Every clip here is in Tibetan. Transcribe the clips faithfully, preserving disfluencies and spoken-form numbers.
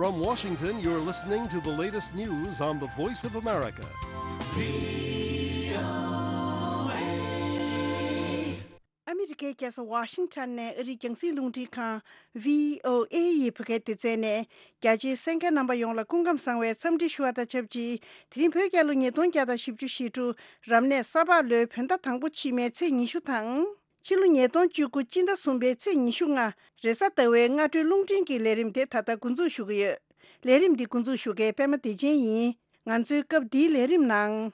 From Washington, you're listening to the latest news on the Voice of America. ཨ་མི་རི་ཀའི་རྒྱལ་ས་ཝ་ཤིང་ཊོན་ནས་ཨ་རིའི་རྒྱང་སྲིང་རླུང་འཕྲིན་ཁང་བྷི་ཨོ་ཨེ་ཡི་བོད་སྐད་སྡེ་ཚན་ནས། རྒྱ་ཆེའི་གསན་མཁན་རྣམ་པ་ཡོངས་ལ་སྐུ་ཁམས་བཟང་བའི་འཚམས་འདྲི་ཞུ་བ་དང་ཆབས་ཅིག་དེ་རིང་བོད་རྒྱལ་ལོ་ཉིས་སྟོང་བརྒྱ་དང་བཞི་བཅུ་ཞེ་དྲུག་རབ་གནས་ས་ཕག་ལོའི་བོད་ཟླ་དང་པོ་ཕྱི་མའི་ཚེས་ཉི་ཤུ་དང་། ཕྱི་ལོ་ཉིས་སྟོང་བཅུ་དགུ་སྤྱི་ཟླ་གསུམ་པའི་ཚེས་ཉི་ཤུ་ལྔ། རེས་གཟའ་ཟླ་བའི་སྔ་དྲོའི་རླུང་འཕྲིན་གྱི་ལས་རིམ་དེ་ད་ལྟ་འགོ་འཛུགས་ཞུ་གི་ཡོད། ལས་རིམ་འདི་འགོ་འཛུགས་ཞུ་མཁན་པད་མ་བདེ་ཆེན་ཡིན། ང་ཚོའི་སྐབས་འདིའི་ལས་རིམ་ནང་།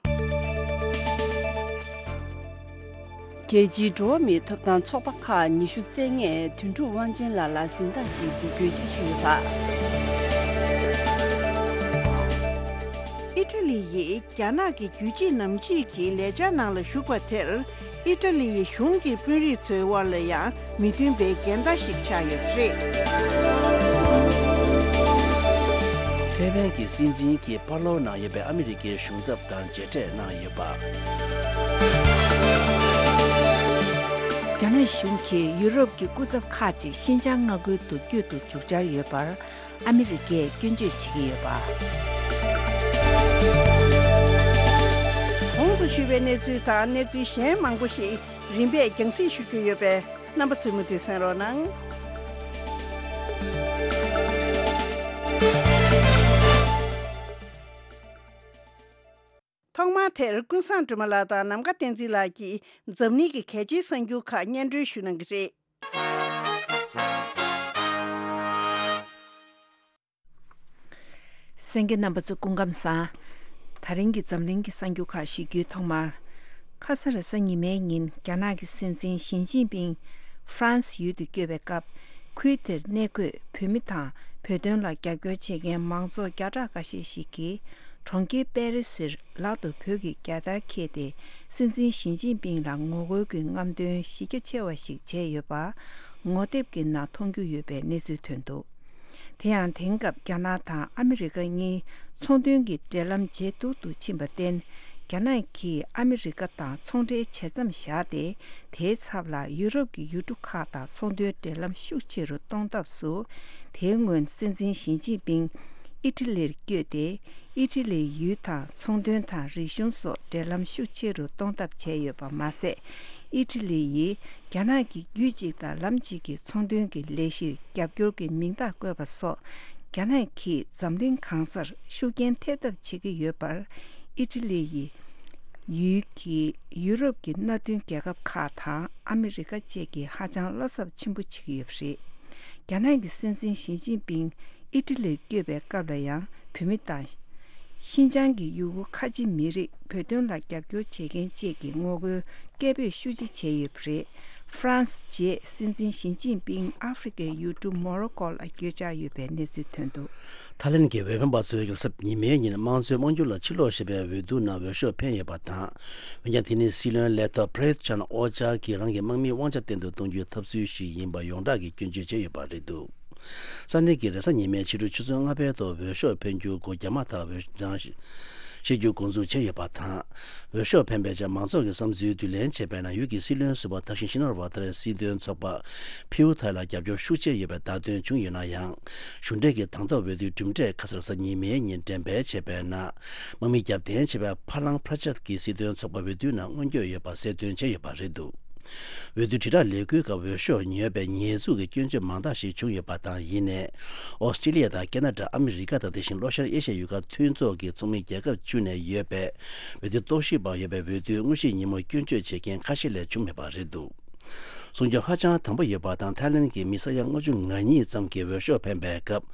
རྒྱལ་སྤྱིའི་འགྲོ་བ་མིའི་ཐོབ་ཐང་ཚོགས་པ་ཁག་ཉི་ཤུ་རྩ་ལྔས་དོན་གྲུབ་དབང་ཆེན་ལགས་ལ་གཟེངས་རྟགས་ཤིག་འབུལ་རྒྱུའི་འཆར་གཞི་ཡོད་པ། ཨི་ཊ་ལི་ཡིས་རྒྱ་ནག་གི་རྒྱུད་གཅིག་ནང་གཅིག་གི་ལས་འཆར་ནང་ལ་ཞུགས་པ་དེར། ཨི་ཊ་ལི་ཡི་གཞུང་གི་དཔོན་རིགས་ཚོའི་དབར་ལ་ཡང་མི་མཐུན་པའི་འགལ་ཟླ་ཞིག་ཆགས་ཡོད་པ་རེད། ཐའེ་ཝན་གྱི་སྲིད་འཛིན་གྱིས་པཱ་ལོའུ་ནང་ཡོད་པའི་ཨ་མི་རི་ཀའི་གཞུང་ཚབ་དང་མཇལ་འཕྲད་གནང་ཡོད་པ། རྒྱ་ནག་གཞུང་གིས་ཡུ་རོབ་ཀྱི་སྐུ་ཚབ་ཁག་ཅིག་ཤིན་ཅང་མངའ་ཁུལ་དུ་བསྐྱོད་དུ་འཇུག་འཆར་ཡོད་པར། ཨ་མི་རི་ཀས་སྐྱོན་བརྗོད་བྱེད་ཀྱི་ཡོད་པ། གོང་དུ་ཞུས་པའི་གནས་ཚུལ་དང་གནས་ཚུལ་གཞན་མང་པོ་ཞིག་རིམ་པས་རྒྱང་སྲིང་ཞུ་རྒྱུ་ཡོད་པས། རྣམ་པ་ཚོས་མུ་མཐུད་གསན་རོགས་གནང་། ཐོག་མར་དེར་ཀུན་བཟང་སྒྲོལ་མ་ལགས་དང་ནམ་མཁའ་བསྟན་འཛིན་ལགས་ཀྱིས་འཛམ་གླིང་གི་གལ་ཆེའི་གསར་འགྱུར་ཁག་སྙན་སྒྲོན་ཞུ་གནང་གི་རེད། གསན་མཁན་རྣམ་པ་ཚོ་སྐུ་ཁམས་བཟང་། ད་རིང་གི་འཛམ་གླིང་གི་གསར་འགྱུར་ཁག་ཞུ་རྒྱུའི་ཐོག་མར། ཁ་ས་རེས་གཟའ་ཉི་མའི་ཉིན་རྒྱ་ནག་གི་སྲིད་འཛིན་ཞི་ཅིན་ཕིང་ཧྥ་རན་སི་ཡུལ་དུ་བསྐྱོད་པའི་སྐབས། ཁུལ་དེར་གནས་འཁོད་བོད་མི་དང་བོད་དོན་ལ་རྒྱབ་སྐྱོར་བྱེད་མཁན་མང་ཚོགས་བརྒྱ་ཕྲག་འགའ་ཤས་ཤིག་གིས་གྲོང་ཁྱེར་པེ་རི་སིར་ལག་ཏུ་བོད་ཀྱི་རྒྱལ་དར་འཁྱེར་ཏེ། སྲིད་འཛིན་ཞི་ཅིན་ཕིང་ལ་ངོ་རྒོལ་གྱི་རྔམ་སྟོན་གཞི་རྒྱ་ཆེ་བ་ཞིག་བྱས་ཡོད་པ། ངོ་དེབ་ཀྱི་ནང་མཐོང་རྒྱུ་ཡོད་པའི་གནས་ཚུལ་ཐོན་འདུག་དེ་ཡང་དེང་སྐབས་རྒྱ་ནག་དང་ཨ་མི་རི་ཀ་གཉིས་ཚོང་དོན་གྱི་འབྲེལ་ལམ་ཇེ་སྡུག་ཏུ་ཕྱིན་པར་བརྟེན། རྒྱ་ནག་གིས་ཨ་མི་རི་ཀ་དང་ཚོང་འབྲེལ་ཇེ་མཚམས་བཞག་སྟེ། དེའི་ཚབ་ལ་ཡུ་རོབ་ཀྱི་ཡུལ་གྲུ་ཁག་དང་ཚོང་དོན་འབྲེལ་ལམ་ཤུགས་ཆེ་རུ་གཏོང་ཐབས་སུ། དེའི་སྔོན་སྲིད་འཛིན་ཞི་ཅིན་ཕིང་ཨི་ཊ་ལིར་བསྐྱོད་དེ། ཨི་ཊ་ལིའི་ཡུལ་དང་ཚོང་དོན་དང་རིག་གཞུང་སོགས་འབྲེལ་ལམ་ཤུགས་ཆེ་རུ་གཏོང་ཐབས་བྱས་ཡོད་པ་མ་ཟད། ཨི་ཊ་ལི་ཡིས་རྒྱ་ནག་གི་རྒྱུད་གཅིག་དང་ལམ་གཅིག་གི་ཚོང་དོན་གྱི་ལས་གཞིར་རྒྱབ་སྐྱོར་གྱི་མིང་རྟགས་བཀོད་པ་སོགས། རྒྱ་ནག་གིས་འཛམ་གླིང་གང་སར་ཤུགས་རྐྱེན་ཐེབས་ཐབས་བྱེད་ཀྱི་ཡོད་པར། ཨི་ཊ་ལི་ཡི་ཡུལ་གྱིས་ཡུ་རོབ་ཀྱི་མནའ་མཐུན་རྒྱལ་ཁབ་ཁག་དང་ཨ་མི་རི་ཀ་བཅས་ཀྱིས་ཧ་ཅང་བློ་འཚབ་ཆེན་པོ་བྱེད་ཀྱི་ཡོད་པ་རེད། རྒྱ་ནག་གི་སྲིད་འཛིན་ཞི་ཅིན་ཕིང་ཨི་ཊ་ལིར་བསྐྱོད་པའི་སྐབས་ལ་ཡང་བོད་མི་དང་། ཤིན་ཅང་གི་ཡུ་གུར་ཁ་ཆེ་མི་རིགས་བོད་དོན་ལ་རྒྱབ་སྐྱོར་བྱེད་མཁན་བཅས་ཀྱི་ངོ་རྒོལ་སྐད་འབོད་ཤུགས་ཆེ་བྱས་ཡོད་པ་རེད། ཧྥ་རན་སི་རྗེས་སྲིད་འཛིན་ཞི་ཅིན་ཕིང་ཨ་ཧྥེ་རི་ཁའི་ཡུལ་གྲུ་མོ་རོ་ཀོ་ལ་བསྐྱོད་འཆར་ཡོད་པའི་གནས་ཚུལ་ཐོན་འདུག་ཐའི་ལེན་གྱི་འོས་འཕེན་པ་ཚོས་རེས་གཟའ་ཉི་མའི་ཉིན་དམངས་གཙོའི་དབང་སྒྱུར་ལ་ཕྱིར་ལོག་ཞེས་པའི་འོས་བསྡུ་ནང་འོས་ཤོག་འཕེན་ཡོད་པ་དང་། འོན་ཀྱང་དེ་ནི་སྲིད་བློན་ལས་ཐོག་པྲེད་ཆན་ཨོ་ཅཱ་གིས་རང་གི་དམག་མིའི་དབང་ཆ་བརྟན་དུ་གཏོང་རྒྱུའི་ཐབས་ཚུལ་ཞིག་ཡིན་པ་ཡོངས་གྲགས་ཀྱིས་སྐྱོན་བརྗོད་བྱས་ཡོད་པ་རེད་འདུག་ས་གནས་ཀྱི་རེས་གཟའ་ཉི་མའི་ཕྱི་དྲོ་ཆུ་ཚོད་ལྔ་པའི་ཐོག་འོས་ཤོག་འཕེན་རྒྱུ་སྒོ་རྒྱག་མ་ཐག་འོས་གྲངས་བཤེར་རྒྱུ་འགོ་འཛུགས་བྱས་ཡོད་པ་དང་། འོས་ཤོག་འཕེན་པའི་ཆེད་མང་ཚོགས་ཀྱི་བསམ་ཚུལ་བསྡུ་ལེན་བྱས་པའི་ནང་ཡུལ་གྱི་སྲིད་བློན་ཟུར་པ་ཐར་ཤིན་ཤི་ན་ཝ་ཐར་སྲིད་དོན་ཚོགས་པ་ཕིའུ་ཐའི་ལ་རྒྱབ་སྐྱོར་ཤུགས་ཆེ་ཡོད་པའི་བརྡ་སྟོན་བྱུང་ཡོད་ན་ཡང་། གཞུང་འབྲེལ་གྱི་དང་ཐོག་འོས་བསྡུའི་གྲུབ་འབྲས་ཁ་སང་རེས་གཟའ་ཉི་མའི་ཉིན་འགྲེམས་སྤེལ་བྱས་པའི་ནང་། དམག་མི་རྒྱབ་རྟེན་བྱས་པའི་ཕ་ལང་པྲ་ཅད་ཀྱི་སྲིད་དོན་ཚོགས་པ་འོས་བསྡུའི་ནང་མངོན་འགྱོད་ཡོད་པ་གསལ་སྟོན་བྱས་ཡོད་པ་རེད་འདུག་འོས་བསྡུ་དྲིལ་བསྒྲགས་ལས་འགུལ་སྐབས་འོས་ཤོག་ཉོས་པའི་ཉེས་འཛུགས་ཀྱི་སྐྱོན་བརྗོད་མང་དག་ཞིག་བྱུང་ཡོད་པ་དང་། ཡིན་ནའི། ཨོ་སི་ཀྲི་ལི་ཡ་དང་ཁེ་ན་ཌ། ཨ་མི་རི་ཀ་དང་དེ་བཞིན་ལྷོ་ཤར་ཨེ་ཤ་ཡའི་ཡུལ་ཁག་མཐུན་ཚོགས་ཀྱི་ཚོགས་མི་རྒྱལ་ཁབ་བཅུ་ནས་ཡོད་པའི་འོས་བསྡུ་རྟོག་ཞིབ་པ་ཡོད་པའི་འོས་བསྡུའི་དངོས་གཞིའི་ཉིན་མོར་སྐྱོན་བརྗོད་བྱེད་མཁན་ཁ་ཤས་ལས་བྱུང་མེད་པ་རེད་འདུག་སྲུང་སྐྱོབ་ཧ་ཅང་དམ་པོ་ཡོད་པ་དང་། ཐའི་ལེན་གྱི་མི་ས་ཡ་ལྔ་བཅུ་ང་གཉིས་ཙམ་གྱིས་འོས་ཤོག་འཕེན་པའི་སྐབས་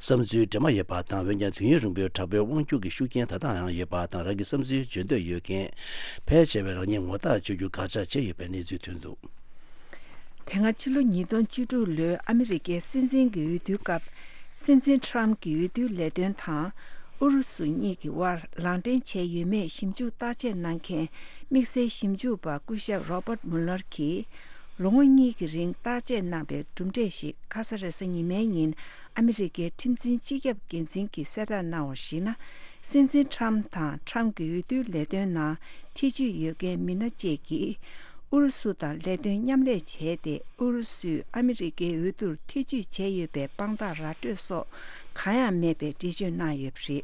བསམ་ཚུལ་འདྲེས་མ་ཡོད་པ་དང་། འོན་ཀྱང་དུས་ཡུན་རིང་པོའི་དྲག་པོའི་དབང་སྒྱུར་གྱི་ཤུགས་རྐྱེན་ད་ལྟའང་ཡོད་པ་དང་། རང་གི་བསམ་ཚུལ་བརྗོད་འདོད་ཡོད་མཁན་ཕལ་ཆེ་བས་རང་ཉིད་ངོ་རྟགས་བཅོས་རྒྱུ་དགག་བྱ་བྱས་ཡོད་པའི་གནས་ཚུལ་ཐོན་འདུག་དེ་སྔ་ཕྱི་ལོ་ཉིས་སྟོང་བཅུ་དྲུག་ལོའི་ཨ་མི་རི་ཀའི་སྲིད་འཛིན་གྱི་འོས་བསྡུའི་སྐབས། སྲིད་འཛིན་ཊམ་གྱི་འོས་བསྡུའི་ལས་དོན་དང་ཨུ་རུ་སུ་གཉིས་ཀྱི་དབར་ལག་འབྲེལ་བྱས་ཡོད་མེད་ཞིབ་འཇུག་བརྟག་དཔྱད་གནང་མཁན་དམིགས་བསལ་ཞིབ་འཇུག་པ་སྐུ་ཞབས་རོ་པར་མུ་ལར་གྱིས། ལོ་ངོ་གཉིས་ཀྱི་རིང་བརྟག་དཔྱད་གནང་པའི་གྲུབ་འབྲས་ཤིག་ཁ་ས་རེས་གཟའ་ཉི་མའི་ཉིན་ཨ་མི་རི་ཀའི་ཁྲིམས་འཛིན་སྤྱི་ཁྱབ་འགན་འཛིན་གྱིས་གསལ་བསྒྲགས་གནང་བར་གཞིགས་ན། སྲིད་འཛིན་ཊམ་དང་ཊམ་གྱི་འོས་བསྡུའི་ལས་དོན་ནང་ཐེ་བྱུས་ཡོད་མཁན་མི་སྣ་བཅས་ཀྱིས། ཨུ་རུ་སུ་དང་ལས་དོན་མཉམ་ལས་བྱས་ཏེ། ཨུ་རུ་སུས་ཨ་མི་རི་ཀའི་འོས་བསྡུར་ཐེ་ཇུས་བྱས་ཡོད་པའི་དཔང་རྟགས་ར་སྤྲོད་སོགས་གང་ཡང་མེད་པའི་འགྲེལ་བརྗོད་གནང་ཡོད་པ་རེད།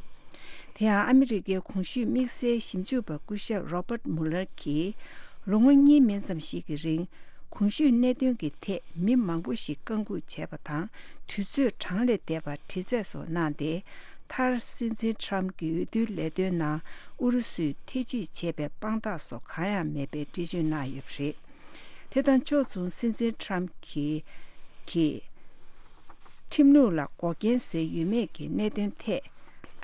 དེ་ཡང་ཨ་མི་རི་ཀའི་གོང་ཞུས་དམིགས་བསལ་ཞིབ་འཇུག་པ་སྐུ་ཞབས་Robert Mueller གྱིས། ལོ་ངོ་གཉིས་མན་ཙམ་ཞིག་གི་རིང་གོང་ཞུས་གནད་དོན་གྱི་ཐད་མི་མང་པོ་ཞིག་བཀའ་འགུག་བྱས་པ་དང་། དུས་ཚོད་གྲངས་ལས་འདས་པར་དྲི་རྩད་སོགས་གནང་སྟེ། མཐར་སྲིད་འཛིན་ཊམ་གྱི་འོས་བསྡུའི་ལས་དོན་ནང་ཨུ་རུ་སུས་ཐེ་ཇུས་བྱས་པའི་དཔང་རྟགས་སོགས་གང་ཡང་མེད་པའི་འགྲེལ་བརྗོད་གནང་ཡོད་པ་རེད། དེ་དང་ཕྱོགས་མཚུངས། སྲིད་འཛིན་ཊམ་གྱིས་གྱིས་ཁྲིམས་ལུགས་ལ་འགོག་རྐྱེན་བཟོས་ཡོད་མེད་ཀྱི་གནད་དོན་ཐད།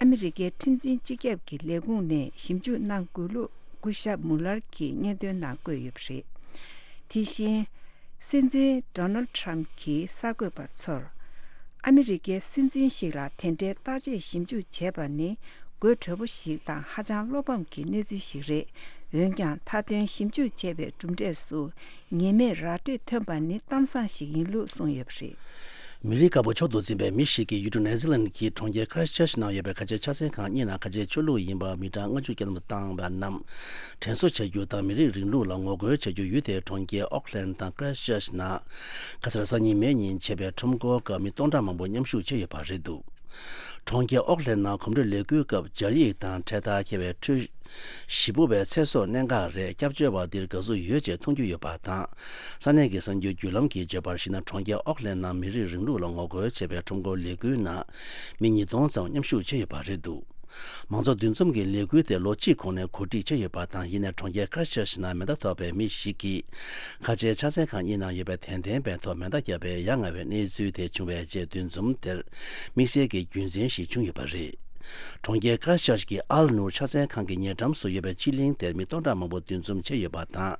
ཨ་མི་རི་ཀའི་ཁྲིམས་འཛིན་སྤྱི་ཁྱབ་ཀྱི་ལས་ཁུངས་ནས་ཞིབ་འཇུག་གནང་དགོས་ལུགས་སྐུ་ཞབས་མུ་ལར་གྱིས་སྙན་ཐོའི་ནང་བཀོད་ཡོད་པ་རེད། དེ་བཞིན། སྲིད་འཛིན་ཌོ་ནལ་ཊམ་གྱིས་གསར་འགོད་པ་ཚོར། ཨ་མི་རི་ཀའི་སྲིད་འཛིན་ཞིག་ལ་དེ་འདྲའི་བརྟག་དཔྱད་ཞིབ་འཇུག་བྱས་པ་ནི་དགོད་བྲོ་པོ་ཞིག་དང་ཧ་ཅང་བློ་ཕམ་གྱི་གནས་ཚུལ་ཞིག་རེད། འོན་ཀྱང་། མཐའ་དོན་ཞིབ་འཇུག་བྱས་པའི་གྲུབ་འབྲས་སུ་ངེས་མེད་ར་སྤྲོད་ཐོན་པ་ནི་གཏམ་བཟང་ཞིག་ཡིན་ལུགས་གསུངས་ཡོད་པ་རེད། མི་རིགས་དཀར་པོ་མཆོག་ཏུ་འཛིན་པའི་མི་ཞིག་གིས་ཡུལ་གྲུ་ནེ་ཛི་ལན་གྱི་གྲོང་ཁྱེར་ཁ་ར་ཆར་ཆི་ནང་ཡོད་པའི་ཁ་ཆེའི་ཕྱག་འཚལ་ཁང་གཉིས་ནང་ཁ་ཆེའི་ཆོས་ལུགས་ཡིན་པ་མི་གྲངས་ལྔ་བཅུ་བསྐྱར་དུ་བཏང་བ་རྣམས་དྲན་གསོ་བྱ་རྒྱུ་དང་། མི་རིགས་རིང་ལུགས་ལ་ངོ་རྒོལ་བྱ་རྒྱུ། ཡུལ་དེའི་གྲོང་ཁྱེར་ཨོག་ལན་དང་ཁ་ར་ཆར་ཆི་ནང་ཁ་སང་སང་ཉིན་མེ་ཉིན་བྱས་པའི་ཁྲོམ་སྐོར་སྐབས་མི་སྟོང་ཕྲག་མང་པོ་མཉམ་ཞུགས་བྱས་ཡོད་པ་རེད་འདུག་གྲོང་ཁྱེར་ཨོག་ལན་ནང་གོམ་བགྲོད་ལས་འགུལ་སྐབས་སྦྱར་ཡིག་དང་འཕྲེད་དར་འཁྱེར་བའི་ཁྲོད། ཞེ་པོ་བའི་ཚེ་སྲོག་གནད་འགག་རེད། སྐྱབས་བཅོལ་བ་འདིར་དགའ་བསུ་ཡོད་ཅེས་མཐོང་རྒྱུ་ཡོད་པ་དང་། ས་གནས་ཀྱི་གསར་འགྱུར་བརྒྱུད་ལམ་གྱིས་བརྗོད་པར་གཞིགས་ན། གྲོང་ཁྱེར་ཨོག་ལན་ནང་མི་རིགས་རིང་ལུགས་ལ་ངོ་རྒོལ་བྱེད་པའི་ཁྲོམ་སྐོར་ལས་འགུལ་ནང་མི་ཉིས་སྟོང་ཙམ་མཉམ་ཞུགས་བྱས་ཡོད་པ་རེད་འདུག་མང་ཚོགས་འདུ་འཛོམས་ཀྱི་ལས་འགུལ་དེ་ལོ་གཅིག་གོང་ནས་གོ་སྒྲིག་བྱས་ཡོད་པ་དང་། ཡིན་ནའི་གྲོང་ཁྱེར་ཁ་ར་ཆར་ཆི་ནང་མེ་མདའ་ཐོགས་པའི་མི་ཞིག་གིས་ཁ་ཆེའི་ཕྱག་འཚལ་ཁང་གཉིས་ནང་ཡོད་པའི་དད་ལྡན་པའི་ཐོག་མེ་མདའ་བརྒྱབ་པའི་ཡ་ང་བའི་གནས་ཚུལ་དེ་བྱུང་བའི་རྗེས། འདུ་འཛོམས་དེར་དམིགས་བསལ་གྱི་རྒྱུ་མཚན་ཞིག་བྱུང་ཡོད་པ་རེད། གྲོང་ཁྱེར་ཁ་ར་ཆར་ཆི་གི་ཨལ་ནུར་ཕྱག་འཚལ་ཁང་གི་ཉེ་འགྲམ་སུ་ཡོད་པའི་སྤྱི་གླིང་དེར་མི་སྟོང་ཕྲག་མང་པོ་འདུ་འཛོམས་བྱས་ཡོད་པ་དང་།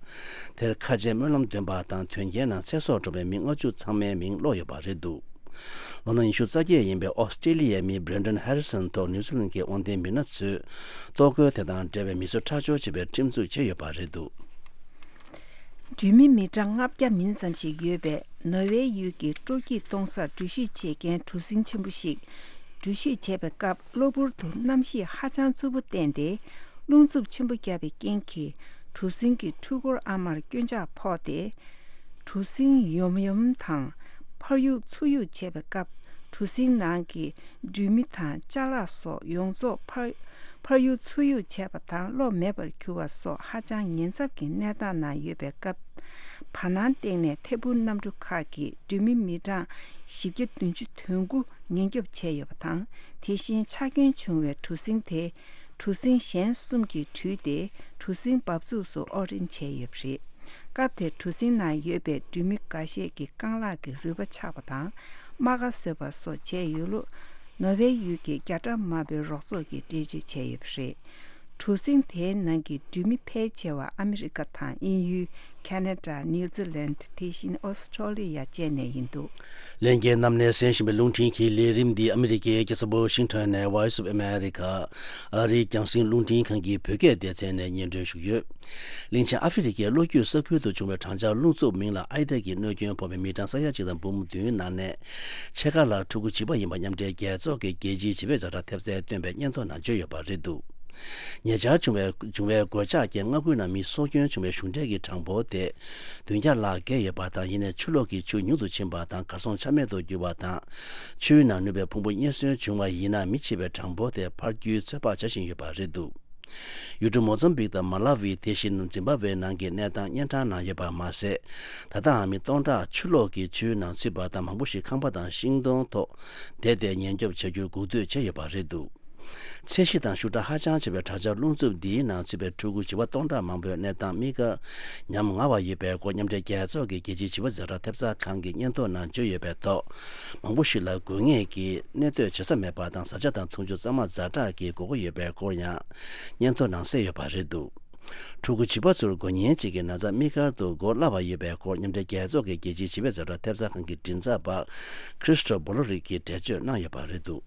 དེར་ཁ་ཆེའི་སྨོན་ལམ་འདོན་པ་དང་། དོན་རྐྱེན་ནང་ཚེ་སྲོག་བཀྲོངས་པའི་མི་ལྔ་བཅུ་ཚང་མའི་མིང་ཀློག་ཡོད་པ་རེད་འདུག་ལོ་ན་ཉི་ཤུ་རྩ་བརྒྱད་ཡིན་པའི་ཨོ་སི་ཀྲི་ལི་ཡའི་མི་Brendan Harrison ཐོག་ནིའུ་ཛི་ལན་གྱི་དབང་ལྡན་མི་སྣ་ཚོས་གཏོར་རྒོལ་དེ་དང་འབྲེལ་བའི་མི་གསོད་ཁྲག་སྦྱོར་བྱས་པའི་ཁྲིམས་འཛུགས་བྱས་ཡོད་པ་རེད་འདུག་འགྲུལ་མི་མི་གྲངས་ལྔ་བརྒྱ་མིན་ཙམ་ཞིག་ཡོད་པའི་ནོར་ཝེ་ཡུལ་གྱི་སྤྲོ་སྐྱིད་གཏོང་སར་འགྲུལ་བཞུད་བྱེད་མཁན་གྲུ་གཟིངས་ཆེན་པོ་ཞིག་འགྲུལ་བཞུད་བྱེད་པའི་སྐབས། གློ་བུར་དུ་གནམ་གཤིས་ཧ་ཅང་རྩུབ་པོ་བརྟས་ཏེ། རླུང་འཚུབ་ཆེན་པོ་བརྒྱབ་པའི་རྐྱེན་གྱིས། གྲུ་གཟིངས་ཀྱི་འཕྲུལ་འཁོར་ཨ་མར་སྐྱོན་ཆག་ཕོག་སྟེ། གྲུ་གཟིངས་ཡོམ་ཡོམ་དང་ཕར་གཡུག་ཚུར་གཡུག་བྱས་པའི་སྐབས། གྲུ་གཟིངས་ནང་གི་འགྲུལ་མི་དང་ཅ་ལག་སོགས་ཡོངས་རྫོགས་ཕར་ཕར་གཡུག་ཚུར་གཡུག་བྱས་པ་དང་གློག་མེད་པར་གྱུར་བ་སོགས་ཧ་ཅང་ཉེན་ཚབས་ཀྱི་གནས་སྟངས་ནང་ཡོད་པའི་སྐབས། བར་སྣང་སྟེང་ནས་ཐད་འཕུར་གནམ་གྲུ་ཁག་གིས་འགྲུལ་མི་མི་གྲངས་བཞི་བརྒྱ་བདུན་ཅུ་དོན་དགུ་ཉེན་སྐྱོབ་བྱས་ཡོད་པ་དང་། དེ་བཞིན་ཆག་སྐྱོན་བྱུང་བའི་གྲུ་གཟིངས་དེ་གྲུ་གཟིངས་གཞན་གསུམ་གྱིས་དྲུད་དེ། གྲུ་གཟིངས་འབབ་ཚུགས་སུ་དབོར་འདྲེན་བྱས་ཡོད་པ་རེད། སྐབས་དེར་གྲུ་གཟིངས་ནང་ཡོད་པའི་འགྲུལ་མི་འགའ་ཤས་ཀྱི་རྐང་ལག་གི་རུས་པ་ཆག་པ་དང་རྨ་ཁ་གསོས་པ་སོགས་བྱས་ཡོད་ལུགས་ནོར་ཝེ་ཡུལ་གྱི་རྒྱ་གྲམ་དམར་པོའི་རོགས་ཚོགས་ཀྱིས་འགྲེལ་བརྗོད་བྱས་ཡོད་པ་རེད། གྲུ་གཟིངས་དེའི་ནང་གི་འགྲུལ་མི་ཕལ་ཆེ་བ་ཨ་མི་རི་ཀ་དང་དབྱིན་ཡུལ། ཁ་ན་ཌ། ནིའུ་ཛི་ལན། དེ་བཞིན་ཨོ་སི་ཀྲོ་ལི་ཡ་བཅས་ནས་ཡིན་འདུག་ལྷན་རྒྱས་རྣམས་ནས་གསན་བཞིན་པའི་རླུང་འཕྲིན་གྱི་ལས་རིམ་འདི་ཨ་མི་རི་ཀའི་རྒྱལ་ས་ཝ་ཤིང་ཊོན་ནས་Voice of America ཨ་རིའི་རྒྱང་སྲིང་རླུང་འཕྲིན་ཁང་གི་བོད་སྐད་སྡེ་ཚན་ནས་སྙན་སྒྲོན་ཞུས་ཡོད། གླིང་ཆེན་ཨ་ཧྥེ་རི་ཁའི་གློ་རྒྱུད་ས་ཁུལ་དུ་བྱུང་བའི་གྲང་འཁྱག་རླུང་འཚུབ་མིང་ལ་ཨའི་ཏཱ་གི་གནོད་སྐྱོན་ཕོག་པའི་མི་གྲངས་ས་ཡ་གཅིག་དང་འབུམ་བདུན་ནང་ནས་ཕྱེད་ཀ་ལྷག་ཕྲུ་གུ་བྱིས་པ་ཡིན་པ་མཉམ་འབྲེལ་རྒྱལ་ཚོགས་ཀྱི་རྒྱལ་སྤྱིའི་བྱིས་པའི་ཛ་དྲག་ཐེབས་རྩའི་སྟོན་པས་སྙན་ཐོ་ནང་བརྗོད་ཡོད་པ་རེད་འདུག་ཉེ་ཆར་བྱུང་བའི་བྱུང་བའི་གོད་ཆག་གིས་མངའ་ཁུལ་ནང་མི་སྲོག་སྐྱོན་བྱུང་བའི་གཞུང་འབྲེལ་གྱི་གྲངས་འབོར་དེ་བདུན་བརྒྱ་ལྷག་བརྒལ་ཡོད་པ་དང་། ཡིན་ནའི་ཆུ་ལོག་གིས་ཆུ་ཉུང་དུ་ཕྱིན་པ་དང་། གར་སོང་ཆ་མེད་དུ་གྱུར་བ་དང་། ཆུའི་ནང་ནུས་པའི་ཕུང་པོ་རྙེད་སོན་བྱུང་བ་ཡིན་ན། མི་འཆི་བའི་གྲངས་འབོར་དེ་འཕར་རྒྱུའི་ཚོད་དཔག་བྱ་བཞིན་ཡོད་པ་རེད་འདུག་ཡུལ་གྲུ་མོ་ཛམ་བིག་དང་མ་ལ་ཝི། དེ་བཞིན་ཛིམ་བྷ་ཝེ་ནང་གི་གནས་སྟངས་གཉན་འཕྲང་ནང་ཡོད་པ་མ་ཟད། ད་ལྟའང་མི་སྟོང་ཕྲག་ཆུ་ལོག་གིས་ཆུའི་ནང་ཚུད་པ་དང་། མང་པོ་ཞིག་ཁང་པ་དང་ཤིང་སྡོང་ཐོག་བསྡད་དེ་ཉེན་སྐྱོབ་བྱ་རྒྱུར་སྒུག་སྡོད་བྱས་ཡོད་པ་རེད་འདུག་ཚད་གཞི་དང་ཤུགས་དྲག་ཧ་ཅང་ཆེ་བའི་དྲག་ཆར་རླུང་འཚུབ་འདིའི་ནང་ཚུད་པའི་ཕྲུ་གུ་བྱིས་པ་སྟོང་ཕྲག་མང་པོའི་གནས་སྟངས་དམིགས་བཀར་ཉམ་ང་བ་ཡོད་པའི་སྐོར། མཉམ་འབྲེལ་རྒྱལ་ཚོགས་ཀྱི་རྒྱལ་སྤྱིའི་བྱིས་པ་ཛ་དྲག་ཐེབས་རྩ་ཁང་གི་སྙན་ཐོ་ནང་བརྗོད་ཡོད་པའི་ཐོག་མང་པོ་ཞིག་ལ་དགོས་ངེས་ཀྱི་གནས་སྡོད་བྱེད་ས་མེད་པ་དང་། བཟའ་བཅའ་དང་འཐུང་ཆུ་གཙང་མ་ཛ་དྲག་གི་དགོས་མཁོ་ཡོད་པའི་སྐོར་ཡང་སྙན་ཐོ་ནང་གསལ་ཡོད་པ་རེད་འདུག་ཕྲུ་གུ་བྱིས་པ་ཚོར་འགོས་ཉེན་ཅན་གྱི་ན་ཚ་དམིགས་བཀར་དུ་འགོག་སླ་བ་ཡོད་པའི་སྐོར། མཉམ་འབྲེལ་རྒྱལ་ཚོགས་ཀྱི་རྒྱལ་སྤྱིའི་བྱིས་པའི་ཛ་དྲག་ཐེབས་རྩ་ཁང་གི་མགྲིན་ཚབ་པ་Christo Bolorick གིས་འགྲེལ་བརྗོད་གནང་ཡོད་པ་རེད་འདུག་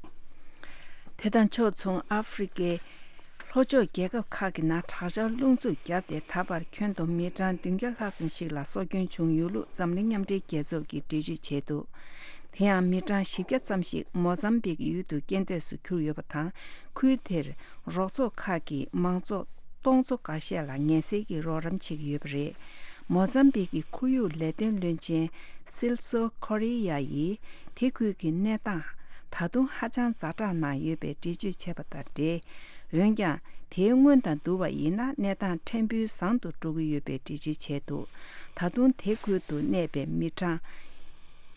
དེ་དང་ཕྱོགས་མཚུངས། ཨ་ཧྥེ་རི་ཁའི་ལྷོ་ཕྱོགས་རྒྱལ་ཁབ་ཁག་གི་ནང་དྲག་ཆར་རླུང་འཚུབ་བརྒྱབ་སྟེ། ད་བར་ཁྱོན་བསྡོམས་མི་གྲངས་བདུན་བརྒྱ་ལྷག་ཙམ་ཞིག་ལ་སྲོག་སྐྱོན་བྱུང་ཡོད་ལུགས་འཛམ་གླིང་མཉམ་འབྲེལ་རྒྱལ་ཚོགས་ཀྱིས་འགྲེལ་བརྗོད་བྱས་འདུག་དེ་ཡང་མི་གྲངས་བཞི་བརྒྱ་ཙམ་ཞིག་མོ་ཛམ་བིག་ཡུལ་དུ་རྐྱེན་འདས་སུ་གྱུར་ཡོད་པ་དང་། ཁུལ་དེར་རོགས་ཚོགས་ཁག་གིས་མང་ཚོགས་སྟོང་ཚོ་འགའ་ཤས་ལ་ངལ་སེལ་གྱི་རོགས་རམ་བྱེད་ཀྱི་ཡོད་པ་རེད། མོ་ཟམ་བིག་གི་ཁོར་ཡུག་ལས་དོན་བློན་ཆེན་སིལ་སོ་ཁོ་རི་ཡ་ཡིས་དེ་ཁུལ་གྱི་གནས་སྟངས་ད་དུང་ཧ་ཅང་ཛ་དྲག་ནང་ཡོད་པའི་འགྲེལ་བརྗོད་བྱས་པ་དང་འབྲེལ། འོན་ཀྱང་དེའི་སྔོན་དང་བསྡུར་བ་ཡིན་ན་གནས་སྟངས་ཕྲན་བུ་བཟང་དུ་འགྲོ་གི་ཡོད་པའི་འགྲེལ་བརྗོད་བྱས་འདུག་ད་དུང་དེ་ཁུལ་དུ་གནས་པའི་མི་གྲངས་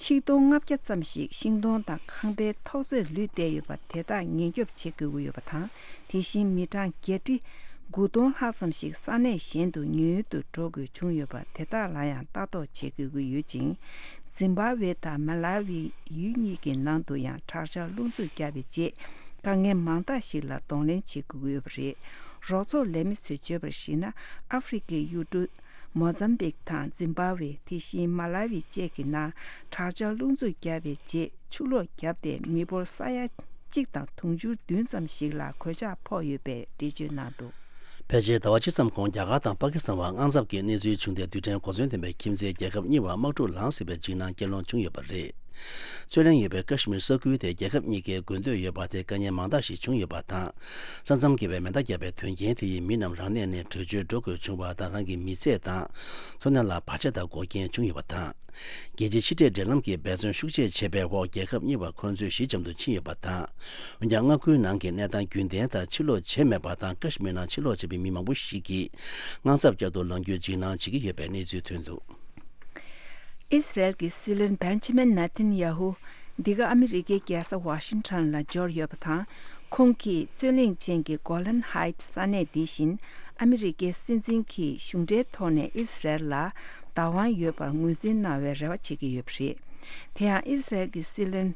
ཆིག་སྟོང་ལྔ་བརྒྱ་ཙམ་ཞིག་ཤིང་སྡོང་དང་ཁང་པའི་ཐོག་རྩེག་ལུད་བསྡད་ཡོད་པ་དེ་དག་ཉེན་སྐྱོབ་བྱེད་དགོས་ཀྱི་ཡོད་པ་དང་། དེ་བཞིན་མི་གྲངས་བརྒྱད་ཁྲི་དགུ་སྟོང་ལྷག་ཙམ་ཞིག་ས་གནས་གཞན་དུ་ཉུང་ཉུང་དུ་འགྲོ་དགོས་བྱུང་ཡོད་པ་དེ་དག་ལ་ཡང་ལྟ་རྟོག་བྱེད་དགོས་ཀྱི་ཡོད་ཅིང་། ཛིམ་བྷ་ཝེ་དང་མ་ལ་ཝི་ཡུལ་གཉིས་ཀྱི་ནང་དུ་ཡང་དྲག་ཆར་རླུང་འཚུབ་བརྒྱབ་པའི་རྗེས་དཀའ་ངལ་མང་དག་ཞིག་ལ་གདོང་ལེན་བྱེད་དགོས་ཀྱི་ཡོད་པ་རེད། རོགས་ཚོགས་ལས་མི་ཚོས་བརྗོད་པར་གཞིགས་ན། ཨ་ཧྥེ་རི་ཁའི་ཡུལ་གྲུ་མོ་ཛམ་བིག་དང་ཛིམ་བྷ་ཝེ། དེ་བཞིན་མ་ལ་ཝི་བཅས་ཀྱི་ནང་དྲག་ཆར་རླུང་འཚུབ་བརྒྱབ་པའི་རྗེས་ཆུ་ལོག་བརྒྱབ་སྟེ་མི་འབོར་ས་ཡ་གཅིག་དང་དུང་ཕྱུར་བདུན་ཙམ་ཞིག་ལ་གོད་ཆག་ཕོག་ཡོད་པའི་འགྲེལ་བརྗོད་གནང་འདུག་ཕལ་ཆེར་ཟླ་བ་གཅིག་ཙམ་གོང་རྒྱ་གར་དང་པ་ཀི་སི་ཐན་བར་དངངས་འཚབ་ཀྱི་གནས་ཚུལ་བྱུང་སྟེ། རྡུལ་ཕྲན་གོ་མཚོན་ལྡན་པའི་ཁྱིམ་མཚེས་རྒྱལ་ཁབ་གཉིས་བར་དམག་འཁྲུག་ལངས་སྲིད་པའི་འཇིགས་སྣང་སྐྱེ་ལོང་བྱུང་ཡོད་པ་རེད། རྩོད་གླེང་ཡོད་པའི་ཀ་ཤི་མིར་ས་ཁུལ་དེ་རྒྱལ་ཁབ་གཉིས་ཀས་དགོས་འདོད་ཡོད་པ་དེ་དཀའ་ངལ་མང་དག་ཞིག་བྱུང་ཡོད་པ་དང་། ས་མཚམས་བརྒལ་བའི་མེ་མདའ་བརྒྱབ་པའི་དོན་རྐྱེན་དེ་ཡིས་མི་རྣམས་རང་གནས་ནས་བྲོས་བྱོལ་འགྲོ་དགོས་བྱུང་བ་དང་། རང་གི་མི་ཚེ་དང་འཚོ་གནས་ལ་བར་ཆད་དང་འགོག་རྐྱེན་བྱུང་ཡོད་པ་དང་། རྒྱལ་སྤྱིའི་ཕྱི་འབྲེལ་འབྲེལ་ལམ་གྱིས་འབད་བརྩོན་ཤུགས་ཆེ་བྱས་པའི་འོག་རྒྱལ་ཁབ་གཉིས་བར་འཁོན་རྩོད་ཞི་འཇམ་དུ་ཕྱིན་ཡོད་པ་དང་། འོན་ཀྱང་མངའ་ཁུལ་ནང་གི་གནས་སྟངས་རྒྱུན་ལྡན་ལྟར་ཕྱིར་ལོག་བྱས་མེད་པ་དང་། ཀ་ཤི་མིར་ནང་ཕྱིར་ལོག་བྱས་པའི་མི་མང་པོ་ཞིག་གིས་དངངས་འཚབ་བསྐྱར་དུ་ལངས་རྒྱུའི་འཇིགས་སྣང་བྱེད་ཀྱི་ཡོད་པའི་གནས་ཚུལ་ཐོན་འདུག་ཨི་སི་རལ་གྱི་སྲིད་བློན་བན་ཆ་མིན་ནེ་ཐན་ཡ་ཧུ་འདི་ག་ཨ་མི་རི་ཀའི་རྒྱལ་ས་ཝ་ཤིང་ཊོན་ལ་འབྱོར་ཡོད་པ་དང་། ཁོང་གིས་རྩོད་གླེང་ཅན་གྱི་གོ་ལན་ཧའིཊ་ས་གནས་འདི་བཞིན་ཨ་མི་རི་ཀའི་སྲིད་འཛིན་གྱིས་གཞུང་འབྲེལ་ཐོག་ནས་ཨི་སི་རལ་ལ་བདག་དབང་ཡོད་པར་ངོས་འཛིན་གནང་བའི་རེ་བ་བྱེད་ཀྱི་ཡོད་པ་རེད། དེ་ཡང་ཨི་སི་རལ་གྱི་སྲིད་བློན་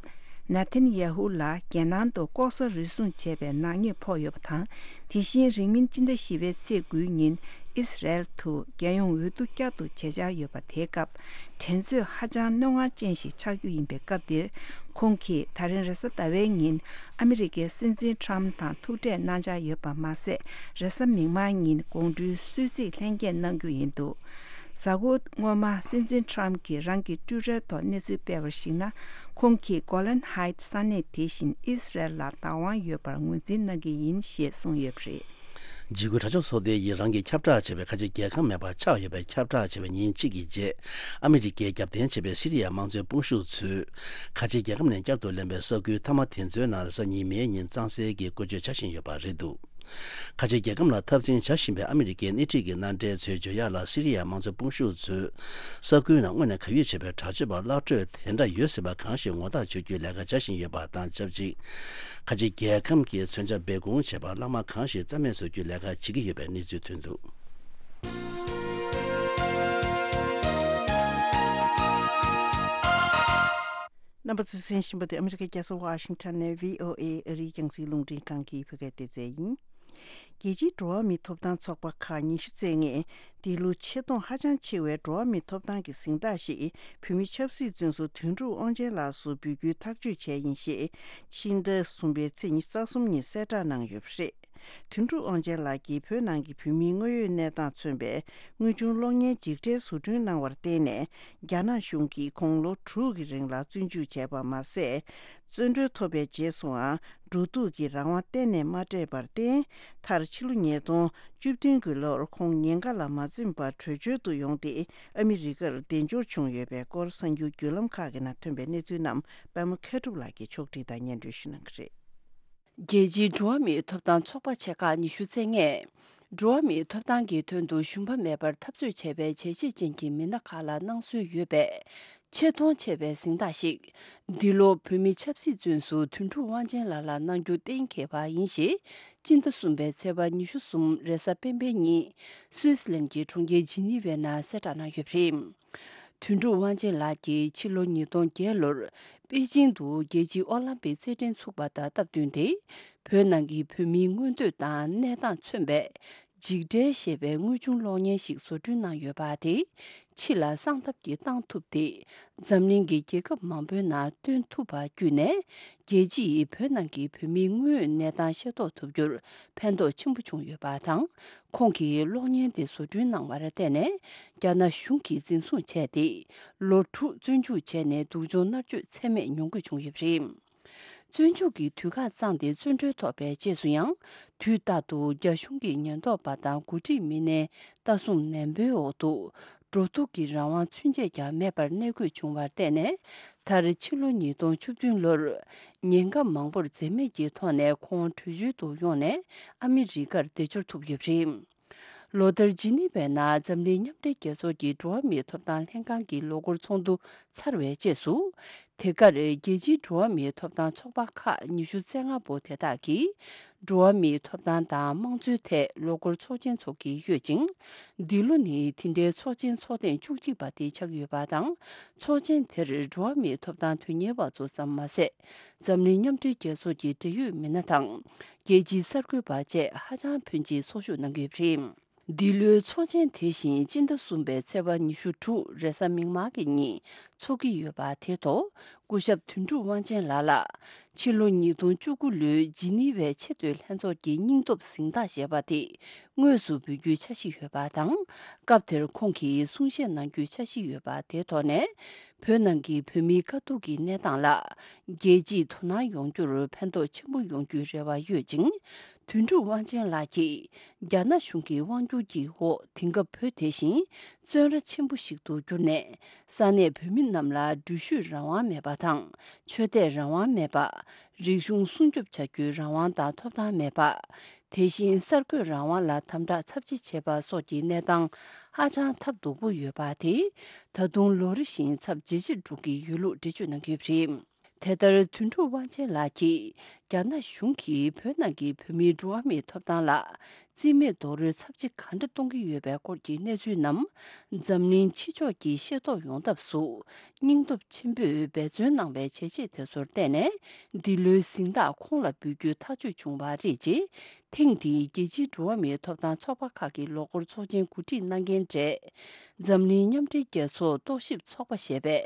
ནེ་ཐན་ཡ་ཧུ་ལ་རྒྱལ་ནང་དུ་ལྐོག་ཟ་རུལ་སུངས་བྱས་པའི་ནག་ཉེས་ཕོག་ཡོད་པ་དང་། དེ་བཞིན་རིང་མིན་སྤྱི་ཟླ་བཞི་པའི་ཚེས་དགུའི་ཉིན་ཨི་སི་རལ་དུ་རྒྱལ་ཡོངས་འོས་བསྡུ་བསྐྱར་དུ་བྱེད་འཆར་ཡོད་པ་དེའི་སྐབས་འགྲན་རྩོད་ཧ་ཅང་རྣོ་ངར་ཅན་ཞིག་ཆགས་རྒྱུ་ཡིན་པའི་སྐབས་འདིར། ཁོང་གིས་ད་རིང་རེས་གཟའ་ཟླ་བའི་ཉིན་ཨ་མི་རི་ཀའི་སྲིད་འཛིན་ཊམ་དང་ཐུག་འཕྲད་གནང་འཆར་ཡོད་པ་མ་ཟད། རེས་གཟའ་མིག་དམར་ཉིན་དགོང་དྲོའི་གསོལ་ཚིགས་ལྷན་རྒྱས་གནང་རྒྱུ་ཡིན་འདུག་གཟའ་འཁོར་སྔོན་མ་སྲིད་འཛིན་ཊམ་གྱིས་རང་གི་ཊུའི་ཊར་ཐོག་གནས་ཚུལ་སྤེལ་བར་གཞིགས་ན། ཁོང་གིས་གོ་ལན་ཧའིཊ་ས་གནས་དེ་བཞིན་ཨི་སི་རལ་ལ་བདག་དབང་ཡོད་པར་ངོས་འཛིན་གནང་གི་ཡིན་ཞེས་གསུངས་ཡོད་པ་རེད། འཇིགས་སྐུལ་དྲག་སྤྱོད་ཚོགས་སྡེ་ཡིས་རང་གིས་ཁྱབ་བསྒྲགས་བྱས་པའི་ཁ་ཆེ་རྒྱལ་ཁམས་མེད་པར་ཆགས་ཡོད་པའི་ཁྱབ་བསྒྲགས་བྱས་པའི་ཉིན་གཅིག་གི་རྗེས། ཨ་མི་རི་ཀས་རྒྱབ་རྟེན་བྱས་པའི་སི་རི་ཡ་དམངས་གཙོའི་དཔུང་ཤུགས་ཚོས་ཁ་ཆེ་རྒྱལ་ཁམས་ནས་བསྐྱར་དུ་ལེན་པའི་ས་ཁུལ་མཐའ་མ་དེ་ཚོའི་ནང་རེས་གཟའ་ཉི་མའི་ཉིན་གཙང་སེལ་གྱི་བཀོལ་སྤྱོད་བྱ་བཞིན་ཡོད་པ་རེད་འདུག་ཁ་ཆེ་རྒྱལ་ཁམས་ལ་འཐབ་འཛིང་བྱ་བཞིན་པའི་ཨ་མི་རི་ཀའི་སྣེ་ཁྲིད་ཀྱི་མནའ་འབྲེལ་ཚོས་བརྗོད་ཡག་ལ། སི་རི་ཡ་དམངས་གཙོའི་དཔུང་ཤུགས་ཚོས་ས་ཁུལ་ནང་དངོས་གནས་ག་ཡོད་བྱས་པའི་དྲག་སྤྱོད་པ་གླགས་བགྲོས་དེ་འདྲ་ཡོད་སྲིད་པ་གང་ཞིག་ངོ་རྟགས་ཆོད་རྒྱུའི་ལས་ཀ་བྱ་བཞིན་ཡོད་པ་དང་ཆབས་ཅིག་ཁ་ཆེ་རྒྱལ་ཁམས་ཀྱི་མཚོན་ཆ་སྦས་སྐུང་བྱས་པ་བརླག་དམར་གང་ཞིག་རྩ་མེད་བཟོ་རྒྱུའི་ལས་ཀ་བྱེད་ཀྱི་ཡོད་པའི་གནས་ཚུལ་ཐོན་འདུག་རྣམ་པ་ཚོས་གསན་བཞིན་པ་དེ་ཨ་མི་རི་ཀའི་རྒྱལ་ས་ཝ་ཤིང་ཊོན་ནས་བྷི་ཨོ་ཨེ་ཨ་རིའི་རྒྱང་སྲིང་རླུང་འཕྲིན་ཁང་གི་བོད་སྐད་སྡེ་ཚན་ཡིན། རྒྱལ་སྤྱིའི་འགྲོ་བ་མིའི་ཐོབ་ཐང་ཚོགས་པ་ཁག་ཉི་ཤུ་རྩ་ལྔས་འདི་ལོ་ཆེ་མཐོང་ཧ་ཅང་ཆེ་བའི་འགྲོ་བ་མིའི་ཐོབ་ཐང་གི་གཟེངས་རྟགས་ཤིག་བོད་མི་ཆབ་སྲིད་བཙོན་ཟུར་དོན་གྲུབ་དབང་ཆེན་ལགས་སུ་འབུལ་རྒྱུའི་ཐག་གཅོད་བྱས་ཡིན་ཞེས་ཕྱི་ཟླ་གསུམ་པའི་ཚེས་ཉི་ཤུ་རྩ་གསུམ་ཉིན་གསལ་བསྒྲགས་གནང་ཡོད་པ་རེད། དོན་གྲུབ་དབང་ཆེན་ལགས་ཀྱིས་བོད་ནང་གི་བོད་མིའི་དངོས་ཡོད་གནས་སྟངས་མཚོན་པའི་དངོས་བྱུང་གློག་བརྙན་འཇིགས་བྲལ་བཟོ་སྐྲུན་གནང་བར་བརྟེན་ནས། རྒྱ་ནག་གཞུང་གིས་ཁོང་ལོ་དྲུག་གི་རིང་ལ་བཙོན་འཇུག་བྱས་པ་མ་ཟད། བཙོན་གྲོལ་ཐོབ་པའི་རྗེས་སུའང་འགྲོ་འདུག་གི་རང་དབང་གཏན་ནས་མ་སྤྲད་པར་བརྟེན། མཐར་ཕྱི་ལོ་ཉིས་སྟོང་བཅུ་བདུན་གྱི་ལོར་ཁོང་ཉེན་ཁ་ལ་མ་འཛེམས་པར་བྲོས་བྱོལ་དུ་ཡོང་སྟེ་ཨ་མི་རི་ཀར་གདན་འབྱོར་བྱུང་ཡོད་པའི་སྐོར་གསར་འགྱུར་བརྒྱུད་ལམ་ཁག་གི་ནང་ཐོན་པའི་གནས་ཚུལ་རྣམས་པད་མ་མཁས་གྲུབ་ལགས་ཀྱིས་ཕྱོགས་བསྒྲིགས་དང་སྙན་སྒྲོན་ཞུ་གནང་གི་རེད། རྒྱལ་སྤྱིའི་འགྲོ་བ་མིའི་ཐོབ་ཐང་ཚོགས་པ་ཆེ་ཁག་ཉི་ཤུ་རྩ་ལྔས། འགྲོ་བ་མིའི་ཐོབ་ཐང་གི་དོན་དུ་ཞུམ་པ་མེད་པར་འཐབ་རྩོད་བྱས་པའི་བྱས་རྗེས་ཅན་གྱི་མི་སྣ་ཁག་ལ་གནང་སྲོལ་ཡོད་པའི་ཆེ་མཐོང་ཆེ་བའི་གཟེངས་རྟགས་ཤིག་འདི་ལོ་བོད་མི་ཆབ་སྲིད་བཙོན་ཟུར་དོན་གྲུབ་དབང་ཆེན་ལགས་ལ་གནང་རྒྱུ་གཏན་འཁེལ་བ་ཡིན་ཞེས། སྤྱི་ཟླ་གསུམ་པའི་ཚེས་པ་ཉི་ཤུ་གསུམ་རེས་གཟའ་སྤེན་པའི་ཉིན་སུད་སི་ལན་གྱི་གྲོང་ཁྱེར་ཇི་ནི་ཝའི་ནང་གསལ་བསྒྲགས་གནང་ཡོད་པ་རེད། དོན་གྲུབ་དབང་ཆེན་ལགས་ཀྱིས་ཕྱི་ལོ་ཉིས་སྟོང་བརྒྱད་ལོར་པེ་ཅིང་དུ་རྒྱལ་སྤྱིའི་ཨོ་ལམ་པིག་རྩེད་འགྲན་ཚུགས་པ་དང་སྟབས་བསྟུན་ཏེ། བོད་ནང་གི་བོད་མིའི་མངོན་འདོད་དང་གནས་སྟངས་མཚོན་པའི་འཇིགས་བྲལ་ཞེས་པའི་དངོས་བྱུང་གློག་བརྙན་ཞིག་བཟོ་སྐྲུན་གནང་ཡོད་པ་དེས་ཕྱི་ལ་གསང་ཐབས་ཀྱིས་བཏང་ཐུབ་སྟེ། འཛམ་གླིང་གི་རྒྱལ་ཁབ་མང་པོའི་ནང་སྟོན་ཐུབ་པ་བརྒྱུད་ནས། རྒྱལ་སྤྱིས་བོད་ནང་གི་བོད་མིའི་དངོས་ཡོད་གནས་སྟངས་ཤེས་རྟོགས་ཐུབ་རྒྱུར་ཕན་ཐོགས་ཆེན་པོ་བྱུང་ཡོད་པ་དང་། ཁོང་གིས་གློག་བརྙན་དེ་བཟོ་སྐྲུན་གནང་བར་བརྟེན་ནས། རྒྱ་ནག་གཞུང་གིས་འཛིན་བཟུང་བྱས་ཏེ། ལོ་དྲུག་བཙོན་འཇུག་བྱས་ནས་སྡུག་སྦྱོང་མནར་གཅོད་ཚད་མེད་མྱོང་དགོས་བྱུང་ཡོད་པ་རེད། བཙོན་འཇུག་གི་དུས་བཀག་བརྩམས་ཏེ་བཙོན་གྲོལ་ཐོབ་པའི་རྗེས་སུ་ཡང་། དུས་རྟག་ཏུ་རྒྱ་གཞུང་གི་ཉེན་རྟོག་པ་དང་འགོ་ཁྲིད་མི་སྣའི་ལྟ་སྲུང་ནན་པོའི་འོག་ཏུ། འགྲོ་འདུག་གི་རང་དབང་ཚུན་ཆད་ཀྱང་མེད་པར་གནས་དགོས་བྱུང་བར་བརྟེན་ནས། མཐར་ཕྱི་ལོ་ཉིས་སྟོང་བཅུ་བདུན་ལོར་ཉེན་ཁ་མང་པོར་འཛེམ་མེད་ཀྱི་ཐོག་ནས་ཁོང་བྲོས་བྱོལ་དུ་ཡོང་ནས་ཨ་མི་རི་ཀར་བདེ་འབྱོར་ཐུབ་ཡོད་པ་རེད། ལོ་ལྟར་ཇི་ནི་ཝའི་ནང་འཛམ་གླིང་མཉམ་འབྲེལ་རྒྱལ་ཚོགས་ཀྱི་འགྲོ་བ་མིའི་ཐོབ་ཐང་ལྷན་ཁང་གི་ལོ་འཁོར་ཚོགས་འདུ་ཚར་བའི་རྗེས་སུ། དེ་གར་རྒྱལ་སྤྱིའི་འགྲོ་བ་མིའི་ཐོབ་ཐང་ཚོགས་པ་ཁག་ཉི་ཤུ་རྩ་ལྔ་པོ་དེ་དག་གིས་འགྲོ་བ་མིའི་ཐོབ་ཐང་དང་དམངས་གཙོའི་ཐད་ལོ་འཁོར་ཚོགས་ཆེན་འཚོགས་ཀྱི་ཡོད་ཅིང་། འདི་ལོ་ནི་དེ་འདྲའི་ཚོགས་ཆེན་ཚོགས་ཐེངས་བཅུ་གཅིག་པ་དེ་ཆགས་ཡོད་པ་དང་། ཚོགས་ཆེན་དེར་འགྲོ་བ་མིའི་ཐོབ་ཐང་དོན་གཉེར་བ་ཚོ་ཙམ་མ་ཟད། འཛམ་གླིང་མཉམ་འབྲེལ་རྒྱལ་ཚོགས་ཀྱི་འབྲེལ་ཡོད་མི་སྣ་དང་། རྒྱལ་སྤྱིའི་གསར་འགོད་པ་བཅས་ཧ་ཅང་ཕོན་ཆེའི་ཚོགས་ཞུགས་གནང་གི་ཡོད་པ་རེད། འདི་ལོའི་ཚོགས་ཆེན་དེ་བཞིན་སྤྱི་ཟླ་གསུམ་པའི་ཚེས་པ་ཉི་ཤུ་དྲུག་རེས་གཟའ་མིག་དམར་གྱི་ཉིན་འཚོགས་ཀྱི་ཡོད་པ་དེ་ཐོག་སྐུ་ཞབས་དོན་གྲུབ་དབང་ཆེན་ལགས་ལ། ཕྱི་ལོ་ཉིས་སྟོང་བཅུ་དགུ་ལོའི་ཇི་ནི་ཝའི་ཆེས་མཐོའི་ལྷན་ཚོགས་ཀྱི་སྙིང་སྟོབས་གཟེངས་རྟགས་ཞེས་པ་དེ་དངོས་སུ་འབུལ་རྒྱུའི་འཆར་གཞི་ཡོད་པ་དང་། སྐབས་དེར་ཁོང་གིས་གསུང་བཤད་གནང་རྒྱུའི་འཆར་གཞི་ཡོད་པ་དེ་ཐོག་ནས། བོད་ནང་གི་བོད་མིའི་དཀའ་སྡུག་གི་གནས་སྟངས་ལ་རྒྱལ་སྤྱིས་དོ་སྣང་ཡོང་རྒྱུར་ཕན་ཐོགས་ཆེན་པོ་ཡོང་རྒྱུའི་རེ་བ་ཡོད་ཅིང་། དོན་གྲུབ་དབང་ཆེན་ལགས་ཀྱིས། རྒྱ་ནག་གཞུང་གི་དབང་སྒྱུར་གྱི་འོག་དེང་སྐབས་བོད་དེ་བཞིན་བཙོན་ར་ཆེན་པོ་ཞིག་ཏུ་གྱུར་ནས། ས་གནས་བོད་མི་རྣམས་ལ་འགྲུལ་བཞུད་རང་དབང་མེད་པ་དང་། ཆོས་དད་རང་དབང་མེད་པ། རིག་གཞུང་སྲུང་སྐྱོབ་བྱ་རྒྱུའི་རང་དབང་དང་ཐོབ་ཐང་མེད་པ། དེ་བཞིན་གསར་འགོད་རང་དབང་ལ་དམ་དྲག་ཚབས་ཆེ་བྱེད་པ་སོགས་ཀྱི་གནས་སྟངས་ཧ་ཅང་ཐབས་སྡུག་པོ་ཡོད་པ་དེ། ད་དུང་ལོ་རེ་བཞིན་ཚབས་ཇེ་ཆེར་འགྲོ་གི་ཡོད་ལུགས་འགྲེལ་བརྗོད་གནང་གི་ཡོད་པ་རེད། དེ་ལྟར་དོན་གྲུབ་དབང་ཆེན་ལགས་ཀྱིས་རྒྱ་ནག་གཞུང་གིས་བོད་ནང་གི་བོད་མིའི་འགྲོ་བ་མིའི་ཐོབ་ཐང་ལ་རྩིས་མེད་རྡོག་རོལ་ཚབས་ཆེ་ག་འདྲ་གཏོང་གི་ཡོད་པའི་སྐོར་གྱི་གནས་ཚུལ་རྣམས་འཛམ་གླིང་ཕྱི་ཕྱོགས་ཀྱིས་ཤེས་རྟོགས་ཡོང་ཐབས་སུ་སྙིང་སྟོབས་ཆེན་པོས་འབད་བརྩོན་གནང་བའི་བྱས་རྗེས་དེ་ཚོར་བརྟེན་ནས་འདི་ལོའི་གཟེངས་རྟགས་ཁོང་ལ་འབུལ་རྒྱུའི་ཐག་གཅོད་བྱུང་བ་རེད་ཅེས། ཐེངས་འདིའི་རྒྱལ་སྤྱིའི་འགྲོ་བ་མིའི་ཐོབ་ཐང་ཚོགས་པ་ཁག་གི་ལོ་འཁོར་ཚོགས་ཆེན་གོ་སྒྲིག་གནང་མཁན་གྲས། འཛམ་གླིང་མཉམ་འབྲེལ་རྒྱལ་ཚོགས་རྟོག་ཞིབ་ཚོགས་པ་ཞེས་པའི་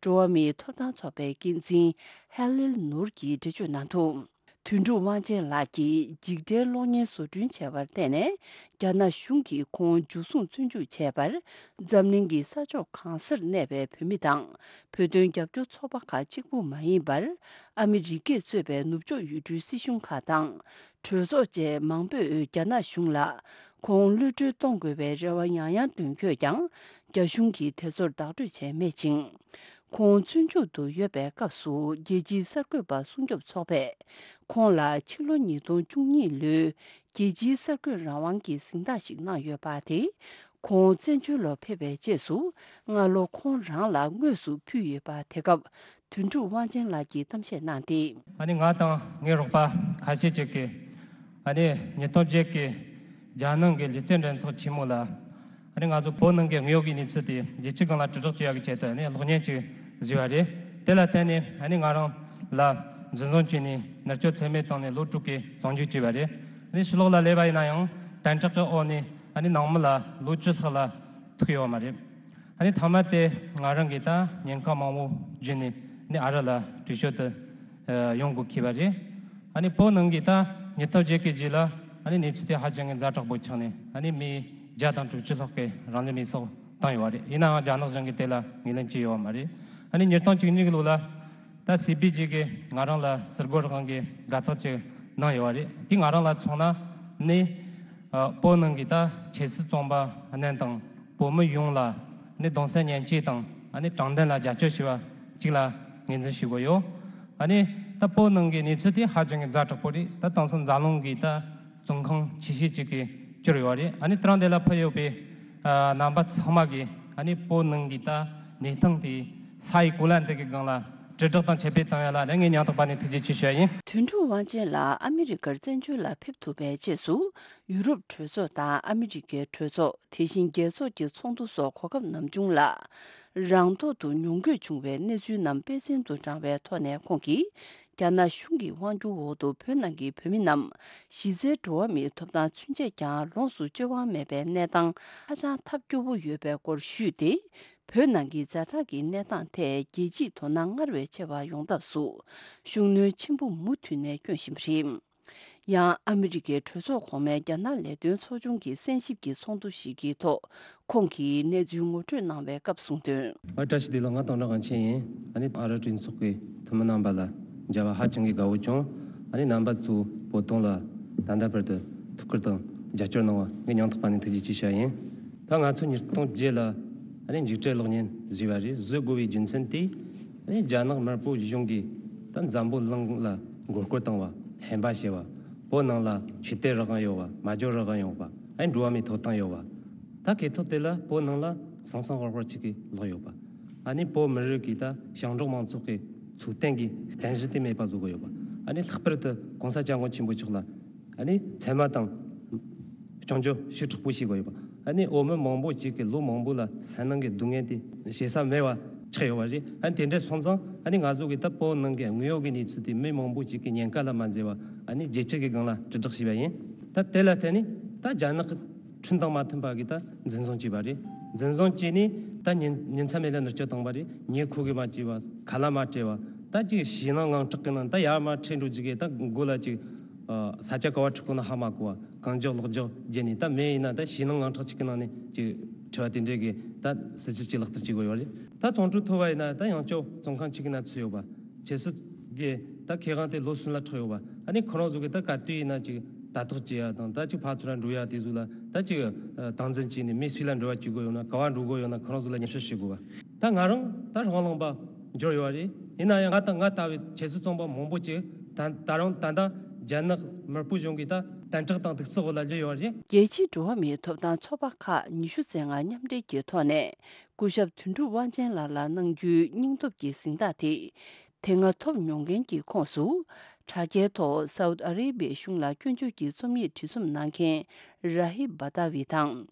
འགྲོ་བ་མིའི་ཐོབ་ཐང་ཚོགས་པའི་འགན་འཛིན་ཧེ་ལིལ་ནུར་གྱིས་འགྲེལ་བརྗོད་གནང་འདུག་དོན་གྲུབ་དབང་ཆེན་ལགས་ཀྱིས་འཇིགས་བྲལ་གློག་བརྙན་བཟོ་སྐྲུན་བྱས་པར་བརྟེན་ནས། རྒྱ་ནག་གཞུང་གིས་ཁོང་འཇུ་བཟུང་བཙོན་འཇུག་བྱས་པར། འཛམ་གླིང་གི་ས་ཕྱོགས་གང་སར་གནས་པའི་བོད་མི་དང་། བོད་དོན་རྒྱབ་སྐྱོར་ཚོགས་པ་ཁག་གཅིག་པུ་མ་ཡིན་པར། ཨ་མི་རི་ཀས་གཙོས་པའི་ནུབ་ཕྱོགས་ཡུལ་གྲུའི་སྲིད་གཞུང་ཁག་དང་། གྲོས་ཚོགས་བཅས་མང་པོས་རྒྱ་ནག་གཞུང་ལ་ཁོང་གློད་གྲོལ་གཏོང་དགོས་པའི་རེ་བ་ཡང་ཡང་འདོན་ཡོད་ཀྱང་། རྒྱ་གཞུང་གིས་དེ་ཚོར་བདག་སྤྲོད་བྱས་མེད་ཅིང་། ཁོང་བཙོན་འཇུག་ཏུ་ཡོད་པའི་སྐབས་སུ་རྒྱལ་སྤྱིའི་གསར་འགོད་པ་སྲུང་སྐྱོབ་ཚོགས་པས་ཁོང་ལ་ཕྱི་ལོ་ཉིས་སྟོང་བཅུ་གཉིས་ལོའི་རྒྱལ་སྤྱིའི་གསར་འགོད་རང་དབང་གི་གཟེངས་རྟགས་ཤིག་གནང་ཡོད་པ་དེ། ཁོང་བཙན་བྱོལ་ལ་ཕེབས་པའི་རྗེས་སུ་སྔ་ལོ་ཁོང་རང་ལ་དངོས་སུ་ཕུལ་ཡོད་པ། དེ་སྐབས་དོན་གྲུབ་དབང་ཆེན་ལགས་ཀྱིས་གཏམ་བཤད་གནང་སྟེ། ཨ་ནི་ང་དང་ངའི་རོགས་པ་ཁ་ཤས་ཅིག་གིས་ཨ་ནི་ཉིས་སྟོང་བརྒྱད་ཀྱི་རྒྱལ་ནང་གི་ལུས་རྩལ་འགྲན་ཚོགས་ཆེན་མོ་ལ་ཨ་ནི་ང་ཚོ་བོད་ནང་གི་དངོས་ཡོད་ཀྱི་གནས་ཚུལ་དེ་རྒྱལ་སྤྱི་སྒང་ལ་དྲིལ་བསྒྲགས་བྱེད་ཡག་གི་ཆེད་དུ་ཨ་ནི་གློག་བརྙན་ཅིག་བཟོས་པ་རེད། དེ་ལ་བརྟེན་ནས་ཨ་ནི་ང་རང་ལ་འཛིན་བཟུང་བྱས་ནས་མནར་གཅོད་ཚད་མེད་བཏང་ནས་ལོ་དྲུག་གི་བཙོན་འཇུག་བྱས་པ་རེད། ཨ་ནི་ཕྱི་ལོགས་ལ་སླེབས་པ་ཡིན་ན་ཡང་དམ་དྲག་གི་འོག་ནས་ཨ་ནི་ནང་མི་ལ་ལོ་བཅུ་ལྷག་ལ་ཐུག་ཡོད་པ་མ་རེད། ཨ་ནི་མཐའ་མ་དེ་ང་རང་གིས་ད་ཉེན་ཁ་མང་པོ་བརྒྱུད་ནས་ཨ་ནི་ཨ་རི་ལ་བྲོས་བྱོལ་དུ་ཨ་ཡོང་དགོས་ཁེལ་བ་རེད། ཨ་ནི་བོད་ནང་གི་ད་ཉིས་སྟོང་བརྒྱད་ཀྱི་རྗེས་ལ་ཨ་ནི་གནས་ཚུལ་དེ་ཧ་ཅང་གི་ཛ་དྲག་པོ་ཆགས་ནས་ཨ་ནི་མི་བརྒྱ་དང་དྲུག་ཅུ་ལྷག་གིས་རང་ལུས་མེར་སྲེག་བཏང་ཡོད་པ་རེད། ཡིན་ནའང་རྒྱ་ནག་གཞུང་གིས་དེ་ལ་ངོས་ལེན་བྱས་ཡོད་པ་མ་རེད། ཨ་ནི་ཉིས་སྟོང་བཅུ་གཉིས་ཀྱི་ལོ་ལ་ད་སི་པི་ཇི་གིས་ང་རང་ལ་ཟུར་འགོད་རང་གི་དགའ་རྟགས་ཅིག་གནང་ཡོད་པ་རེད། དེ་ང་རང་ལ་མཚོན་ན་ནི་ཨ་བོད་ནང་གི་ད་ཆབ་སྲིད་བཙོན་པ་རྣམས་དང་བོད་མི་ཡོངས་ལ་ནི་གདུང་སེམས་མཉམ་སྐྱེད་དང་ཨ་ནི་དྲང་བདེན་ལ་རྒྱབ་སྐྱོར་བྱས་པ་གཅིག་ལ་ངོས་འཛིན་ཞུ་གི་ཡོད། ཨ་ནི་ད་བོད་ནང་གི་གནས་ཚུལ་དེ་ཧ་ཅང་གི་ཛ་དྲག་པོ་རེད། ད་དེང་སང་འཛམ་གླིང་གི་ད་བཙོན་ཁང་ཆེ་ཤོས་གཅིག་གི་གྱུར་ཡོད་རེད། ཨ་ནི་དེ་རིང་འདི་ལ་ཕེབས་ཡོད་པའི་ཨ་རྣམ་པ་ཚང་མ་གིས་ཨ་ནི་བོད་ནང་གི་ད་གནས་སྟངས་དེ་ས་ཡི་གོ་ལ་འདི་གི་སྒང་ལ་དྲིལ་བསྒྲགས་དང་ཁྱབ་སྤེལ་བཏང་ཡ་ལ་ངས་སྙིང་ཐག་པ་ནས་ཐུགས་རྗེ་ཆེ་ཞུ་ཡ་ཡིན། དོན་གྲུབ་དབང་ཆེན་ལགས་ཨ་མི་རི་ཀར་བཙན་བྱོལ་ལ་ཕེབས་ཐུབ་པའི་རྗེས་སུ་ཡུ་རོབ་གྲོས་ཚོགས་དང་ཨ་མི་རི་ཀའི་གྲོས་ཚོགས། དེ་བཞིན་རྒྱལ་ཚོགས་ཀྱི་ཚོགས་འདུ་སོགས་གོ་སྐབས་ནམ་བྱུང་ལ་རང་ཐོག་ཏུ་མྱོང་དགོས་བྱུང་བའི་གནས་ཚུལ་རྣམས་དཔེ་མཚོན་དུ་དྲངས་པའི་ཐོག་ནས་ཁོང་གིས། རྒྱ་ནག་གཞུང་གི་དབང་སྒྱུར་འོག་ཏུ་བོད་ནང་གི་བོད་མི་རྣམས་གཞི་རྩའི་འགྲོ་བ་མིའི་ཐོབ་ཐང་ཚུན་ཆད་ཀྱང་ལོངས་སུ་སྤྱོད་དབང་མེད་པའི་གནས་སྟངས་ཧ་ཅང་ཐབས་སྐྱོ་བོ་ཡོད་པའི་སྐོར་ཞུས་ཏེ། བོད་ནང་གི་ཛ་དྲག་གི་གནས་སྟངས་ཐད་རྒྱལ་སྤྱིས་དོ་སྣང་སྔར་བས་ཆེ་བ་ཡོང་ཐབས་སུ་ཤུགས་སྣོན་ཆེན་པོ་མུ་མཐུད་ནས་བསྐྱོན་བཞིན་པ་རེད། ཡང་ཨ་མི་རི་ཀའི་གྲོས་ཚོགས་གོང་མའི་རྒྱ་ནག་ལས་དོན་ཚོགས་ཆུང་གི་གསན་ཞིབ་ཀྱི་ཚོགས་འདུ་ཞིག་གི་ཐོག་ཁོང་གིས་གནས་ཚུལ་ངོ་སྤྲོད་གནང་བའི་སྐབས་གསུངས་དོན། ཨ་བཀྲ་ཤིས་བདེ་ལེགས། ང་དོན་གྲུབ་དབང་ཆེན་ཡིན། ཨ་ནི་ཨ་རི་གྲོས་ཚོགས་ཀྱི་འཐུས་མི་རྣམ་པ་ལ་མཇལ་བ་ཧ་ཅང་གི་དགའ་བོ་བྱུང་། ཨ་ནི་རྣམ་པ་ཚོས་བོད་དོན་ལ་ད་ལྟ་བར་དུ་ཐུགས་ཁུར་དང་རྒྱབ་སྐྱོར་གནང་བ་ངས་སྙིང་ཐག་པ་ནས་ཐུགས་རྗེ་ཆེ་ཞུ་ཡ་ཡིན། ད་ང་ཚོ་ཉིས་སྟོང་བརྒྱད་ལ་ ཨ་ནི་འཇིགས་བྲལ་གློག་བརྙན་བཟོས་པ་རེད། བཟོ་དགོས་པའི་རྒྱུ་མཚན་དེ། ཨ་ནི་རྒྱ་ནག་དམར་པོ་གཞུང་གིས་ད་འཛམ་བུ་གླིང་ལ་མགོ་སྐོར་བཏང་བ། ཧམ་པ་བྱས་པ། བོད་ནང་ལ་ཆོས་དད་རང་དབང་ཡོད་པ། སྨྲ་བརྗོད་རང་དབང་ཡོད་པ། ཨ་ནི་འགྲོ་བ་མིའི་ཐོབ་ཐང་ཡོད་པ། ད་སྐད་ཐོག་དེ་ལ་བོད་ནང་ལ་སང་སང་ཧོར་ཧོར་ཅིག་གིས་ལོག་ཡོད་པ། ཨ་ནི་བོད་མི་རིགས་ཀྱི་ད་ཞིང་འབྲོག་མང་ཚོགས་ཀྱི་འཚོ་རྟེན་གྱི་རྟེན་གཞི་དེ་མེད་པ་བཟོ་གི་ཡོད་པ། ཨ་ནི་ལྷག་པར་དུ་༸གོང་ས་༸སྐྱབས་མགོན་ཆེན་པོ་མཆོག་ལ་ཨ་ནི་མཚན་སྨད་དང་སྐྱོན་བརྗོད་ཞེ་དྲག་པོ་བྱེད་དགོས་ཡོད་པ། ཨ་ནི་འོས་མི་མང་པོ་ཅིག་གིས་ལོ་མང་པོ་ལ་སེམས་ནང་གི་སྡུག་བསྔལ་དེ་བཤད་ས་མེད་པ་ཆགས་ཡོད་པ་རེད། ཨ་ནི་དེ་འདྲ་སོང་ཙང་ཨ་ནི་ང་ཚོ་གིས་ད་བོད་ནང་གི་དངོས་ཡོད་ཀྱི་གནས་ཚུལ་དེ་མི་མང་པོ་ཅིག་གིས་ཉེན་ཁ་ལ་མ་འཛེམས་པ། ཨ་ནི་རྒྱལ་སྤྱི་གི་སྒང་ལ་དྲིལ་བསྒྲགས་བྱས་པ་ཡིན། ད་དེ་ལ་བརྟེན་ནས་ད་རྒྱ་ནག་གི་ཁྲིམས་དང་མ་མཐུན་པ་གིས་ད་འཛིན་བཟུང་བྱས་པ་རེད། འཛིན་བཟུང་བྱས་ནས་ད་ཉིན་ཉིན་མཚན་མེད་ལ་མནར་གཅོད་བཏང་བ་རེད། ཉེ་འཁོར་གྱིས་མ་བྱས་པ། ཁ་ལག་མ་སྤྲད་པ། ད་ཅིག་ཞེད་སྣང་དངངས་སྐྲག་གི་ནང་ད་ཡར་མར་ཁྲིད་འགྲོ་རྒྱུ་གི་ད་མགོ་ལ་ཅིག་ཨ་ས་ཆ་ག་བ་ཁྲིད་དགོས་ན་ཧ་མ་གོ་བ། གང་མགྱོགས་ལོག་འཇོག་བརྒྱབ་ནས། ད་མི་ཡིན་ན་ད་ཞེད་སྣང་དངངས་སྐྲག་ཅིག་གི་ནང་ནས་ཅིག་ཁྲིད་པ་དེ་འདྲས་གི་ད་སྲིད་ཇུས་ཅིག་ལག་བསྟར་བྱེད་དགོས་ཡོད་རེད། ད་ཚོགས་འདུ་ཐོབ་པ་ཡིན་ན་ད་ཡང་ཅོ་བཙོན་ཁང་ཅིག་གི་ནང་ཚུད་ཡོད་པ། ཁྱེད་སི་གི་ད་ཁེ་དབང་དེ་ལོ་གསུམ་ལ་འཕྲོག་ཡོད་པ། ཨ་ནི་ཁོ་རང་ཚོ་གི་ད་ག་དུས་ཡིན་ན་ཅིག་ལྟ་རྟོག་བྱེད་ཡ་དང་། ད་ཅིག་ཕར་ཚུར་ལ་འགྲོ་ཡ་དེ་ཚོ་ལ་ད་ཅིག་ཨ་སྟངས་འཛིན་བྱས་ནས་མི་སུ་ལ་འབྲེལ་བ་བྱེད་དགོས་ཡོད་ན། ག་བ་འགྲོ་དགོས་ཡོད་ན་ཁོ་རང་ཚོ་ལ་སྙན་ཞུ་ཞུ་དགོས་པ། ད་ང་རང་ད་རང་ལངས་པ་འབྱོར་ཡོད་རེད། ཡིན་ན་ཡང་ང་ད་ང་ལྟ་བུའི་ཁྱེད་སི་བཙོན་པ་མང་པོ་ཅིག་ད་ད་རང་ད་ལྟ་རྒྱ་ནག་དམར་པོ་གཞུང་གི་ད་དམ་དྲག་དང་གདུག་རྩུབ་འོག་ལ་སླེབས་ཡོད་རེད། རྒྱལ་སྤྱིའི་འགྲོ་བ་མིའི་ཐོབ་ཐང་ཚོགས་པ་ཁག་ཉི་ཤུ་རྩ་ལྔ་མཉམ་འབྲེལ་གྱི་ཐོག་ནས་སྐུ་ཞབས་དོན་གྲུབ་དབང་ཆེན་ལགས་ལ་གནང་རྒྱུའི་སྙིང་སྟོབས་ཀྱི་གཟེངས་རྟགས་དེ་དེ་སྔ་ཐོབ་མྱོང་མཁན་གྱི་ཁོངས་སུ། དྲ་རྒྱའི་ཐོག་སའུ་ཨ་རེ་བྷི་ཡའི་གཞུང་ལ་སྐྱོན་བརྗོད་ཀྱི་རྩོམ་ཡིག་བྲིས་རྩོམ་གནང་མཁན་ར་ཧི་བ་ཏཱ་ཝི་དང་།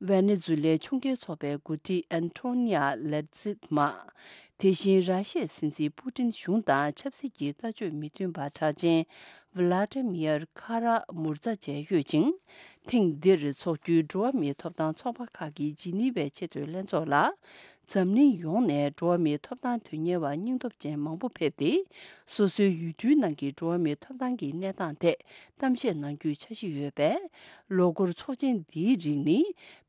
ཝེ་ནེ་ཛུ་ལའི་ཕྱོགས་འགལ་ཚོགས་པའི་འགོ་ཁྲིད་ཨན་ཐོ་ནི་ཡ་ལེ་ཛི་མ། དེ་བཞིན་ར་ཤི་ཡའི་སྲིད་འཛིན་པུ་ཏིན་གཞུང་དང་ཆབ་སྲིད་ཀྱི་ལྟ་སྤྱོད་མི་མཐུན་པ་གྲགས་ཅན་ཝི་ལ་ཏི་མིར་ཁ་ར་མུར་ཛ་བཅས་ཡོད་ཅིང་། ཐེངས་འདིར་འཚོགས་རྒྱུའི་འགྲོ་བ་མིའི་ཐོབ་ཐང་ཚོགས་པ་ཁག་གི་ཇི་ནི་ཝའི་ཆེས་མཐོའི་ལྷན་ཚོགས་ལ། འཛམ་གླིང་ཡོངས་ནས་འགྲོ་བ་མིའི་ཐོབ་ཐང་དོན་གཉེར་བ་སྙིང་སྟོབས་ཅན་མང་པོ་ཕེབས་ཏེ། སོ་སོའི་ཡུལ་གྲུའི་ནང་གི་འགྲོ་བ་མིའི་ཐོབ་ཐང་གི་གནས་སྟངས་ཐད་གཏམ་བཤད་གནང་རྒྱུའི་འཆར་གཞི་ཡོད་པས། ལོ་འཁོར་ཚོགས་ཆེན་འདིའི་རིང་ནི།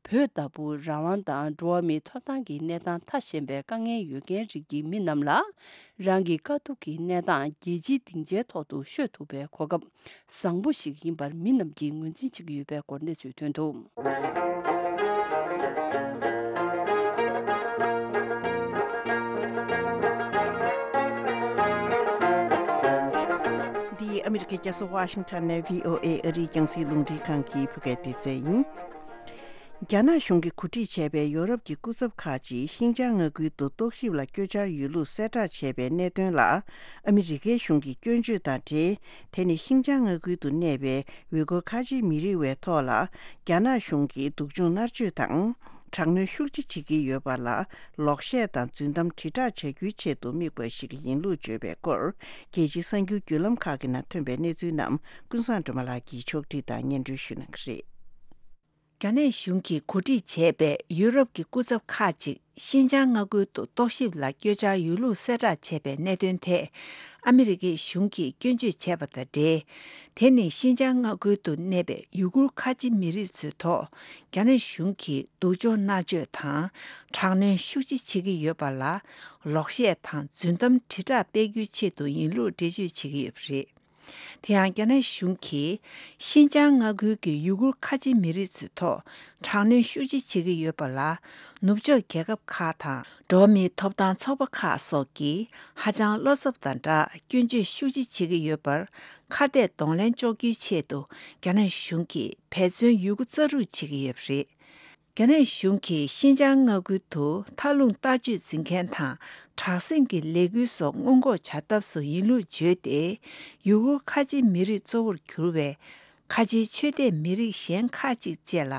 བོད་ལྟ་བུ་རང་དབང་དང་འགྲོ་བ་མིའི་ཐོབ་ཐང་གི་གནས་སྟངས་ཐ་ཞན་པའི་དཀའ་ངལ་ཡོད་མཁན་རིགས་ཀྱི་མི་རྣམས་ལ། རང་གི་དཀའ་སྡུག་གི་གནས་སྟངས་རྒྱལ་སྤྱིའི་སྡིངས་ཆའི་ཐོག་ཏུ་ཤོད་ཐུབ་པའི་གོ་སྐབས་བཟང་པོ་ཞིག་ཡིན་པར་མི་རྣམས་ཀྱིས་ངོས་འཛིན་བྱེད་ཀྱི་ཡོད་པའི་སྐོར་གནས་ཚུལ་ཐོན་འདུག། འདི་ཨ་མི་རི་ཀའི་རྒྱལ་ས་ཝ་ཤིང་ཊོན་ནས་བྷི་ཨོ་ཨེ་ཨ་རིའི་རྒྱང་སྲིང་རླུང་འཕྲིན་ཁང་གི་བོད་སྐད་སྡེ་ཚན་ཡིན། རྒྱ་ནག་གཞུང་གིས་གོ་སྒྲིག་བྱས་པའི་ཡོ་རོབ་ཀྱི་སྐུ་ཚབ་ཁག་ཅིག་ཤིན་ཅང་མངའ་ཁུལ་དུ་རྟོག་ཞིབ་ལ་བསྐྱོད་འཆར་ཡོད་ལུགས་གསལ་བསྒྲགས་བྱས་པའི་གནད་དོན་ལ། ཨ་མི་རི་ཀའི་གཞུང་གི་སྐྱོན་བརྗོད་དང་འབྲེལ། དེ་ནི་ཤིན་ཅང་མངའ་ཁུལ་དུ་གནས་པའི་ཝི་གོར་ཁ་ཆེ་མི་རིགས་བའི་ཐོག་ལ། རྒྱ་ནག་གཞུང་གིས་སྡུག་སྦྱོང་མནར་གཅོད་དང་། དྲག་གནོན་ཤུགས་ཆེ་བྱེད་ཀྱི་ཡོད་པ་ལ། ལོག་བཤད་དང་རྫུན་གཏམ་དྲིལ་བསྒྲགས་བྱ་རྒྱུའི་ཆེད་དུ་དམིགས་པ་ཞིག་ཡིན་ལུགས་བརྗོད་པའི་སྐོར། རྒྱལ་སྤྱིའི་གསར་འགྱུར་བརྒྱུད་ལམ་ཁག་གི་ནང་ཐོན་པའི་གནས་ཚུལ་རྣམས་ཀུན་བཟང་སྒྲོལ་མ་ལགས་ཀྱིས་ཕྱོགས་བསྒྲིགས་དང་སྙན་སྒྲོན་ཞུ་གནང་གི་རེད། རྒྱ་ནག་གཞུང་གིས་གོ་སྒྲིག་བྱས་པའི་ཡུ་རོབ་ཀྱི་སྐུ་ཚབ་ཁག་ཅིག་ཤིན་ཅང་མངའ་ཁུལ་དུ་རྟོག་ཞིབ་ལ་བསྐྱོད་འཆར་ཡོད་ལུགས་གསལ་བསྒྲགས་བྱས་པའི་གནད་དོན་ཐད། ཨ་མི་རི་ཀའི་གཞུང་གིས་སྐྱོན་བརྗོད་བྱས་པ་དང་འབྲེལ། དེ་ནི་ཤིན་ཅང་མངའ་ཁུལ་དུ་གནས་པའི་ཡུ་གུར་ཁ་ཆེ་མི་རིགས་ཚོའི་ཐོག་རྒྱ་ནག་གཞུང་གིས་སྡུག་སྦྱོང་མནར་གཅོད་དང་། དྲག་གནོན་ཤུགས་ཆེ་བྱེད་ཀྱི་ཡོད་པ་ལ། ལོག་བཤད་དང་རྫུན་གཏམ་དྲིལ་བསྒྲགས་སྤེལ་རྒྱུའི་ཆེད་དུ་ཡིན་ལུགས་འགྲེལ་བརྗོད་བྱེད་ཀྱི་ཡོད་པ་རེད། དེ་ཡང་རྒྱ་ནག་གཞུང་གིས་ཤིན་ཅང་མངའ་ཁུལ་གྱི་ཡུ་གུར་ཁ་ཆེ་མི་རིགས་ཚོའི་ཐོག་དྲག་གནོན་ཤུགས་ཆེ་བྱེད་ཀྱི་ཡོད་པ་ལ། ནུབ་ཕྱོགས་རྒྱལ་ཁབ་ཁག་དང་འགྲོ་བ་མིའི་ཐོབ་ཐང་ཚོགས་པ་ཁག་སོགས་ཀྱིས་ཧ་ཅང་བློ་འཚབ་དང་སྦྲགས་སྐྱོན་བརྗོད་ཤུགས་ཆེ་བྱེད་ཀྱི་ཡོད་པར། ཁ་གཏད་གདོང་ལེན་གཅོག་རྒྱུའི་ཆེད་དུ་རྒྱ་ནག་གཞུང་གིས་འབད་བརྩོན་ཡོད་རྒུ་རྩ་རུག་བྱེད་ཀྱི་ཡོད་པ་རེད། རྒྱ་ནག་གཞུང་གིས་ཤིན་ཅང་མངའ་ཁུལ་དུ་མཐའ་ལྷུང་ལྟ་སྤྱོད་འཛིན་མཁན་དང་། དྲག་ཟིང་གི་ལས་འགུལ་སོགས་སྔོན་འགོག་བྱ་ཐབས་སུ་ཡིན་ལུགས་བརྗོད་དེ། ཡུ་གུར་ཁ་ཆེ་མི་རིགས་གཙོ་བོར་གྱུར་བའི་ཁ་ཆེའི་ཆོས་དད་མི་རིགས་གཞན་ཁག་ཅིག་བཅས་ལ་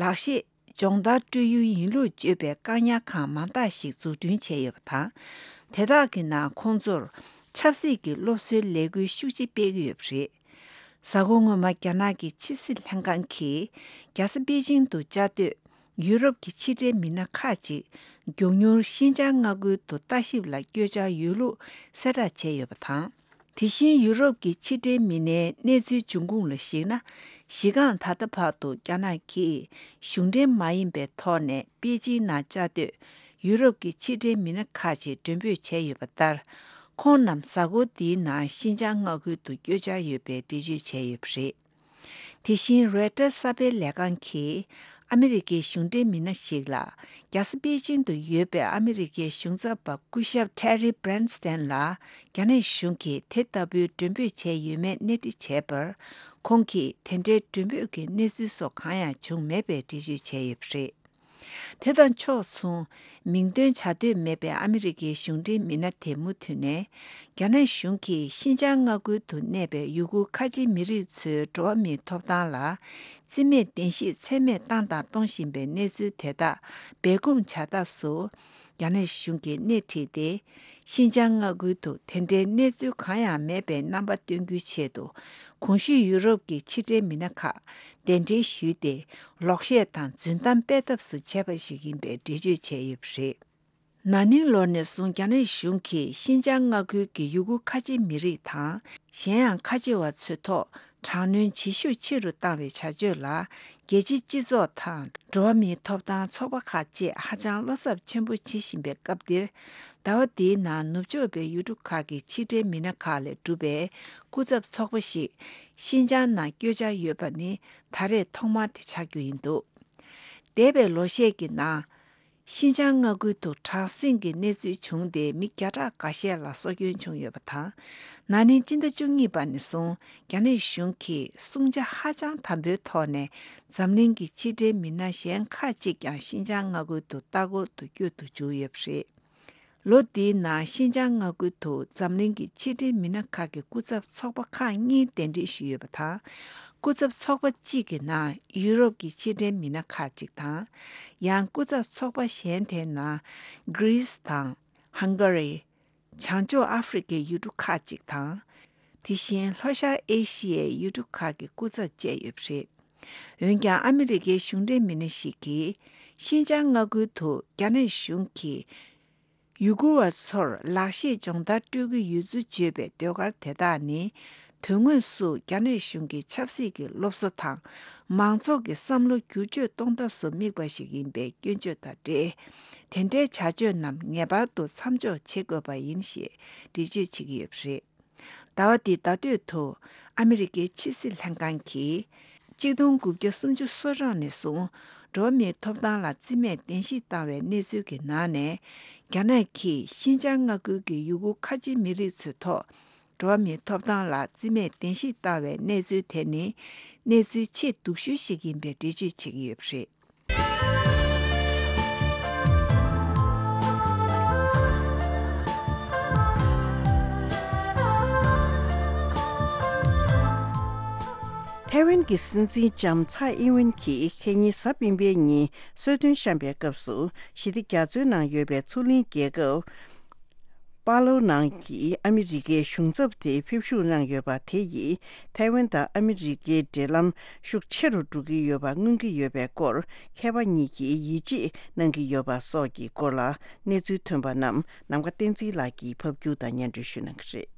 ལག་ཤེས་སྦྱོང་བརྡར་སྤྲོད་ཡུལ་ཡིན་ལུགས་བརྗོད་པའི་བཀག་ཉར་ཁང་མང་དག་ཞིག་འཛུགས་སྐྲུན་བྱས་ཡོད་པ་དང་། དེ་དག་གི་ནང་ཁོང་ཚོར་ཆབ་སྲིད་ཀྱི་སློབ་གསོའི་ལས་འགུལ་ཤུགས་ཆེ་སྤེལ་གྱི་ཡོད་པ་རེད། གཟའ་འཁོར་སྔོན་མ་རྒྱ་ནག་གི་ཕྱི་སྲིད་ལྷན་ཁང་གིས་རྒྱལ་ས་པེ་ཅིང་དུ་བཅའ་སྡོད་ཡུ་རོབ་ཀྱི་ཕྱི་འབྲེལ་མི་སྣ་ཁག་ཅིག་མགྱོགས་མྱུར་ཤིན་ཅང་མངའ་ཁུལ་དུ་ལྟ་ཞིབ་ལ་བསྐྱོད་འཆར་ཡོད་ལུགས་གསལ་བསྒྲགས་བྱས་ཡོད་པ་དང་། དེ་བཞིན་ཡུ་རོབ་ཀྱི་ཕྱི་འབྲེལ་མི་སྣའི་གནས་ཚུལ་འབྱུང་ཁུངས་ལ་གཞིགས་ན། གཞི་རྐང་ད་ལྟ་བར་དུ་རྒྱ་ནག་གིས་གཞུང་འབྲེལ་མ་ཡིན་པའི་ཐོག་ནས་པེ་ཅིང་ནང་བཅའ་སྡོད་ཡུ་རོབ་ཀྱི་ཕྱི་འབྲེལ་མི་སྣ་ཁག་ཅིག་མགྲོན་འབོད་བྱས་ཡོད་པ་ལྟར། ཁོང་རྣམས་གཟའ་འཁོར་འདིའི་ནང་ཤིན་ཅང་མངའ་ཁུལ་དུ་བསྐྱོད་འཆར་ཡོད་པའི་འགྲེལ་བརྗོད་བྱས་ཡོད་པ་རེད། དེ་བཞིན་རོའི་ཊར་གསར་སྤེལ་ལས་ཁང་གིས་ ཨ་མི་རི་ཀའི་གཞུང་འབྲེལ་མི་སྣ་ཞིག་ལ། རྒྱལ་ས་པེ་ཅིང་དུ་ཡོད་པའི་ཨ་མི་རི་ཀའི་གཞུང་ཚབ་པ་སྐུ་ཞབས་Terry Branstad ལ། རྒྱ་ནག་གཞུང་གིས་དེ་ལྟ་བུའི་མགྲོན་འབོད་བྱས་ཡོད་མེད་གནས་འདྲི་བྱས་པར། ཁོང་གིས་དེ་འདྲའི་མགྲོན་འབོད་ཀྱི་གནས་ཚུལ་སོགས་གང་ཡང་བྱུང་མེད་པའི་འགྲེལ་བརྗོད་བྱས་ཡོད་པ་རེད། དེ་དང་ཕྱོགས་མཚུངས། མིང་འདོན་བྱ་འདོད་མེད་པའི་ཨ་མི་རི་ཀའི་གཞུང་འབྲེལ་མི་སྣ་དེ་མུ་མཐུད་ནས། རྒྱ་ནག་གཞུང་གིས་ཤིན་ཅང་མངའ་ཁུལ་དུ་གནས་པའི་ཡུ་གུར་ཁ་ཆེ་མི་རིགས་ཚོའི་འགྲོ་བ་མིའི་ཐོབ་ཐང་ལ། བརྩི་མེད་བདེན་བཞི་ཚད་མེད་བཏང་དང་གཏོང་བཞིན་པའི་གནས་ཚུལ་དེ་དག་སྦས་སྐུང་བྱ་ཐབས་སུ། རྒྱ་ནག་གཞུང་གིས་སྣེ་ཁྲིད་དེ། ཤིན་ཅང་མངའ་ཁུལ་དུ་དེ་འདྲའི་གནས་ཚུལ་གང་ཡང་མེད་པའི་རྣམ་པ་སྟོན་རྒྱུའི་ཆེད་དུ། གོང་ཞུས་ཡུ་རོབ་ཀྱི་ཕྱི་འབྲེལ་མི་སྣ་ཁག་གདན་འདྲེན་ཞུས་ཏེ། ལོག་བཤད་དང་རྫུན་གཏམ་སྤེལ་ཐབས་སུ་བྱས་པ་ཞིག་ཡིན་པའི་འགྲེལ་བརྗོད་བྱས་ཡོད་པ་རེད། ན་ནིང་ལོ་ནས་བཟུང་རྒྱ་ནག་གཞུང་གིས་ཤིན་ཅང་མངའ་ཁུལ་གྱི་ཡུ་གུར་ཁ་ཆེ་མི་རིགས་དང་། གཞན་ཡང་ཁ་ཆེ་བ་ཚོའི་ཐོག་དྲག་གནོན་བྱེད་ཤུགས་ཆེ་རུ་བཏང་བའི་བྱ་སྤྱོད་ལ། རྒྱལ་སྤྱིའི་སྤྱི་ཚོགས་དང་། འགྲོ་བ་མིའི་ཐོབ་ཐང་ཚོགས་པ་ཁག་བཅས་ཧ་ཅང་བློ་འཚབ་ཆེན་པོ་བྱེད་བཞིན་པའི་སྐབས་འདིར། ཟླ་བ་འདིའི་ནང་ནུབ་ཕྱོགས་པའི་ཡུལ་གྲུ་ཁག་གི་ཕྱི་འབྲེལ་མི་སྣ་ཁག་ལས་གྲུབ་པའི་སྐུ་ཚབ་ཚོགས་པ་ཞིག་ཤིན་ཅང་ནང་བསྐྱོད་འཆར་ཡོད་པ་ནི་ད་རེས་ཐོག་མ་དེ་ཆགས་རྒྱུ་ཡིན་འདུག་འདས་པའི་ལོ་ཤས་ཀྱི་ནང་། ཤིན་ཅང་མངའ་ཁུལ་དུ་དྲག་ཟིང་གི་གནས་ཚུལ་བྱུང་སྟེ། མི་བརྒྱ་ཕྲག་འགའ་ཤས་ལ་སྲོག་སྐྱོན་བྱུང་ཡོད་པ་དང་། ན་ནིང་སྤྱི་ཟླ་བཅུ་གཉིས་པ་ནས་བཟུང་རྒྱ་ནག་གཞུང་གིས་སྲུང་བྱ་ཧ་ཅང་དམ་པོའི་ཐོག་ནས་འཛམ་གླིང་གི་ཕྱི་འབྲེལ་མི་སྣ་གཞན་ཁག་ཅིག་ཀྱང་ཤིན་ཅང་མངའ་ཁུལ་དུ་ལྟ་སྐོར་དུ་བསྐྱོད་དུ་འཇུག་ཡོད་པ་རེད། ལོ་འདིའི་ནང་ཤིན་ཅང་མངའ་ཁུལ་དུ་འཛམ་གླིང་གི་ཕྱི་འབྲེལ་མི་སྣ་ཁག་གི་སྐུ་ཚབ་ཚོགས་པ་ཁག་གཉིས་གདན་འདྲེན་ཞུས་ཡོད་པ་དང་། སྐུ་ཚབ་ཚོགས་པ་གཅིག་གི་ནང་ཡུ་རོབ་ཀྱི་ཕྱི་འབྲེལ་མི་སྣ་ཁག་ཅིག་དང་། ཡང་སྐུ་ཚབ་ཚོགས་པ་གཞན་དེའི་ནང་གྷི་རིས་དང་། ཧང་ག་རི། བྱང་ཕྱོགས་ཨ་ཧྥེ་རི་ཁའི་ཡུལ་གྲུ་ཁག་ཅིག་དང་། དེ་བཞིན་ལྷོ་ཤར་ཨེ་ཤི་ཡའི་ཡུལ་གྲུ་ཁག་གི་སྐུ་ཚབ་བཅས་ཡོད་པ་རེད། འོན་ཀྱང་ཨ་མི་རི་ཀའི་གཞུང་འབྲེལ་མི་སྣ་ཞིག་གིས། ཤིན་ཅང་མངའ་ཁུལ་དུ་རྒྱ་ནག་གཞུང་གིས་ཡུ་གུར་བ་ཚོར་ལག་ཤེས་སྦྱོང་བརྡར་སྤྲོད་ཀྱི་ཡོད་ཚུལ་བརྗོད་པའི་ཟློས་གར་དེ་དག་ནི། དོན་དངོས་སུ་རྒྱ་ནག་གཞུང་གི་ཆབ་སྲིད་ཀྱི་སློབ་གསོ་དང་། མང་ཚོགས་ཀྱི་བསམ་བློ་བསྒྱུར་བཅོས་གཏོང་ཐབས་སུ་དམིགས་པ་ཞིག་ཡིན་པའི་སྐྱོན་བརྗོད་དང་འབྲེལ། དེ་འདྲའི་བྱ་སྤྱོད་རྣམས་ངེས་པར་དུ་མཚམས་འཇོག་བྱེད་དགོས་པ་ཡིན་ཞེས་འགྲེལ་བརྗོད་བྱེད་ཀྱི་ཡོད་པ་རེད། ཟླ་བ་འདིའི་ཟླ་སྟོད་དུ་ཨ་མི་རི་ཀའི་ཕྱི་སྲིད་ལྷན་ཁང་གིས། གཅིག་སྟོང་དགུ་བརྒྱ་སུམ་ཅུ་སོ་གྲངས་ནས་བཟུང་འགྲོ་བ་མིའི་ཐོབ་ཐང་ལ་བརྩི་མེད་གཏན་ཞིབ་བཏང་བའི་གནས་ཚུལ་གྱི་ནང་ནས། རྒྱ་ནག་གིས་ཤིན་ཅང་མངའ་ཁུལ་གྱི་ཡུ་གུར་ཁ་ཆེ་མི་རིགས་ཚོའི་ཐོག་འགྲོ་བ་མིའི་ཐོབ་ཐང་ལ་བརྩི་མེད་གཏན་ཞིབ་བཏང་བའི་གནས་ཚུལ་དེ་ནི། གནས་ཚུལ་ཆེས་སྡུག་ཤོས་ཤིག་ཡིན་པའི་འགྲེལ་བརྗོད་བྱེད་ཀྱི་ཡོད་པ་རེད། ཐའེ་ཝན་གྱི་སྲིད་འཛིན་ལྕམ་ཚའེ་ཨིན་ཝེན་གྱིས་ཁ་ཉིན་གཟའ་སྤེན་པའི་ཉིན་གསོལ་སྟོན་བཤམས་པའི་སྐབས་སུ། ཞི་བདེ་རྒྱ་མཚོའི་ནང་ཡོད་པའི་མཚོ་གླིང་རྒྱལ་ཁབ་པ་ལོའུ་ནང་གི་ཨ་མི་རི་ཀའི་གཞུང་ཚབ་དེ་ཕེབས་བཞུགས་གནང་ཡོད་པ་དེ་ཡིས། ཐའེ་ཝན་དང་ཨ་མི་རི་ཀའི་འབྲེལ་ལམ་ཤུགས་ཆེ་རུ་འགྲོ་གི་ཡོད་པ་མངོན་གྱི་ཡོད་པའི་སྐོར། མཁས་པ་གཉིས་ཀྱིས་ཡིད་ཆེས་གནང་གི་ཡོད་པ་སོགས་ཀྱི་སྐོར་ལ་གནས་ཚུལ་ཐོན་པ་རྣམས་ནམ་མཁའ་བསྟན་འཛིན་ལགས་ཀྱིས་ཕབ་སྒྱུར་དང་སྙན་སྒྲོན་ཞུ་གནང་གི་རེད།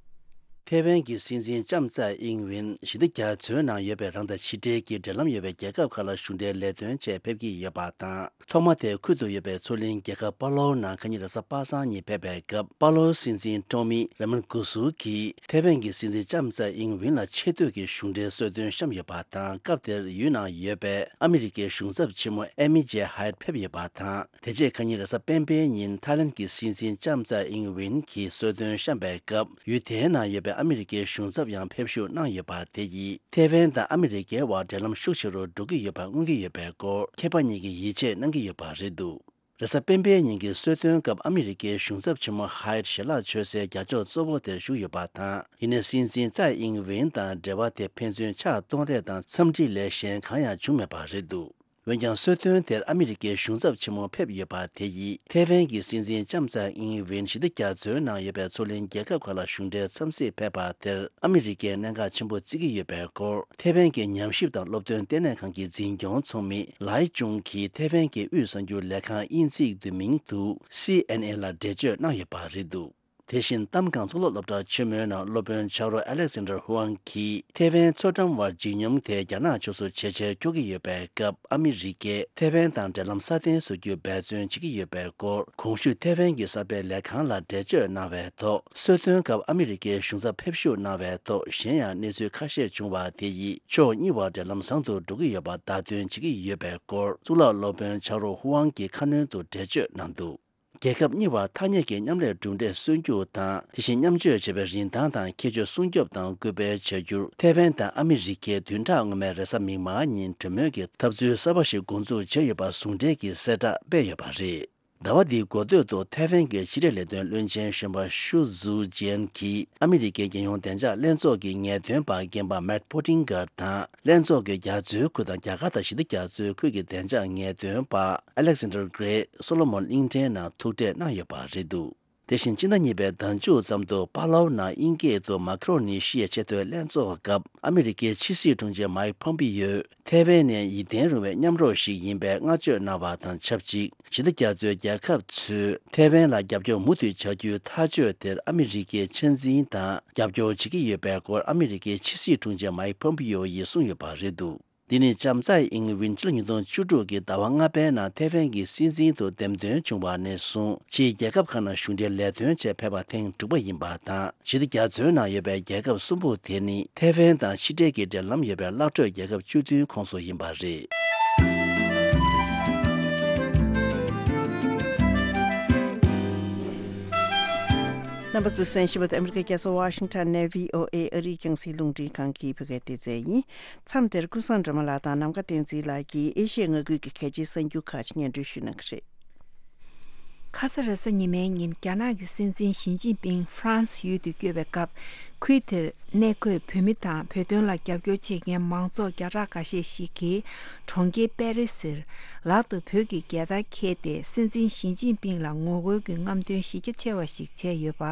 ཐའེ་ཝན་གྱི་སྲིད་འཛིན་ལྕམ་ཚའེ་ཨིང་ཝེན་ཞི་བདེ་རྒྱ་མཚོའི་ནང་ཡོད་པའི་རང་དང་ཕྱི་འབྲེལ་གྱི་འབྲེལ་ལམ་ཡོད་པའི་རྒྱལ་ཁབ་ཁག་ལ་གཞུང་འབྲེལ་ལས་དོན་ཆེད་ཕེབས་ཀྱི་ཡོད་པ་དང་། ཐོག་མ་དེ་ཁུལ་དུ་ཡོད་པའི་མཚོ་གླིང་རྒྱལ་ཁབ་པ་ལོའུ་ནང་ཁ་ཉིན་རེས་གཟའ་པ་སངས་ཉིན་ཕེབས་པའི་སྐབས། པ་ལོའུ་སྲིད་འཛིན་ཀྲོ་མི་ར་མན་གུ་སུ་གིས་ཐའེ་ཝན་གྱི་སྲིད་འཛིན་ལྕམ་ཚའེ་ཨིང་ཝེན་ལ་ཆེ་བསྟོད་ཀྱི་གཞུང་འབྲེལ་གསོལ་སྟོན་བཤམས་ཡོད་པ་དང་། སྐབས་དེར་ཡུལ་ནང་ཡོད་པའི་ཨ་མི་རི་ཀའི་གཞུང་ཚབ་ཆེན་མོ་ཨེ་མི་ཇེ་ཧའེད་ཕེབས་ཡོད་པ་དང་། དེ་རྗེས་ཁ་ཉིན་རེས་གཟའ་སྤེན་པའི་ཉིན་ཐའི་ལན་གྱི་སྲིད་འཛིན་ལྕམ་ཚའེ་ཨིང་ཝེན་གྱིས་གསོལ་སྟོན་བཤམས་པའི་སྐབས། ཡུལ་དེའི་ནང་ཡོད་པའི་ཨ་མི་རི་ཀའི་གཞུང་ཚབ་ཡང་ཕེབས་བཞུགས་གནང་ཡོད་པ་དེ་ཡིས། ཐའེ་ཝན་དང་ཨ་མི་རི་ཀའི་དབར་འབྲེལ་ལམ་ཤུགས་ཆེ་རུ་འགྲོ་གི་ཡོད་པ་མངོན་གྱི་ཡོད་པའི་སྐོར། མཁས་པ་གཉིས་ཀྱིས་ཡིད་ཆེས་གནང་གི་ཡོད་པ་རེད་འདུག་རེས་གཟའ་སྤེན་པའི་ཉིན་གྱི་གསོལ་སྟོན་སྐབས། ཨ་མི་རི་ཀའི་གཞུང་ཚབ་ཆེན་མོ་ཧའེད་ཞལ་ལག་མཆོད་སའི་རྒྱ་ཕྱོགས་གཙོ་བོ་དེར་བཞུགས་ཡོད་པ་དང་། ཡིན་ནའི་སྲིད་འཛིན་ཚའེ་ཨིང་ཝེན་དང་འབྲེལ་བ་དེ་ཕན་ཚུན་ཕྱག་གཏོང་རེས་དང་འཚམས་འདྲི་ལས་གཞན་གང་ཡང་བྱུང་མེད་པ་རེད་འདུག་འོན་ཀྱང་། གསོལ་སྟོན་དེར་ཨ་མི་རི་ཀའི་གཞུང་ཚབ་ཆེན་མོ་ཕེབས་ཡོད་པ་དེ་ཡིས། ཐའེ་ཝན་གྱི་སྲིད་འཛིན་ལྕམ་ཚའེ་ཨིང་ཝེན་ཞི་བདེ་རྒྱ་མཚོའི་ནང་ཡོད་པའི་མཚོ་གླིང་རྒྱལ་ཁབ་ཁག་ལ་གཞུང་འབྲེལ་འཚམས་གཟིགས་ཕེབས་པ་དེར། ཨ་མི་རི་ཀས་གནད་འགག་ཆེན་པོ་བརྩི་གི་ཡོད་པའི་སྐོར། ཐའེ་ཝན་གྱི་ཉམས་ཞིབ་དང་སློབ་སྟོན་ལྟེ་གནས་ཁང་གི་འཛིན་སྐྱོང་ཚོགས་མི་ལའེ་ཅུང་གིས་ཐའེ་ཝན་གྱི་དབུས་གསར་འགྱུར་ལས་ཁང་དབྱིན་ཚིག་བསྡུས་མིང་དུ་སི་ཨེན་ཨེན་ལ་འགྲེལ་བརྗོད་གནང་ཡོད་པ་རེད་འདུག་དེ་བཞིན་གཏམ་གང་གཙུག་ལག་སློབ་གྲྭ་ཆེན་མོའི་ནང་སློབ་དཔོན་ཆགས་རོགས་ཨ་ལེག་སན་ཌར་ཧུའང་གིས་ཐེ་ཝན་མཚོ་འགྲམ་བར་འཇིགས་སྙོམས་དེ་རྒྱ་ནག་ཕྱོགས་སུ་ཇེ་ཆེར་འཁྱོག་གི་ཡོད་པའི་སྐབས། ཨ་མི་རི་ཀས་ཐེ་ཝན་དང་འབྲེལ་ལམ་སྲ་བརྟན་བཟོ་རྒྱུར་འབད་བརྩོན་བྱེད་ཀྱི་ཡོད་པའི་སྐོར། གོང་ཞུས་ཐེ་ཝན་གྱི་གསར་པའི་ལས་ཁང་ལ་འགྲེལ་བརྗོད་གནང་བའི་ཐོག་གསོལ་སྟོན་སྐབས་ཨ་མི་རི་ཀའི་གཞུང་ཚབ་ཕེབས་ཞུགས་གནང་བའི་ཐོག་གཞན་ཡང་གནས་ཚུལ་ཁ་ཤས་བྱུང་བ་དེ་ཡིས་ཕྱོགས་གཉིས་བར་འབྲེལ་ལམ་བཟང་དུ་འགྲོ་གི་ཡོད་པ་བརྡ་སྟོན་བྱེད་ཀྱི་ཡོད་པའི་སྐོར། གཙུག་ལག་སློབ་དཔོན་ཆགས་རོགས་ཧུའང་གིས་ཁ་སྣོན་དུ་འགྲེལ་བརྗོད་གནང་འདུག་རྒྱལ་ཁབ་གཉིས་བར་ཐ་སྙད་ཀྱི་མཉམ་ལས་གྲུབ་འབྲས་སོན་རྒྱུ་དང་། དེ་བཞིན་མཉམ་སྤྱོད་བྱས་པའི་རིན་ཐང་དང་ཁྱད་ཆོས་སྲུང་སྐྱོབ་དང་སྐུལ་སྤེལ་བྱ་རྒྱུར། ཐེ་ཝན་དང་ཨ་མི་རི་ཀས་བདུན་ཕྲག་སྔོན་མའི་རེས་གཟའ་མིག་དམར་ཉིན་གྲོས་མོལ་གྱི་འཐབ་རྩོད་གསར་པ་ཞིག་འགོ་འཛུགས་བྱས་ཡོད་པ་ཟུང་འབྲེལ་གྱི་གསལ་བསྒྲགས་སྤེལ་ཡོད་པ་རེད། ཟླ་བ་འདིའི་འགོ་སྟོད་དུ་ཐེ་ཝན་གྱི་ཕྱི་འབྲེལ་ལས་དོན་བློན་ཆེན་གཞོན་པ་ཤུ་ཛུ་ཅན་གྱིས་ཨ་མི་རི་ཀའི་རྒྱལ་ཡོངས་བདེ་འཇགས་ལྷན་ཚོགས་ཀྱི་ངེས་སྟོན་པ་རྒན་པ་མེག་པོ་ཏིང་གར་དང་། ལྷན་ཚོགས་ཀྱི་རྒྱ་མཚོའི་ཁུལ་དང་རྒྱ་གར་དང་ཞི་བདེ་རྒྱ་མཚོའི་ཁུལ་གྱི་བདེ་འཇགས་ངེས་སྟོན་པ་ཨ་ལེག་སན་ཌར་གྷི་རེ་སོ་ལོ་མོན་གླིང་ཕྲན་ནང་ཐུག་འཕྲད་གནང་ཡོད་པ་རེད་འདུག་དེ་བཞིན་ཕྱི་ཟླ་གཉིས་པའི་ཟླ་མཇུག་ཙམ་དུ་པཱ་ལའུ་ནང་དབྱིན་སྐད་དུ་མཱ་ཁི་རོ་ནི་ཤི་ཡའི་ཆེས་མཐོའི་ལྷན་ཚོགས་སྐབས་ཨ་མི་རི་ཀའི་ཕྱི་སྲིད་དྲུང་ཆེ་མཱིག་ཕོམ་པི་ཡོས། ཐེ་ཝན་ནི་ཡིད་བརྟན་རུང་བའི་མཉམ་རོགས་ཤིག་ཡིན་པའི་བསྔགས་བརྗོད་གནང་བ་དང་ཆབས་ཅིག་ཞི་བདེ་རྒྱ་མཚོའི་རྒྱལ་ཁབ་ཚོས་ཐེ་ཝན་ལ་རྒྱབ་སྐྱོར་མུ་མཐུད་བྱ་རྒྱུའི་ཐག་གཅོད་དེར་ཨ་མི་རི་ཀས་ཆ་འཛིན་དང་རྒྱབ་སྐྱོར་བྱེད་ཀྱི་ཡོད་པའི་སྐོར་ཨ་མི་རི་ཀའི་ཕྱི་སྲིད་དྲུང་ཆེ་མཱིག་ཕོམ་པི་ཡོ་ཡིས་གསུངས་ཡོད་པ་རེད་འདུག་འདི་ནི་ལྕམ་ཚའེ་ཨིང་ཝེན་ཕྱི་ལོ་ཉིས་སྟོང་བཅུ་དྲུག་གི་ཟླ་བ་ལྔ་པའི་ནང་ཐེ་ཝན་གྱི་སྲིད་འཛིན་དུ་འདེམས་ཐོན་བྱུང་བ་ནས་བཟུང་ཕྱིའི་རྒྱལ་ཁབ་ཁག་ནང་གཞུང་འབྲེལ་ལས་དོན་ཆེད་ཕེབས་པ་ཐེངས་དྲུག་པ་ཡིན་པ་དང་། ཞི་བདེ་རྒྱ་མཚོའི་ནང་ཡོད་པའི་རྒྱལ་ཁབ་གསུམ་པོ་དེ་ནི་ཐེ་ཝན་དང་ཕྱི་འབྲེལ་གྱི་འབྲེལ་ལམ་ཡོད་པའི་བརླག་འགྲོའི་རྒྱལ་ཁབ་བཅུ་བདུན་ཁོངས་སུ་ཡིན་པ་རེད། རྣམ་པ་ཚོས་གསན་བཞིན་པ་དེ་ཨ་མི་རི་ཀའི་རྒྱལ་ས་ཝ་ཤིང་ཊོན་ནས་བྷི་ཨོ་ཨེ་ཨ་རིའི་རྒྱང་སྲིང་རླུང་འཕྲིན་ཁང་གི་བོད་སྐད་སྡེ་ཚན་ཡིན། མཚམས་དེར་ཀུན་བཟང་སྒྲོལ་མ་ལགས་དང་ནམ་མཁའ་བསྟན་འཛིན་ལགས་ཀྱིས་ཨེ་ཤི་ཡའི་མངའ་ཁུལ་གྱི་གལ་ཆེའི་གསར་འགྱུར་ཁག་ཅིག་སྙན་སྒྲོན་ཞུ་གནང་གི་རེད། ཁ་ས་རེས་གཟའ་ཉི་མའི་ཉིན་རྒྱ་ནག་གི་སྲིད་འཛིན་ཞི་ཅིན་ཕིང་ཧྥ་རན་སི་ཡུལ་དུ་བསྐྱོད་པའི་སྐབས། ཁུལ་དེར་གནས་འཁོད་བོད་མི་དང་བོད་དོན་ལ་རྒྱབ་སྐྱོར་བྱེད་མཁན་མང་ཚོགས་བརྒྱ་ཕྲག་འགའ་ཤས་ཤིག་གིས་གྲོང་ཁྱེར་པེ་རི་སིར་ལག་ཏུ་བོད་ཀྱི་རྒྱལ་དར་འཁྱེར་ཏེ་སྲིད་འཛིན་ཞི་ཅིན་ཕིང་ལ་ངོ་རྒོལ་གྱི་རྔམ་སྟོན་གཞི་རྒྱ་ཆེ་བ་ཞིག་བྱས་ཡོད་པ་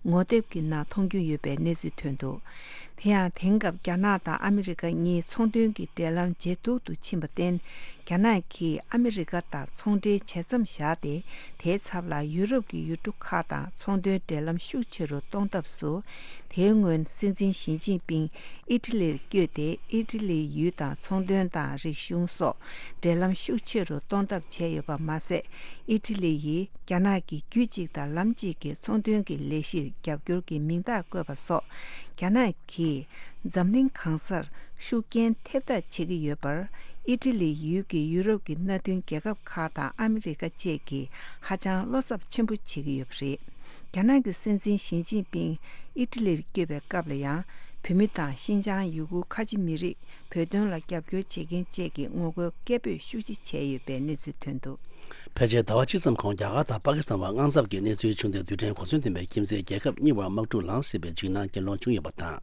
ངོ་དེབ་ཀྱི་ནང་མཐོང་རྒྱུ་ཡོད་པའི་གནས་ཚུལ་ཐོན་འདུག་དེ་ཡང་དེང་སྐབས་རྒྱ་ནག་དང་ཨ་མི་རི་ཀ་གཉིས་ཚོང་དོན་གྱི་འབྲེལ་ལམ་ཇེ་སྡུག་ཏུ་ཕྱིན་པར་བརྟེན། རྒྱ་ནག་གིས་ཨ་མི་རི་ཀ་དང་ཚོང་འབྲེལ་ཇེ་མཚམས་བཞག་སྟེ། དེའི་ཚབ་ལ་ཡུ་རོབ་ཀྱི་ཡུལ་གྲུ་ཁག་དང་ཚོང་དོན་འབྲེལ་ལམ་ཤུགས་ཆེ་རུ་གཏོང་ཐབས་སུ། དེའི་སྔོན་སྲིད་འཛིན་ཞི་ཅིན་ཕིང་ཨི་ཊ་ལིར་བསྐྱོད་དེ། ཨི་ཊ་ལིའི་ཡུལ་དང་ཚོང་དོན་དང་རིག་གཞུང་སོགས་འབྲེལ་ལམ་ཤུགས་ཆེ་རུ་གཏོང་ཐབས་བྱས་ཡོད་པ་མ་ཟད། ཨི་ཊ་ལི་ཡིས་རྒྱ་ནག་གི་རྒྱུད་གཅིག་དང་ལམ་གཅིག་གི་ཚོང་དོན་གྱི་ལས་གཞིར་རྒྱབ་སྐྱོར་གྱི་མིང་རྟགས་བཀོད་པ་སོགས། རྒྱ་ནག་གིས་འཛམ་གླིང་གང་སར་ཤུགས་རྐྱེན་ཐེབས་ཐབས་བྱེད་ཀྱི་ཡོད་པར། ཨི་ཊ་ལི་ཡུལ་གྱི་ཡུ་རོབ་ཀྱི་མནའ་མཐུན་རྒྱལ་ཁབ་ཁག་དང་ཨ་མི་རི་ཀ་བཅས་ཀྱིས་ཧ་ཅང་བློ་འཚབ་ཆེན་པོ་བྱེད་ཀྱི་ཡོད་པ་རེད། རྒྱ་ནག་གི་སྲིད་འཛིན་ཞི་ཅིན་ཕིང་ཨི་ཊ་ལིར་བསྐྱོད་པའི་སྐབས་ལ་ཡང་། བོད་མི་དང་ཤིན་ཅང་ཡུ་གུར་ཁ་ཆེ་མི་རིགས། བོད་དོན་ལ་རྒྱབ་སྐྱོར་བྱེད་མཁན་བཅས་ཀྱིས་ངོ་རྒོལ་སྐད་འབོད་ཤུགས་ཆེ་བྱས་ཡོད་པའི་གནས་ཚུལ་ཐོན་འདུག་ཕལ་ཆེར་ཟླ་བ་གཅིག་ཙམ་གོང་རྒྱ་གར་དང་པ་ཀི་སི་ཐན་བར་དངངས་འཚབ་ཀྱི་གནས་ཚུལ་བྱུང་སྟེ། རྡུལ་ཕྲན་གོ་མཚོན་ལྡན་པའི་ཁྱིམ་མཚེས་རྒྱལ་ཁབ་གཉིས་བར་དམག་འཁྲུག་ལངས་སྲིད་པའི་འཇིགས་སྣང་གྱེན་ལོག་བྱུང་ཡོད་པ་དང་།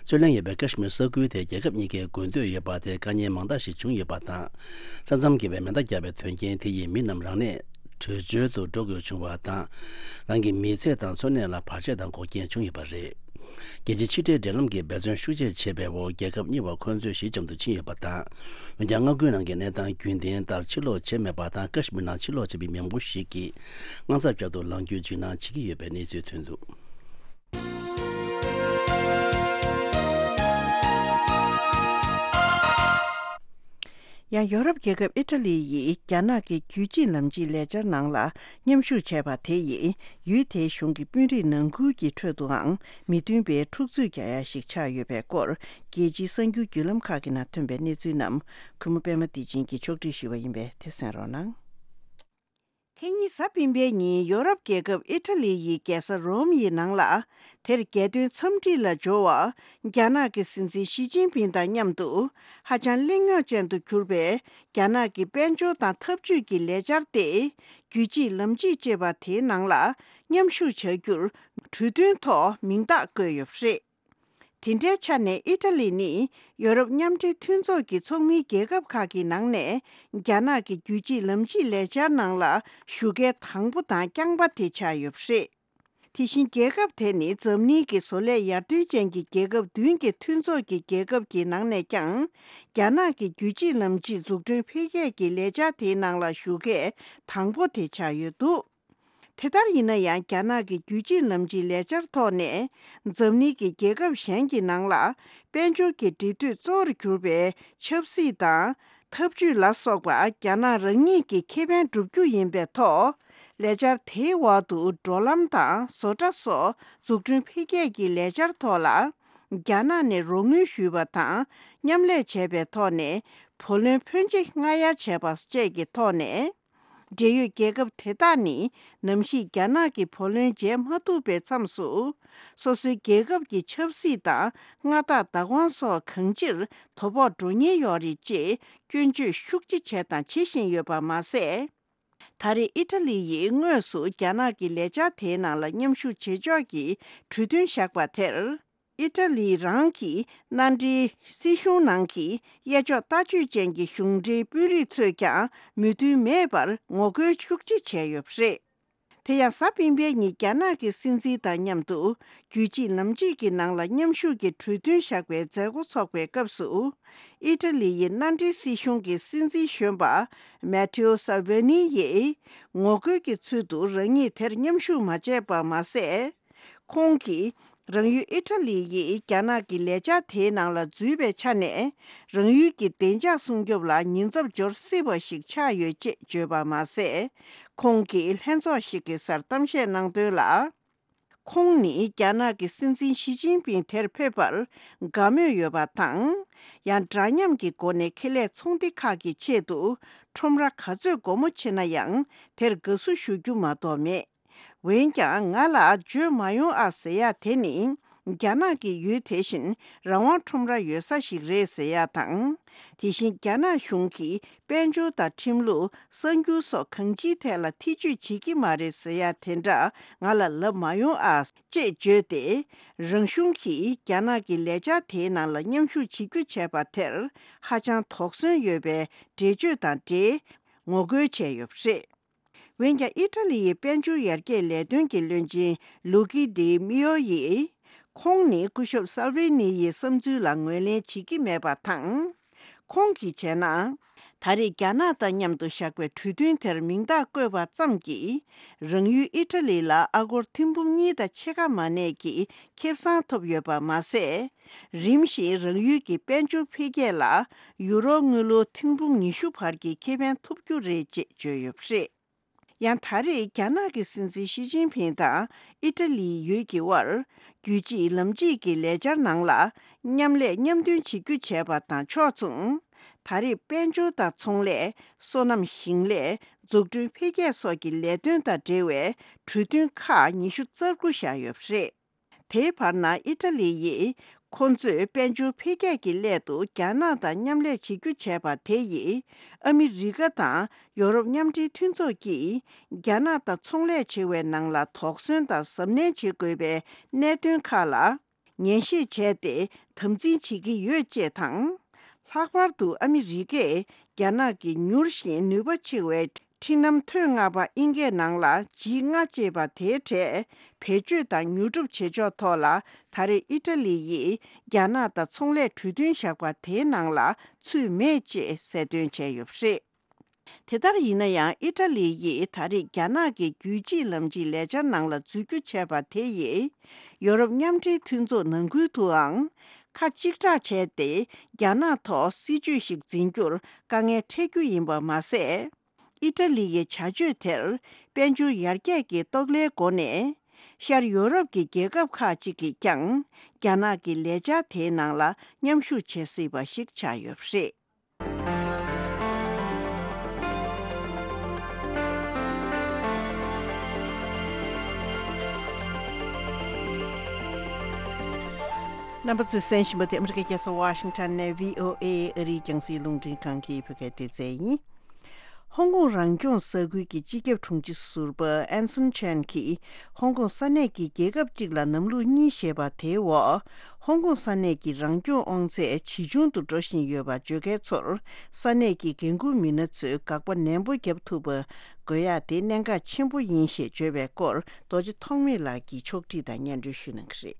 རྩོད་གླེང་ཡོད་པའི་ཀ་ཤི་མིར་ས་ཁུལ་དེ་རྒྱལ་ཁབ་གཉིས་ཀས་དགོས་འདོད་ཡོད་པ་དེར་དཀའ་ངལ་མང་དག་ཞིག་བྱུང་ཡོད་པ་དང་། ས་མཚམས་བརྒལ་བའི་མེ་མདའ་བརྒྱབ་པའི་དོན་རྐྱེན་དེ་ཡིས་མི་རྣམས་རང་གནས་བྲོས་བྱོལ་དུ་འགྲོ་དགོས་བྱུང་བ་དང་། རང་གི་མི་ཚེ་དང་འཚོ་གནས་ལ་བར་ཆད་དང་འགོག་རྐྱེན་བྱུང་ཡོད་པ་རེད། རྒྱལ་སྤྱིའི་ཕྱི་འབྲེལ་འབྲེལ་ལམ་གྱིས་འབད་བརྩོན་ཤུགས་ཆེ་བྱས་པའི་འོག་རྒྱལ་ཁབ་གཉིས་བར་འཁོན་རྩོད་ཞི་འཇམ་དུ་ཕྱིན་ཡོད་པ་དང་། འོན་ཀྱང་མངའ་ཁུལ་ནང་གི་གནས་སྟངས་རྒྱུན་ལྡན་ལྟར་ཕྱིར་ལོག་བྱས་མེད་པ་དང་། ཀ་ཤི་མིར་ནང་ཕྱིར་ལོག་བྱས་པའི་མི་མང་པོ་ཞིག་གིས་དངངས་འཚབ་བསྐྱར་དུ་ལངས་རྒྱུའི་འཇིགས་སྣང་བྱེད་ཀྱི་ཡོད་པའི་གནས་ཚུལ་ཐོན་འདུག་ཡང་ཡོ་རོབ་རྒྱལ་ཁབ་ཨི་ཊ་ལི་ཡིས་རྒྱ་ནག་གི་རྒྱུད་གཅིག་ལམ་གཅིག་ལས་འཆར་ནང་ལ་མཉམ་ཞུགས་བྱས་པ་དེ་ཡིས་ཡུལ་དེའི་གཞུང་གི་དཔོན་རིགས་ནང་ཁུལ་གྱི་ཁྲོད་དུའང་མི་མཐུན་པའི་འཁྲུག་རྩོད་རྒྱག་ཡ་ཞིག་ཆགས་ཡོད་པའི་སྐོར། རྒྱལ་སྤྱིའི་གསར་འགྱུར་བརྒྱུད་ལམ་ཁག་གི་ནང་ཐོན་པའི་གནས་ཚུལ་རྣམས་གུས་མོ་པད་མ་བདེ་ཆེན་གྱིས་ཕྱོགས་སྒྲིག་ཞུས་པ་ཡིན་པས་དེ་གསན་རོགས་གནང་། དེ་ཉིན་གཟའ་སྤེན་པའི་ཉིན་ཡོ་རོབ་རྒྱལ་ཁབ་ཨི་ཊ་ལི་ཡི་རྒྱལ་ས་རོམ་ཡི་ནང་ལ། དེར་རྒྱལ་དོན་འཚམས་འདྲི་ལ་འབྱོར་བ། རྒྱ་ནག་གི་སྲིད་འཛིན་ཞི་ཅིན་ཕིང་དང་མཉམ་དུ། ཧ་ཅང་གླེང་རྙོག་ཅན་དུ་གྱུར་པའི་རྒྱ་ནག་གི་དཔལ་འབྱོར་དང་འཐབ་ཇུས་ཀྱི་ལས་འཆར་ཏེ། རྒྱུད་གཅིག་ལམ་གཅིག་ཅེས་པ་དེའི་ནང་ལ་མཉམ་ཞུགས་བྱ་རྒྱུར་གྲོས་མཐུན་ཐོག་མིང་རྟགས་བཀོད་ཡོད་པ་རེད། དེ་འདྲའི་ཆ་ནས་ཨི་ཊ་ལི་ནི་ཡོ་རོབ་མཉམ་འབྲེལ་མཐུན་ཚོགས་ཀྱི་ཚོགས་མིའི་རྒྱལ་ཁབ་ཁག་གི་ནང་ནས་རྒྱ་ནག་གི་རྒྱུད་གཅིག་ལམ་གཅིག་ལས་འཆར་ནང་ལ་ཞུགས་མཁན་དང་པོ་དང་རྐྱང་པ་དེ་ཆགས་ཡོད་པ་རེད། དེ་བཞིན་རྒྱལ་ཁབ་དེ་ནི་འཛམ་གླིང་གི་བཟོ་ལས་ཡར་ཐོན་ཅན་གྱི་རྒྱལ་ཁབ་བདུན་གྱི་མཐུན་ཚོགས་ཀྱི་རྒྱལ་ཁབ་ཀྱི་ནང་ནས་ཀྱང་རྒྱ་ནག་གི་རྒྱུད་གཅིག་ལམ་གཅིག་འཛུགས་སྐྲུན་འཕེལ་རྒྱས་ཀྱི་ལས་འཆར་དེའི་ནང་ལ་ཞུགས་མཁན་དང་པོ་དེ་ཆགས་ཡོད་འདུག་དེ་ལྟར་ཡིན་ན་ཡང་། རྒྱ་ནག་གི་རྒྱུད་གཅིག་ལམ་གཅིག་ལས་འཆར་ཐོག་ནས། འཛམ་གླིང་གི་རྒྱལ་ཁབ་གཞན་གྱི་ནང་ལ། དཔལ་འབྱོར་གྱི་འབྲེལ་མཐུད་གཙོ་བོར་གྱུར་པའི་ཆབ་སྲིད་དང་། འཐབ་ཇུས་ལ་སོགས་པ་རྒྱ་ནག་རང་ཉིད་ཀྱི་ཁེ་ཕན་བསྒྲུབ་རྒྱུ་ཡིན་པའི་ཐོག་ལས་འཆར་དེའི་འོག་ཏུ་འགྲོ་ལམ་དང་བཟོ་གྲྭ་སོགས་འཛུགས་སྐྲུན་འཕེལ་རྒྱས་ཀྱི་ལས་འཆར་ཐོག་ལ། རྒྱ་ནག་ནས་རོགས་དངུལ་ཞུས་པ་དང་མཉམ་ལས་བྱས་པའི་ཐོག་ནས་བུ་ལོན་ཕོན་ཆེ་སྔ་གཡར་བྱས་པ་བཅས་ཀྱི་ཐོག་ནས། འབྲེལ་ཡོད་རྒྱལ་ཁབ་དེ་དག་ནི་ནམ་ཞིག་རྒྱ་ནག་གི་བུ་ལོན་འཇལ་མ་ཐུབ་པའི་མཚམས་སུ། སོ་སོའི་རྒྱལ་ཁབ་ཀྱི་ཆབ་སྲིད་དང་མངའ་བདག་བདག་དབང་སོགས་གང་ཅིར་དོ་ཕོག་འགྲོ་ཉེན་ཡོད་རེད་ཅེས་སྐྱོན་བརྗོད་ཤུགས་ཆེ་བྱས་དང་བྱེད་བཞིན་ཡོད་པ་མ་ཟད། ད་རེས་ཨི་ཊ་ལི་ཡིས་དངོས་སུ་རྒྱ་ནག་གི་ལས་འཆར་དེའི་ནང་ལ་མཉམ་ཞུགས་བྱེད་ཕྱོགས་ཀྱི་གྲོས་མཐུན་བཞག་པ་དེར། ཨི་ཊ་ལི་རང་གི་མནའ་འབྲེལ་སྲིད་གཞུང་ནང་གི་གཡས་ཕྱོགས་ལྟ་སྤྱོད་ཅན་གྱི་གཞུང་འབྲེལ་དཔོན་རིགས་ཚོས་ཀྱང་མོས་མཐུན་མེད་པར་ངོ་རྒོལ་ཤུགས་ཆེ་བྱས་ཡོད་པ་རེད། དེ་ཡང་གཟའ་སྤེན་པའི་ཉིན་རྒྱ་ནག་གི་སྲིད་འཛིན་དང་མཉམ་དུ་རྒྱུད་གཅིག་ལམ་གཅིག་གི་ནང་ལ་མཉམ་ཞུགས་ཀྱི་གྲོས་མཐུན་བཞག་པའི་མཛད་སྒོ་འཚོགས་པའི་སྐབས་སུ། ཨི་ཊ་ལི་ཡི་མནའ་འབྲེལ་སྲིད་གཞུང་གི་སྲིད་འཛིན་གཞོན་པ་མེ་ཐེའོ་སཱལ་ཝེ་ནི་ཡིས་ངོ་རྒོལ་གྱི་ཚུལ་དུ་རང་ཉིད་དེར་མཉམ་ཞུགས་མ་བྱས་པ་མ་ཟད། ཁོང་གིས་རང་ཡུལ་ཨི་ཊ་ལི་ཡིས་རྒྱ་ནག་གི་ལས་འཆར་དེའི་ནང་ལ་འཛུལ་བའི་ཆ་ནས། རང་ཡུལ་གྱི་བདེ་འཇགས་སྲུང་སྐྱོབ་ལ་ཉེན་ཚབས་འབྱོར་སྲིད་པ་ཞིག་ཆགས་ཡོད་ཅེས་བརྗོད་པ་མ་ཟད། ཁོང་གིས་ལྷན་ཚོགས་ཤིག་གི་སར་གཏམ་བཤད་གནང་དོན་ལ། ཁོང་ནི་རྒྱ་ནག་གི་སྲིད་འཛིན་ཞི་ཅིན་ཕིང་དེར་ཕེབས་པར་དགའ་མོས་ཡོད་པ་དང་། ཡང་འདྲ་མཉམ་གྱི་སྒོ་ནས་ཁེ་ལས་ཚོང་སྡེ་ཁག་གི་ཆེད་དུ་ཁྲོམ་ར་ག་ཚོད་སྒོ་མོ་ཕྱེ་ན་ཡང་དེར་དགའ་བསུ་ཞུ་རྒྱུ་མ་གཏོགས་མེད། འོན་ཀྱང་ང་ལ་བརྗོད་མ་ཡོང་ཨ་ཟེར་ཡ་དེ་ནི། རྒྱ་ནག་གི་ཡུལ་དེ་བཞིན་རང་དབང་ཁྲོམ་ར་ཡོད་ས་ཞིག་རེད་ཟེར་ཡ་དང་། དེ་བཞིན་རྒྱ་ནག་གཞུང་གིས་དཔལ་འབྱོར་དང་ཁྲིམས་ལུགས། གསར་འགྱུར་སོགས་གང་ཅིའི་ཐད་ལ་ཐེ་བྱུས་བྱེད་ཀྱི་མ་རེད་ཟེར་ཡ་དེ་འདྲ་ང་ལ་ལབ་མ་ཡོང་ཨ། ཅེས་བརྗོད་དེ། རང་གཞུང་གིས་རྒྱ་ནག་གི་ལས་འཆར་དེའི་ནང་ལ་མཉམ་ཞུགས་བྱེད་རྒྱུ་བྱས་པ་དེར་ཧ་ཅང་དོགས་ཟོན་ཡོད་པའི་འགྲེལ་བརྗོད་དང་འབྲེལ་ངོ་རྒོལ་བྱས་ཡོད་པ་རེད། འོན་ཀྱང་ཨི་ཊ་ལི་ཡི་དཔལ་འབྱོར་ཡར་རྒྱས་ལས་དོན་གྱི་བློན་ཆེན་ལུ་ཀི་ཌི་མི་ཡོ་ཡིས། ཁོང་ནི་སྐུ་ཞབས་སཱལ་ཝེ་ནི་ཡི་བསམ་ཚུལ་ལ་ངོས་ལེན་བྱེད་ཀྱི་མེད་པ་དང་། ཁོང་གིས་བྱས་ན། ད་རེས་རྒྱ་ནག་དང་མཉམ་དུ་བཞག་པའི་གྲོས་མཐུན་དེར་མིང་རྟགས་བཀོད་པ་ཙམ་གྱིས། རང་ཡུལ་ཨི་ཊ་ལི་ལ་ཨ་སྒོར་ཐེར་འབུམ་གཉིས་དང་ཕྱེད་ཀ་མ་གནས་ཀྱི་ཁེ་བཟང་ཐོབ་ཡོད་པ་མ་ཟད། རིམ་བཞིན་རང་ཡུལ་གྱི་དཔལ་འབྱོར་འཕེལ་རྒྱས་ལ་ཡུ་རོ་དངུལ་ལོར་ཐེར་འབུམ་ཉི་ཤུ་བར་གྱི་ཁེ་ཕན་ཐོབ་རྒྱུ་རེད་ཅེས་བརྗོད་ཡོད་པ་རེད། ཡང་ད་རེས་རྒྱ་ནག་གི་སྲིད་འཛིན་ཞི་ཅིན་ཕིང་དང་ཨི་ཊ་ལིའི་ཡུལ་གྱི་དབར་རྒྱུད་གཅིག་ལམ་གཅིག་གི་ལས་འཆར་ནང་ལ་མཉམ་ལས་མཉམ་འདོན་བྱེད་རྒྱུ་བྱས་པ་དང་ཕྱོགས་མཚུངས། ད་རེས་དཔལ་འབྱོར་དང་ཚོང་ལས། སོ་ནམ་ཞིང་ལས། འཛུགས་སྐྲུན་འཕེལ་རྒྱས་སོགས་ཀྱི་ལས་དོན་དང་འབྲེལ་བའི་གྲོས་མཐུན་ཁག་ཉི་ཤུ་རྩ་དགུ་བཞག་ཡོད་པ་རེད། དེའི་བར་ན་ཨི་ཊ་ལི་ཡིས་ཁོ་ཚོས་དཔལ་འབྱོར་འཕེལ་རྒྱས་ཀྱི་སླད་དུ་རྒྱ་ནག་དང་མཉམ་ལས་བྱེད་རྒྱུ་བྱས་པ་དེ་ཡིས་ཨ་མི་རི་ཀ་དང་ཡོ་རོབ་མཉམ་འབྲེལ་མཐུན་ཚོགས་ཀྱིས་རྒྱ་ནག་དང་ཚོང་ལས་བྱེད་པའི་ནང་ལ་དོགས་ཟོན་དང་གཟབ་ནན་བྱེད་དགོས་པའི་གནད་དོན་ཁག་ལ་ངེས་ཤེས་བྱས་ཏེ་དམ་འཛིན་བྱེད་ཀྱི་ཡོད་ཅེས་དང་། ལྷག་པར་དུ་ཨ་མི་རི་ཀས་རྒྱ་ནག་གི་མྱུར་ཞིང་ནུས་པ་ཆེ་བའི་འཕྲུལ་ལམ་ཐོན་ལྔ་པ་དབྱིན་སྐད་ནང་ལ་ཇི་ལྔ་ཅེས་པ་དེའི་གྲས་བེད་སྤྱོད་དང་ཉོ་སྒྲུབ་བྱེད་ཕྱོགས་ཐོག་ལ་ད་རེས་ཨི་ཊ་ལི་ཡིས་རྒྱ་ནག་དང་ཚོང་ལས་གྲོས་མཐུན་བཞག་པ་དེའི་ནང་ལ་ཚུད་མེད་ཅེས་གསལ་སྟོན་བྱས་ཡོད་པ་རེད། དེ་ལྟར་ཡིན་ན་ཡང་ཨི་ཊ་ལི་ཡིས་ད་རེས་རྒྱ་ནག་གི་རྒྱུད་གཅིག་ལམ་གཅིག་ལས་འཆར་ནང་ལ་འཛུལ་རྒྱུ་བྱས་པ་དེ་ཡིས་ཡོ་རོབ་མཉམ་འབྲེལ་མཐུན་ཚོགས་ནང་ཁུལ་དུའང་ཁ་གཅིག་གྲགས་བྱས་ཏེ་རྒྱ་ནག་ཐོག་སྲིད་ཇུས་ཤིག་འཛིན་རྒྱུར་དཀའ་ངལ་འཕྲད་རྒྱུ་ཡིན་པ་མ་ཟད། ཨི་ཊ་ལི་ཡི་བྱ་སྤྱོད་དེར་དཔལ་འབྱོར་ཡར་རྒྱས་ཀྱི་རྟོག་ལྷའི་སྒོ་ནས། ཤར་ཡོ་རོབ་ཀྱི་རྒྱལ་ཁབ་ཁག་ཅིག་གིས་ཀྱང་རྒྱ་ནག་གི་ལས་འཆར་དེའི་ནང་ལ་མཉམ་ཞུགས་བྱེད་སྲིད་པ་ཞིག་ཆགས་ཡོད་པ་རེད། རྣམ་པ་ཚོས་གསན་བཞིན་པ་དེ་ཨ་མི་རི་ཀའི་རྒྱལ་ས་ཝ་ཤིང་ཊོན་ནས་བྷི་ཨོ་ཨེ་ཨ་རིའི་རྒྱང་སྲིང་རླུང་འཕྲིན་ཁང་གི་བོད་སྐད་སྡེ་ཚན་ཡིན། ཧོང་ཀོང་རང་སྐྱོང་ས་ཁུལ་གྱི་སྤྱི་ཁྱབ་དྲུང་ཆེ་ཟུར་པ་ཨན་སོན་ཆན་གྱིས་ཧོང་ཀོང་ས་གནས་ཀྱི་རྒྱལ་ཁབ་གཅིག་ལ་གནམ་ལོ་གཉིས་ཞེས་པ་དེའི་འོག་ཧོང་ཀོང་ས་གནས་ཀྱི་རང་སྐྱོང་དབང་ཚད་ཇེ་ཆུང་དུ་འགྲོ་བཞིན་ཡོད་པ་བརྗོད་མཁན་ཚོར་ས་གནས་ཀྱི་འགན་འཁུར་མི་སྣ་ཚོས་དགག་པ་ནན་པོ་བརྒྱབ་ཐུབ་པ་དགོས་ཡག་དེ་གནད་འགག་ཆེན་པོ་ཡིན་ཞེས་བརྗོད་པའི་སྐོར་རྡོ་རྗེ་ཐོགས་མེད་ལགས་ཀྱིས་ཕྱོགས་བསྒྲིགས་དང་སྙན་སྒྲོན་ཞུ་གནང་གི་རེད།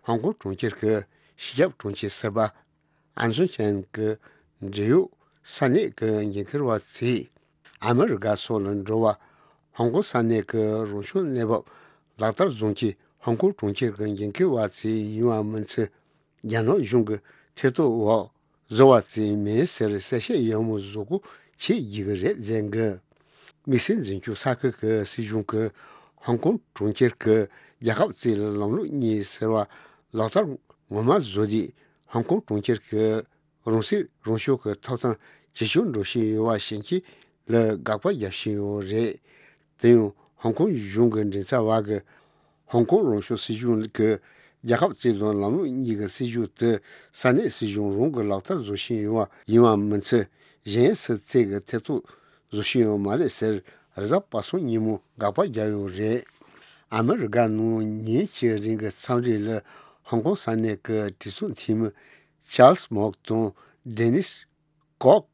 ཧོང་ཀོང་གྲོང་ཁྱེར་གྱི་སྤྱི་ཁྱབ་དྲུང་ཆེ་ཟུར་པ་ཨན་སོན་ཆན་གྱི་འབྲེལ་ཡོད་ས་གནས་ཀྱི་འགན་འཁུར་བ་ཚོས་ཨ་མི་རི་ཀ་སོགས་ལ་འགྲོ་བ། ཧོང་ཀོང་ས་གནས་ཀྱི་རང་སྐྱོང་གནས་བབ་ལག་བསྟར་བཟོ་མཁན་ཧོང་ཀོང་གྲོང་ཁྱེར་གྱི་འགན་འཁུར་བ་ཚོ་ཡིན་པ་མིན་ཚུལ། རྒྱ་ནག་གཞུང་གི་ཐེ་གཏོགས་འོག་བཟོ་བ་ཙམ་མིན་ཟེར་གསལ་བཤད་ཡག་མོ་བཟོ་དགོས་ཆེ་ཡི་གི་རེད་ཟེར་གི། དམིགས་བསལ་འཛིན་སྐྱོང་ས་ཁུལ་གྱི་སྲིད་གཞུང་གིས་ཧོང་ཀོང་གྲོང་ཁྱེར་གྱི་རྒྱལ་ཁབ་རྩིས་ལམ་ལུགས་གཉིས་ཟེར་བ་ལག་བསྟར་ངོ་མ་བཟོ་དུས། ཧོང་ཀོང་གྲོང་ཁྱེར་གྱི་རང་སྲིད་རང་སྐྱོང་གི་ཐོབ་ཐང་ཇེ་ཆུང་འགྲོ་བཞིན་ཡོད་པ་ཤེས་མཁན་ལ་དགག་པ་རྒྱག་བཞིན་ཡོད་རེད། དེ་ཡང་ཧོང་ཀོང་གཞུང་གི་མགྲིན་ཚབ་པ་གིས། ཧོང་ཀོང་རང་སྐྱོང་སྲིད་གཞུང་གི་རྒྱལ་ཁབ་རྩིས་དང་ལམ་ལུགས་གཉིས་ཀྱི་སྲིད་ཇུས་དེ་ས་གནས་སྲིད་གཞུང་རང་གིས་ལག་བསྟར་བཟོ་བཞིན་ཡོད་པ་ཡིན་པ་མིན་ཚུལ། གཞན་སུ་གཙོས་ཀྱི་ཐེ་གཏོགས་བཟོ་བཞིན་ཡོད་མ་རེད་ཟེར། རེས་གཟའ་པ་སངས་ཉིན་མོ་དགག་པ་བརྒྱབ་ཡོད་རེད། ཨ་མི་རི་ཀ་ནང་ཉིན་གཅིག་རིང་གི་འཚམས་འདྲི་ལ་ཧོང་ཀོང་ས་གནས་ཀྱི་གྲོས་ཚོགས་འཐུས་མི་ཅཱལ་སི་མོག་དང་ཌེ་ནིས་ཀོག་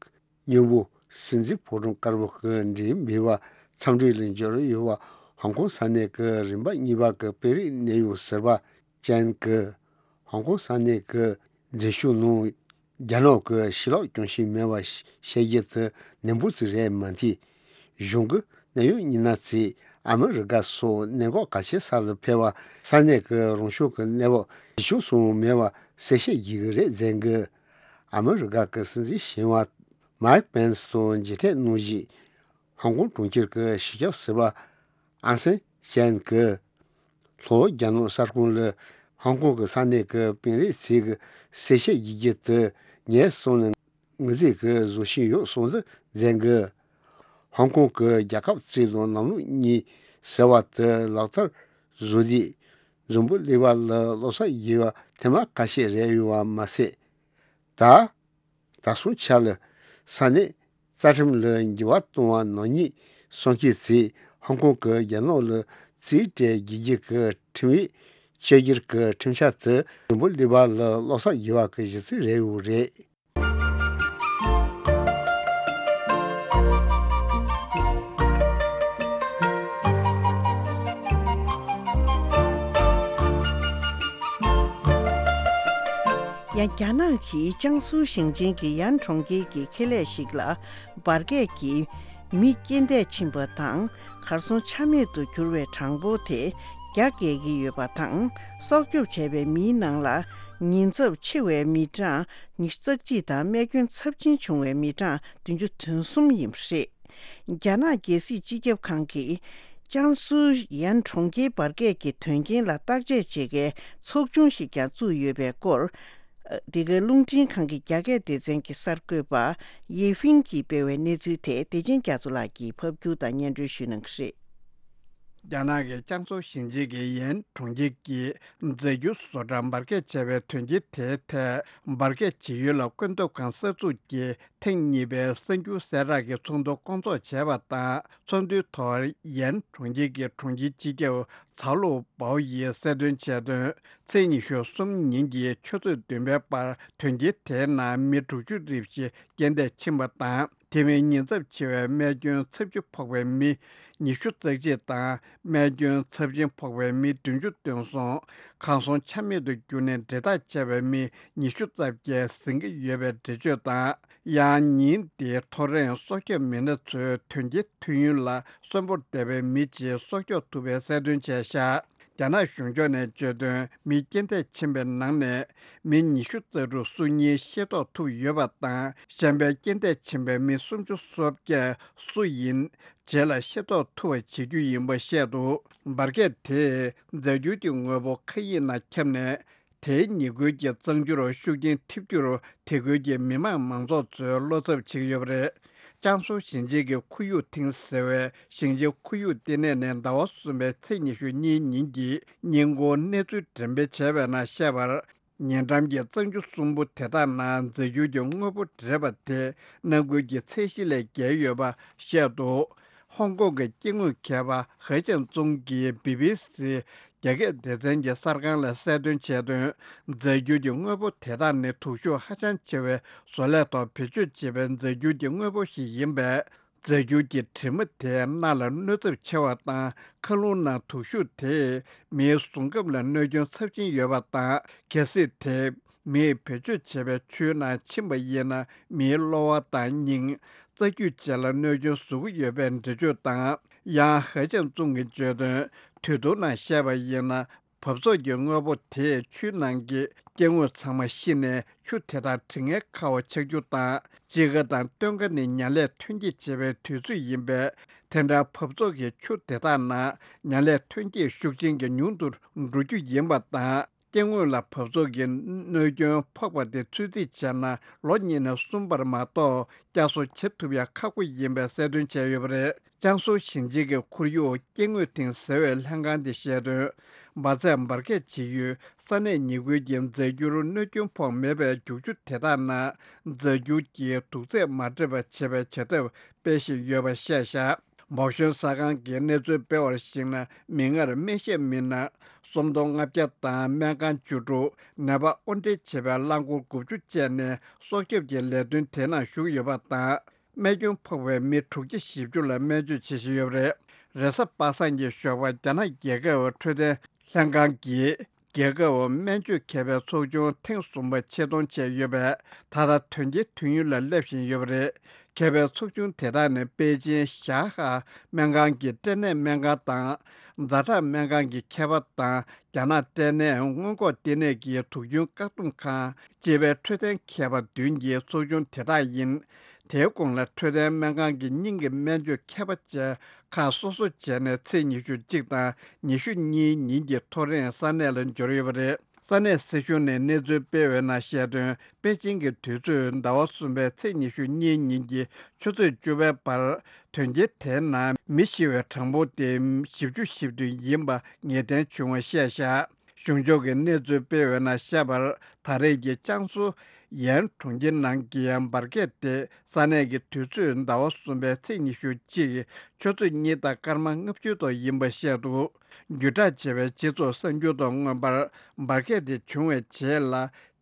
མཉམ་པོ་སྲིད་འཛིན་ཕོ་བྲང་དཀར་པོ་གི་འགྲིམ་འབུལ་བ་འཚམས་འདྲི་ལ་འབྱོར་ཡོད་པ། ཧོང་ཀོང་ས་གནས་ཀྱི་རིམ་པ་གཉིས་པ་གི་དཔོན་རིགས་གནད་ཡོད་ཟུར་པ་ཅན་གྱིས། ཧོང་ཀོང་ས་གནས་ཀྱི་འཛིན་སྐྱོང་ནང་རྒྱ་ནག་གི་ཕྱི་ལོགས་སྐྱོང་བཞིན་མེད་པ་བཤད་རྒྱུ་དེ་ནན་པོ་ཅིག་རེད་མ་མཐུད། གཞུང་གི་གནད་ཡོད་མི་སྣ་ཚོས་ཨ་མི་རི་ཀ་སོགས་གནད་འགག་གལ་ཆེ་ས་ལ་ཕེབས་པ། ས་གནས་ཀྱི་རང་སྐྱོང་གི་གནས་བབ་ཇེ་ཆུང་སོང་མེད་པ་གསལ་བཤད་བྱེད་ཀྱི་རེད་ཟེར་གི། ཨ་མི་རི་ཀ་གི་སྲིད་འཛིན་གཞོན་པ་མའིག་པེན་སི་དང་མཇལ་འཕྲད་གནང་རྗེས། ཧོང་ཀོང་གྲོང་ཁྱེར་གྱི་སྤྱི་ཁྱབ་ཟུར་པ་ཨང་སན་ཅན་གྱིས། ལྷོ་རྒྱ་ནག་གསར་ཁང་ལ་ཧོང་ཀོང་གི་ས་གནས་ཀྱི་དཔོན་རིགས་ཚོས་ཀྱི་གསལ་བཤད་བྱེད་རྒྱུ་དེ་ངས་སོང་ནས་ངོས་འཛིན་གྱིས་བཟོ་བཞིན་ཡོད་གསུངས་འདུག་ཟེར་གི། ཧོང་ཀོང་གི་རྒྱལ་ཁབ་རྩིས་དང་ལམ་ལུགས་གཉིས་ཟེར་བ་དེ་ལག་བསྟར་བཟོ་དུས། འཛམ་བུ་གླིང་པ་ལ་བློ་འཚབ་བྱེད་པ་ཐེངས་མ་ཁ་ཤས་རེད་ཡོད་པ་མ་ཟད། ད། ད་སོང་ཆ་ལ་ས་གནས་རྩ་ཁྲིམས་ལ་འགྱུར་བ་གཏོང་བ་ནག་ཉེས་སྲུང་སྐྱོབ་ཚོས་ཧོང་ཀོང་གི་རྒྱ་ནག་ལ་རྩིས་སྤྲད་རྒྱུ་གྱི་ཁྲིམས་ཡིག་བཅོས་བསྒྱུར་གྱི་ཁྲིམས་འཆར་དེ་འཛམ་བུ་གླིང་པ་ལ་བློ་འཚབ་བྱེད་པ་གི་གཞི་རྩ་རེད་ཡོད་རེད། ཡང་རྒྱ་ནག་གིས་ཅང་སུའུ་ཞིང་ཆེན་གྱི་ཡན་གྲོང་ཁྱེར་གྱི་ཁེ་ལས་ཤིག་ལ་འབར་གས་ཀྱིས་མི་རྐྱེན་འདས་ཕྱིན་པ་དང་། གར་སོང་ཆ་མེད་དུ་གྱུར་བའི་གྲངས་འབོར་དེ་རྒྱ་བསྐྱེད་ཀྱི་ཡོད་པ་དང་། སྲོག་སྐྱོབ་བྱས་པའི་མིའི་ནང་ལ་ཉེན་ཚབས་ཆེ་བའི་མི་གྲངས་ཉི་ཤུ་རྩ་གཅིག་དང་རྨས་སྐྱོན་ཚབས་ཆེན་བྱུང་བའི་མི་གྲངས་བདུན་ཅུ་དོན་གསུམ་ཡིན་པ་རེད། རྒྱ་ནག་རྒྱལ་སྲིད་སྤྱི་ཁྱབ་ཁང་གིས་ཅང་སུའུ་ཡན་གྲོང་ཁྱེར་འབར་གས་ཀྱི་དོན་རྐྱེན་ལ་བརྟག་དཔྱད་བྱེད་མཁན་ཚོགས་ཆུང་ཞིག་ཀྱང་བཙུགས་ཡོད་པའི་སྐོར། འདི་གའི་རླུང་འཕྲིན་ཁང་གི་རྒྱ་སྐད་སྡེ་ཚན་གྱི་གསར་འགོད་པ་ཡེ་ཧྥིན་གྱིས་སྤེལ་བའི་གནས་ཚུལ་དེ་བདེ་ཆེན་རྒྱ་མཚོ་ལགས་ཀྱིས་ཕབ་སྒྱུར་དང་སྙན་སྒྲོན་ཞུ་གནང་གི་རེད། རྒྱ་ནག་གི་ཅང་སུའུ་ཞིང་ཆེན་གྱི་ཡན་གྲོང་ཁྱེར་གྱི་རྫས་འགྱུར་བཟོ་གྲྭ་འབར་གས་བྱས་པའི་དོན་རྐྱེན་དེའི་ཐད། འབར་གས་ཇི་ཡོད་ལ་ཀུན་ཐོབ་ཁང་གསར་འཛུགས་ཀྱིས་ཐེངས་གཉིས་པའི་གསར་འགྱུར་གསལ་བསྒྲགས་ཀྱི་ཚོགས་འདུ་སྐོང་ཚོགས་བྱས་པ་དང་། ཚོགས་འདུའི་ཐོག་ཡན་གྲོང་ཁྱེར་གྱི་གྲོང་ཁྱེར་སྤྱི་ཁྱབ་ཚའོ་ལུའུ་པའོ་ཡིས་གསལ་སྟོན་བྱས་དོན། ཚེས་ཉི་ཤུ་གསུམ་ཉིན་གྱི་ཆུ་ཚོད་བདུན་པའི་བར་དོན་རྐྱེན་དེའི་ནང་མི་དྲུག་ཅུ་རེ་བཞི་རྐྱེན་འདས་ཕྱིན་པ་དང་། དེ་མིན་ཉེན་ཚབས་ཆེ་བའི་རྨས་སྐྱོན་ཚབས་ཆེ་ཕོག་པའི་མི་ཉི་ཤུ་རྩ་གཅིག་དང་། རྨས་སྐྱོན་ཚབས་ཆེན་ཕོག་པའི་མི་བདུན་ཅུ་དོན་གསུམ། གར་སོང་ཆ་མེད་དུ་གྱུར་ནས་འབྲེལ་ཐག་ཆད་པའི་མི་ཉི་ཤུ་རྩ་བརྒྱད་ཟིན་གྱི་ཡོད་པའི་འགྲེལ་བརྗོད་དང་། ཡང་ཉིན་དེའི་ཐོ་རངས་སྲོག་སྐྱོབ་མི་སྣ་ཚོས་དོན་རྐྱེན་ཐོན་ཡུལ་ལ་གསོན་པོར་བསྡད་པའི་མི་གཅིག་སྲོག་སྐྱོབ་ཐུབ་པའི་གསལ་སྟོན་བྱས་ཤག་རྒྱ་ནག་གཞུང་ཕྱོགས་ནས་བརྗོད་དོན། མི་རྐྱེན་འདས་ཕྱིན་པའི་ནང་ནས་མི་ཉི་ཤུ་རྩ་དྲུག་སུ་ཡིན་ཤེས་རྟོགས་ཐུབ་ཡོད་པ་དང་། གཞན་པའི་རྐྱེན་འདས་ཕྱིན་པའི་མི་སུམ་ཅུ་སོ་བརྒྱད་སུ་ཡིན་རྗེས་ལ་ཤེས་རྟོགས་ཐུབ་པ་བྱེད་རྒྱུ་ཡིན་པ་བཤད་འདུག་འབར་གས་དེས་རྫས་འགྱུར་གྱི་དངོས་པོ་མཁའ་དབྱིངས་ནང་ཁྱབ་ནས། དེའི་ཉེ་ཁུལ་གྱི་གཙང་ཆུར་ཤུགས་རྐྱེན་ཐེབས་རྒྱུར། དེ་ཁུལ་གྱི་མི་དམངས་མང་ཚོགས་ཚོས་བློ་འཚབ་བྱེད་ཀྱི་ཡོད་པ་རེད། ཅང་སུའུ་ཞིང་ཆེན་གྱི་ཁོར་ཡུག་ཐིང་ཟེར་བའི་ཞིང་ཆེན་ཁོར་ཡུག་ལྟེ་གནས་ནས་ཟླ་བ་གསུམ་པའི་ཚེས་ཉི་ཤུ་གཉིས་ཉིན་གྱི་སྙན་སྐུལ་གནས་ཚུལ་འགྲེམས་སྤེལ་བྱས་པའི་ནང་བཤད་པར། ཉེ་འགྲམ་གྱི་གཙང་ཆུ་གསུམ་པོ་དེ་དག་ནང་རྫས་འགྱུར་གྱི་དངོས་པོ་འདྲེས་པ་དེ་ནང་ཁུལ་གྱི་ཚད་གཞི་ལས་བརྒལ་ཡོད་པ་བཤད་འདུག་ཧོང་ཀོང་གི་སྐྱེ་དངོས་མཁས་པ་ཧེ་ཅན་ཙུང་གིས་བི་བི་སི་རྒྱ་སྐད་སྡེ་ཚན་གྱི་གསར་ཁང་ལ་གསལ་སྟོན་བྱས་དོན། རྫས་འགྱུར་གྱི་དངོས་པོ་དེ་དག་ནི་དུག་ཤུགས་ཧ་ཅང་ཆེ་བའི་བཟོ་ལས་ཐོག་བེད་སྤྱོད་བྱེད་པའི་རྫས་འགྱུར་གྱི་དངོས་པོ་ཞིག་ཡིན་པས། རྫས་འགྱུར་གྱི་དྲི་མ་དེས་སྣ་ལ་གནོད་ཚབས་ཆེ་བ་དང་། མཁའ་རླུང་ནང་དུག་ཤུགས་དེས་མིའི་གཟུགས་ཁམས་ལ་གནོད་སྐྱོན་ཚབས་ཆེན་ཡོད་པ་དང་། གལ་སྲིད་དེ་མིས་བེད་སྤྱོད་བྱས་པའི་ཆུའི་ནང་ཕྱིན་པ་ཡིན་ན། མིའི་གློ་བ་དང་། སྙིང་། རྩ་རྒྱུས་བཅས་ལ་གནོད་སྐྱོན་བཟོ་གི་ཡོད་པའི་འགྲེལ་བརྗོད་དང་། ཡང་ཧེ་ཅང་ཙུང་གིས་བརྗོད་དོན། དུས་ཐུང་ནང་བཤད་པ་ཡིན་ན། བབ་ཚོགས་ཀྱི་དངོས་པོ་དེས་ཆུའི་ནང་གི་སྐྱེ་དངོས་ཚང་མ་ཤི་ནས་ཆུ་དེ་དག་དྲི་ངན་ཁ་བ་ཆགས་རྒྱུ་དང་། དཔྱིད་ཀ་དང་སྟོན་ཁ་ནི་ཉ་ལས་ཐོན་སྐྱེད་བྱེད་པའི་དུས་ཚོད་ཡིན་པས། དེ་འདྲ་བབ་ཚོགས་ཀྱི་ཆུ་དེ་དག་ནང་ཉ་ལས་ཐོན་སྐྱེད་ཤུགས་ཆེན་གྱིས་ཉུང་དུ་འགྲོ་རྒྱུ་ཡིན་པ་དང་། སྐྱེ་དངོས་ལ་བབ་ཚོགས་ཀྱི་གནོད་སྐྱོན་ཕོག་པ་དེ་ཚོད་རྩིས་བྱས་ན། ལོ་གཉིས་ནས་གསུམ་བར་མ་གཏོགས་བསྐྱར་གསོ་བྱེད་ཐུབ་ཡ་ཁག་པོ་ཡིན་པའི་གསལ་སྟོན་བྱས་ཡོད་པ་རེད། ཅང་སུའུ་ཞིང་ཆེན་གྱི་ཁོར་ཡུག་སྐྱེ་དངོས་ཐིང་ཟེར་བའི་ལྷན་ཁང་དེས་བཤད་དོན། འབར་རྫས་འབར་གས་བྱེད་ཡུལ་ས་གནས་ཉེ་ཁུལ་གྱི་རྫ་འགྱུར་གནོད་སྐྱོན་ཕོག་མེད་པའི་རྒྱུག་ཆུ་དེ་དག་ནང་རྫ་འགྱུར་གྱི་དུག་རྫས་མ་འདྲེས་པ་བྱེད་པའི་བྱ་ཐབས་སྤེལ་བཞིན་ཡོད་པ་བཤད་བཞག་འབོག་ཞོན་གསར་ཁང་གིས་གནས་ཚུལ་སྤེལ་བར་གཞིགས་ན། མིག་སྔར་སྨན་ཤེད་མི་སྣ་སུམ་སྟོང་ལྔ་བརྒྱ་དང་སྨན་ཁང་བཅུ་དྲུག་ནད་པ་དབོར་འདྲེན་བྱེད་པའི་རླངས་འཁོར་དགུ་བཅུ་བཅས་ནས་སྲོག་སྐྱོབ་ཀྱི་ལས་དོན་དེ་ནང་ཞུགས་ཡོད་པ་དང་། རྨས་སྐྱོན་ཕོག་པའི་མི་དྲུག་བརྒྱ་བཞི་བཅུ་ལ་སྨན་བཅོས་བྱེད་བཞིན་ཡོད་པ་རེད། རེས་གཟའ་པ་སངས་ཀྱི་ཞོགས་པར་རྒྱ་ནག་རྒྱལ་ཁབ་འཕྲོད་བསྟེན་ལྷན་ཁང་གིས། རྒྱལ་ཁབ་སྨན་བཅོས་མཁས་པའི་ཚོགས་ཆུང་ཐེངས་གསུམ་པ་ཆེད་གཏོང་བྱས་ཡོད་པས། ད་ལྟ་དོན་རྐྱེན་ཐོན་ཡུལ་ལ་སླེབས་བཞིན་ཡོད་པ་རེད། མཁས་པའི་ཚོགས་ཆུང་དེ་དག་ནི་པེ་ཅིན་ཞཱ་ཧ་སྨན་ཁང་གི་སྐྲན་ནད་སྨན་ཁང་དང་། ཛ་དྲག་སྨན་ཁང་གི་མཁས་པ་དང་། རྒྱ་ནག་སྐྲན་ནད་སྔོན་འགོག་ལྟེ་གནས་ཀྱི་དུག་རྒྱུན་བཀག་སྡོམ་ཁང་ཅེས་པའི་འཕྲོད་བསྟེན་མཁས་པ་བདུན་གྱི་ཚོགས་ཆུང་དེ་དག་ཡིན། དེའི་གོང་ལ་འཕྲོད་བསྟེན་སྨན་ཁང་གི་སྙིང་གི་སྨན་བཅོས་མཁས་པ་བཅས་ཁག་སོ་སོ་བྱས་ནས་ཚེས་ཉི་ཤུ་གཅིག་དང་ཉི་ཤུ་གཉིས་ཉིན་གྱི་ཐོ་རེངས་ས་གནས་ལ་འབྱོར་ཡོད་པ་རེད། ས་གནས་སྲིད་གཞུང་ནས་གནས་ཚུལ་སྤེལ་བའི་ནང་བཤད་དོན། པེ་ཅིང་གི་དུས་ཚོད་ཟླ་བ་གསུམ་པའི་ཚེས་ཉི་ཤུ་གཉིས་ཉིན་གྱི་ཆུ་ཚོད་བཅུ་པའི་བར། དོན་རྐྱེན་དེའི་ནང་མི་ཤི་བའི་གྲངས་འབོར་དེ་བཞི་བཅུ་ཞེ་བདུན་ཡིན་པ་ངེས་གཏན་བྱུང་བ་བཤད་བཞག་གཞུང་ཕྱོགས་ཀྱི་གནས་ཚུལ་སྤེལ་བའི་ནང་བཤད་པར། ད་རེས་ཀྱི་ཅང་སུའུ་ཡན་གྲོང་ཁྱེར་ནང་གི་འབར་གས་དེ་ས་གནས་ཀྱི་དུས་ཚོད་ཟླ་བ་གསུམ་པའི་ཚེས་ཉི་ཤུ་གཅིག་ཆུ་ཚོད་གཉིས་དང་སྐར་མ་ལྔ་བཅུ་ཐོག་ཡིན་པ་བཤད་འདུག་རྒྱུད་བསྒྲགས་བྱས་པའི་སྤྱི་ཚོགས་གསར་འགྱུར་དང་མངོན་པར། འབར་གས་དེ་བྱུང་བའི་རྗེས་ལ།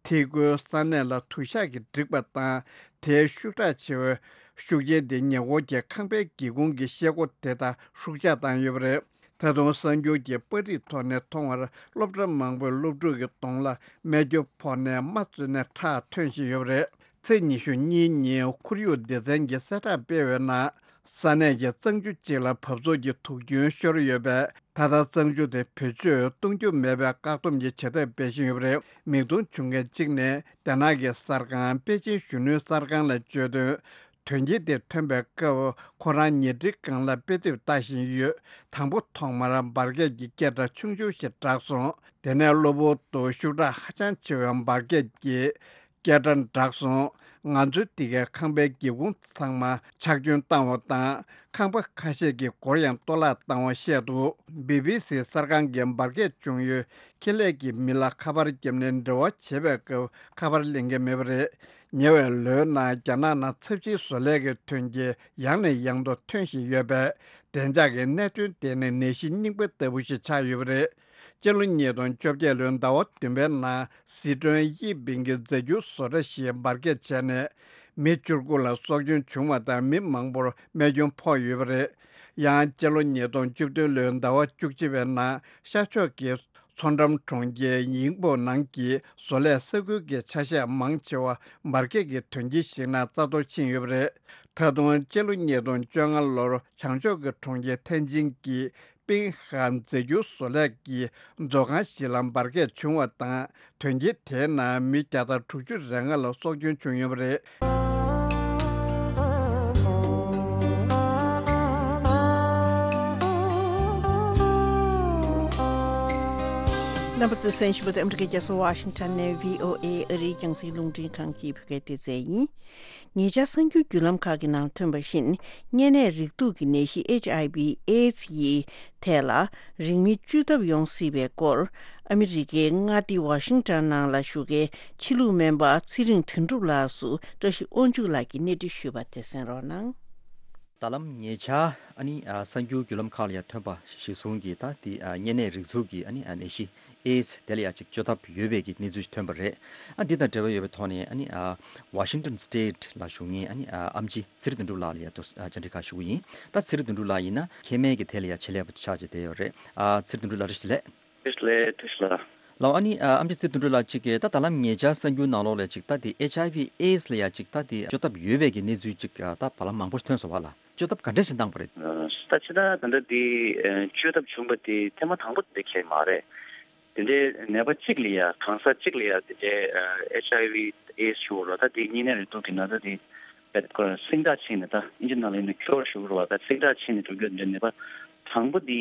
ཐིག་སྒོའི་ས་གནས་ལ་དུ་ཞག་གིས་བསྒྲིགས་པ་དང་། དེའི་ཤུགས་དྲག་ཆེ་བའི་ཤུགས་རྐྱེན་དེ་ཉེ་འཁོར་གྱི་ཁང་པའི་སྒེའུ་ཁུང་གི་ཤེལ་སྒོ་དེ་དག་ཧྲུག་ཆག་བཏང་ཡོད་པ་རེད། ད་དུང་གསར་འགྱུར་གྱི་པར་རིས་ཐོག་ནས་མཐོང་བར། སློབ་གྲྭ་མང་པོའི་སློབ་ཕྲུག་གི་གདོང་ལ་རྨས་སྐྱོན་ཕོག་ནས་རྨ་བཙུགས་ནས་ཁྲག་ཐོན་བཞིན་ཡོད་པ་རེད། ཚེས་ཉི་ཤུ་གཉིས་ཉིན་ཁོར་ཡུག་སྡེ་ཚན་གྱིས་གསལ་བསྒྲགས་སྤེལ་བའི་ནང་། ས་གནས་ཀྱི་གཙང་ཆུ་གཅིག་ལ་བབ་ཚོགས་ཀྱི་དུག་རྒྱུན་ཤོར་ཡོད་པས། ད་ལྟ་གཙང་ཆུ་དེ་བེད་སྤྱོད་གཏོང་རྒྱུ་མེད་པའི་བཀག་སྡོམ་གྱི་བྱ་ཐབས་སྤེལ་བཞིན་ཡོད་པ་རེད། མིག་མཐོང་བྱུང་མཁན་གཅིག་ནས། རྒྱ་ནག་གི་གསར་ཁང་པེ་ཅིན་གཞོན་ནུའི་གསར་ཁང་ལ་བརྗོད་དོན། དོན་རྐྱེན་དེ་ཐོན་པའི་སྐབས། ཁོ་རང་ཉལ་ཁྲིའི་སྒང་ལ་དཔེ་དེབ་ལྟ་བཞིན་ཡོད། དང་པོ་ཐོག་མར་འབར་གས་ཀྱི་སྐད་སྒྲ་ཆུང་ཆུང་ཞིག་གྲགས་སོང་། དེ་ནས་གློ་བུར་དུ་ཤུགས་དྲག་ཧ་ཅང་ཆེ་བའི་འབར་གས་ཀྱི་སྐད་སྒྲ་གྲགས་སོང་། ང་ཚོའི་འདི་གའི་ཁང་པའི་སྒེའུ་ཁུང་ཚང་མ་ཆག་སྐྱོན་བཏང་བ་དང་། ཁང་པ་ཁ་ཤས་ཀྱི་སྒོར་ཡང་གཏོར་བརླག་བཏང་བ་བཤད་འདུག་བི་བི་སི་གསར་ཁང་གིས་འབར་གས་བྱུང་ཡུལ་ཁེ་ལས་ཀྱི་མི་ལ་ཁ་པར་བརྒྱབ་ནས་འབྲེལ་བ་བྱེད་པའི་སྐབས་ཁ་པར་ལེན་མཁན་མེད་པ་རེད། ཉེ་བའི་ལོའི་ནང་རྒྱ་ནག་ནང་ཚབས་ཆེའི་བཟོ་ལས་ཀྱི་ཐོན་སྐྱེད་ཡང་ནས་ཡང་དུ་ཐོན་བཞིན་ཡོད་པས། བདེ་འཇགས་ཀྱི་གནད་དོན་དེ་ནི་ནད་གཞི་རྙིང་པ་ལྟ་བུ་ཞིག་ཆགས་ཡོད་པ་རེད། སྤྱི་ལོ་ཉིས་སྟོང་བཅོ་བརྒྱད་ལོའི་ཟླ་བ་བདུན་པའི་ནང་སི་ཁྲོན་དབྱི་པིང་གི་རྫ་འགྱུར་བཟོ་གྲྭ་ཞིག་འབར་གས་བྱས་ནས། མི་བཅུ་དགུ་ལ་སྲོག་སྐྱོན་བྱུང་བ་དང་། མི་མང་པོར་རྨས་སྐྱོན་ཕོག་ཡོད་པ་རེད། ཡང་སྤྱི་ལོ་ཉིས་སྟོང་བཅུ་བདུན་ལོའི་ཟླ་བ་བཅུ་གཅིག་པའི་ནང་ཤར་ཕྱོགས་ཀྱི་མཚོ་འགྲམ་གྲོང་ཁྱེར་ཡིང་པོ་ནང་གི་བཟོ་ལས་ས་ཁུལ་གྱི་ཆ་ཤས་མང་ཆེ་བ་འབར་གས་ཀྱི་དོན་རྐྱེན་ཞིག་ནང་རྩ་གཏོར་ཕྱིན་ཡོད་པ་རེད། ད་དུང་སྤྱི་ལོ་ཉིས་སྟོང་བཅོ་ལྔ་ལོར་བྱང་ཕྱོགས་ཀྱི་གྲོང་ཁྱེར་ཐེན་ཅིན་གྱི་པིང་ཧ་རྫས་འགྱུར་བཟོ་ལས་ཀྱི་མཛོད་ཁང་ཞིག་ལ་འབར་གས་བྱུང་བ་དང་། དོན་རྐྱེན་དེའི་ནང་མི་བརྒྱ་དང་དྲུག་ཅུ་རེ་ལྔ་ལ་སྲོག་སྐྱོན་བྱུང་ཡོད་པ་རེད། རྣམ་པ་ཚོས་གསན་བཞིན་པ་དེ་ཨ་མི་རི་ཀའི་རྒྱལ་ས་ཝ་ཤིང་ཊོན་ནས་བྷི་ཨོ་ཨེ་ཨ་རིའི་རྒྱང་སྲིང་རླུང་འཕྲིན་ཁང་གི་བོད་སྐད་སྡེ་ཚན་ཡིན། ཉེ་ཆར་གསར་འགྱུར་བརྒྱུད་ལམ་ཁག་གི་ནང་ཐོན་པ་བཞིན། གཉན་ནད་རེག་དུག་གི་ནད་གཞི་ཨེཆ་ཨའི་ཝི་ཨེ་ཌི་སི་ཡི་ཐད་ལ་རིང་མིན་བཅོས་ཐབས་ཡོང་སྲིད་པའི་སྐོར། ཨ་མི་རི་ཀའི་མངའ་སྡེ་ཝ་ཤིང་ཊོན་ནང་ལ་བཞུགས་མཁན་ཕྱི་ལུགས་སྨན་པ་ཚེ་རིང་དོན་གྲུབ་ལགས་སུ་བཀྲ་ཤིས་དབང་ཕྱུག་ལགས་ཀྱིས་གནས་འདྲི་ཞུས་པ་དེ་གསན་རོགས་གནང་། ད་ལམ་ཉེ་ཆར་ཨ་ནི་ཨ་གསར་འགྱུར་བརྒྱུད་ལམ་ཁག་ལ་ཡང་ཐོན་པ་གཞིར་བཟུང་གིས། ད་དེ་ཨ་གཉན་ནད་རེག་དུག་གི་ཨ་ནི་ཨ་ནད་གཞི་ཨེ་ཌི་སི་དེ་ལ་ཡང་ཅིག་བཅོས་ཐབས་ཡོད་པའི་གི་གནས་ཚུལ་ཞིག་ཐོན་པ་རེད། ཨ་འདི་དང་འབྲེལ་བ་ཡོད་པའི་ཐོག་ནས་ཨ་ནི་ཨ་ཝ་ཤིང་ཊོན་སི་ཊེཊ་ལ་བཞུགས་མཁན་ཨ་ནི་ཨ་ཨེམ་ཆི་ཚེ་རིང་དོན་གྲུབ་ལགས་ལ་ཡང་ཏོག་ཙམ་ཨ་བཅར་འདྲི་ཁག་ཞུ་གི་ཡིན། ད་ཚེ་རིང་དོན་གྲུབ་ལགས་ཡིན་ན་མཁལ་སྨན་གྱི་ཐད་ལ་ཡང་ཆེད་ལས་པ་ཆགས་བྱས་བསྡད་ཡོད་རེད། ཨ་ཚེ་རིང་དོན་གྲུབ་ལགས་བཀྲ་ཤིས་བདེ་ལེགས། བཀྲ་ཤིས་བདེ་ལེགས། བཀྲ་ཤིས་བདེ་ལེགས། ལགས་ཨ་ནི་ཨ་ཨེམ་ཆི་ཚེ་རིང་དོན་གྲུབ་ལགས་ཅིག་གིས་ད་ད་ལམ་ཉེ་ཆར་གསར་འགྱུར་ནང་ལོགས་ལ་ཅིག་ད་དེ་ཨེཆ་ཨའི་ཝི་ཨེ་ཌི་སི་ལ་ཡང་ཅིག་ད་དེ་བཅོས་ཐབས་ཡོད་པའི་གི་གནས་ཚུལ་ཅིག་ཨ་ད་བར་ལམ་མང་པོ་ཞིག་ཐོན་སོང་བ་ལ། བཅོས་ཐབས་ག་འདྲ་ཞིག་བཏང་པ་རེད། ད་ཕྱི་ཟླ་ད་ལྟ་འདི་བཅོས་ཐབས་བྱུང་པ་དེ་ཐེངས་མ་དང་པོ་དེ་འདྲ་ཁེལ་མ་རེད། དེ་འདྲའི་ནད་པ་གཅིག་ལ་ཡ་གང་ཟག་གཅིག་ལ་ཡ་དེ་འདྲའི་ཨེཆ་ཨའི་ཝི་ཨེ་ཌི་ཟེར་བ་རེད། ད་དེ་གཉན་ནད་རེག་དུག་གི་ན་ཚ་དེ་བེད་ཁོ་རང་སིང་དྲག་ཕྱིན་ནས། ད་ཨིན་ཇི་ནང་ལ་ཡིན་ན་ཁྱོར་ཟེར་བ་རེད་བ། ད་སིང་དྲག་ཕྱིན་ནས་འགྲོ་རྒྱུ་དེ་འདྲའི་ནད་པ་དང་པོ་དེ་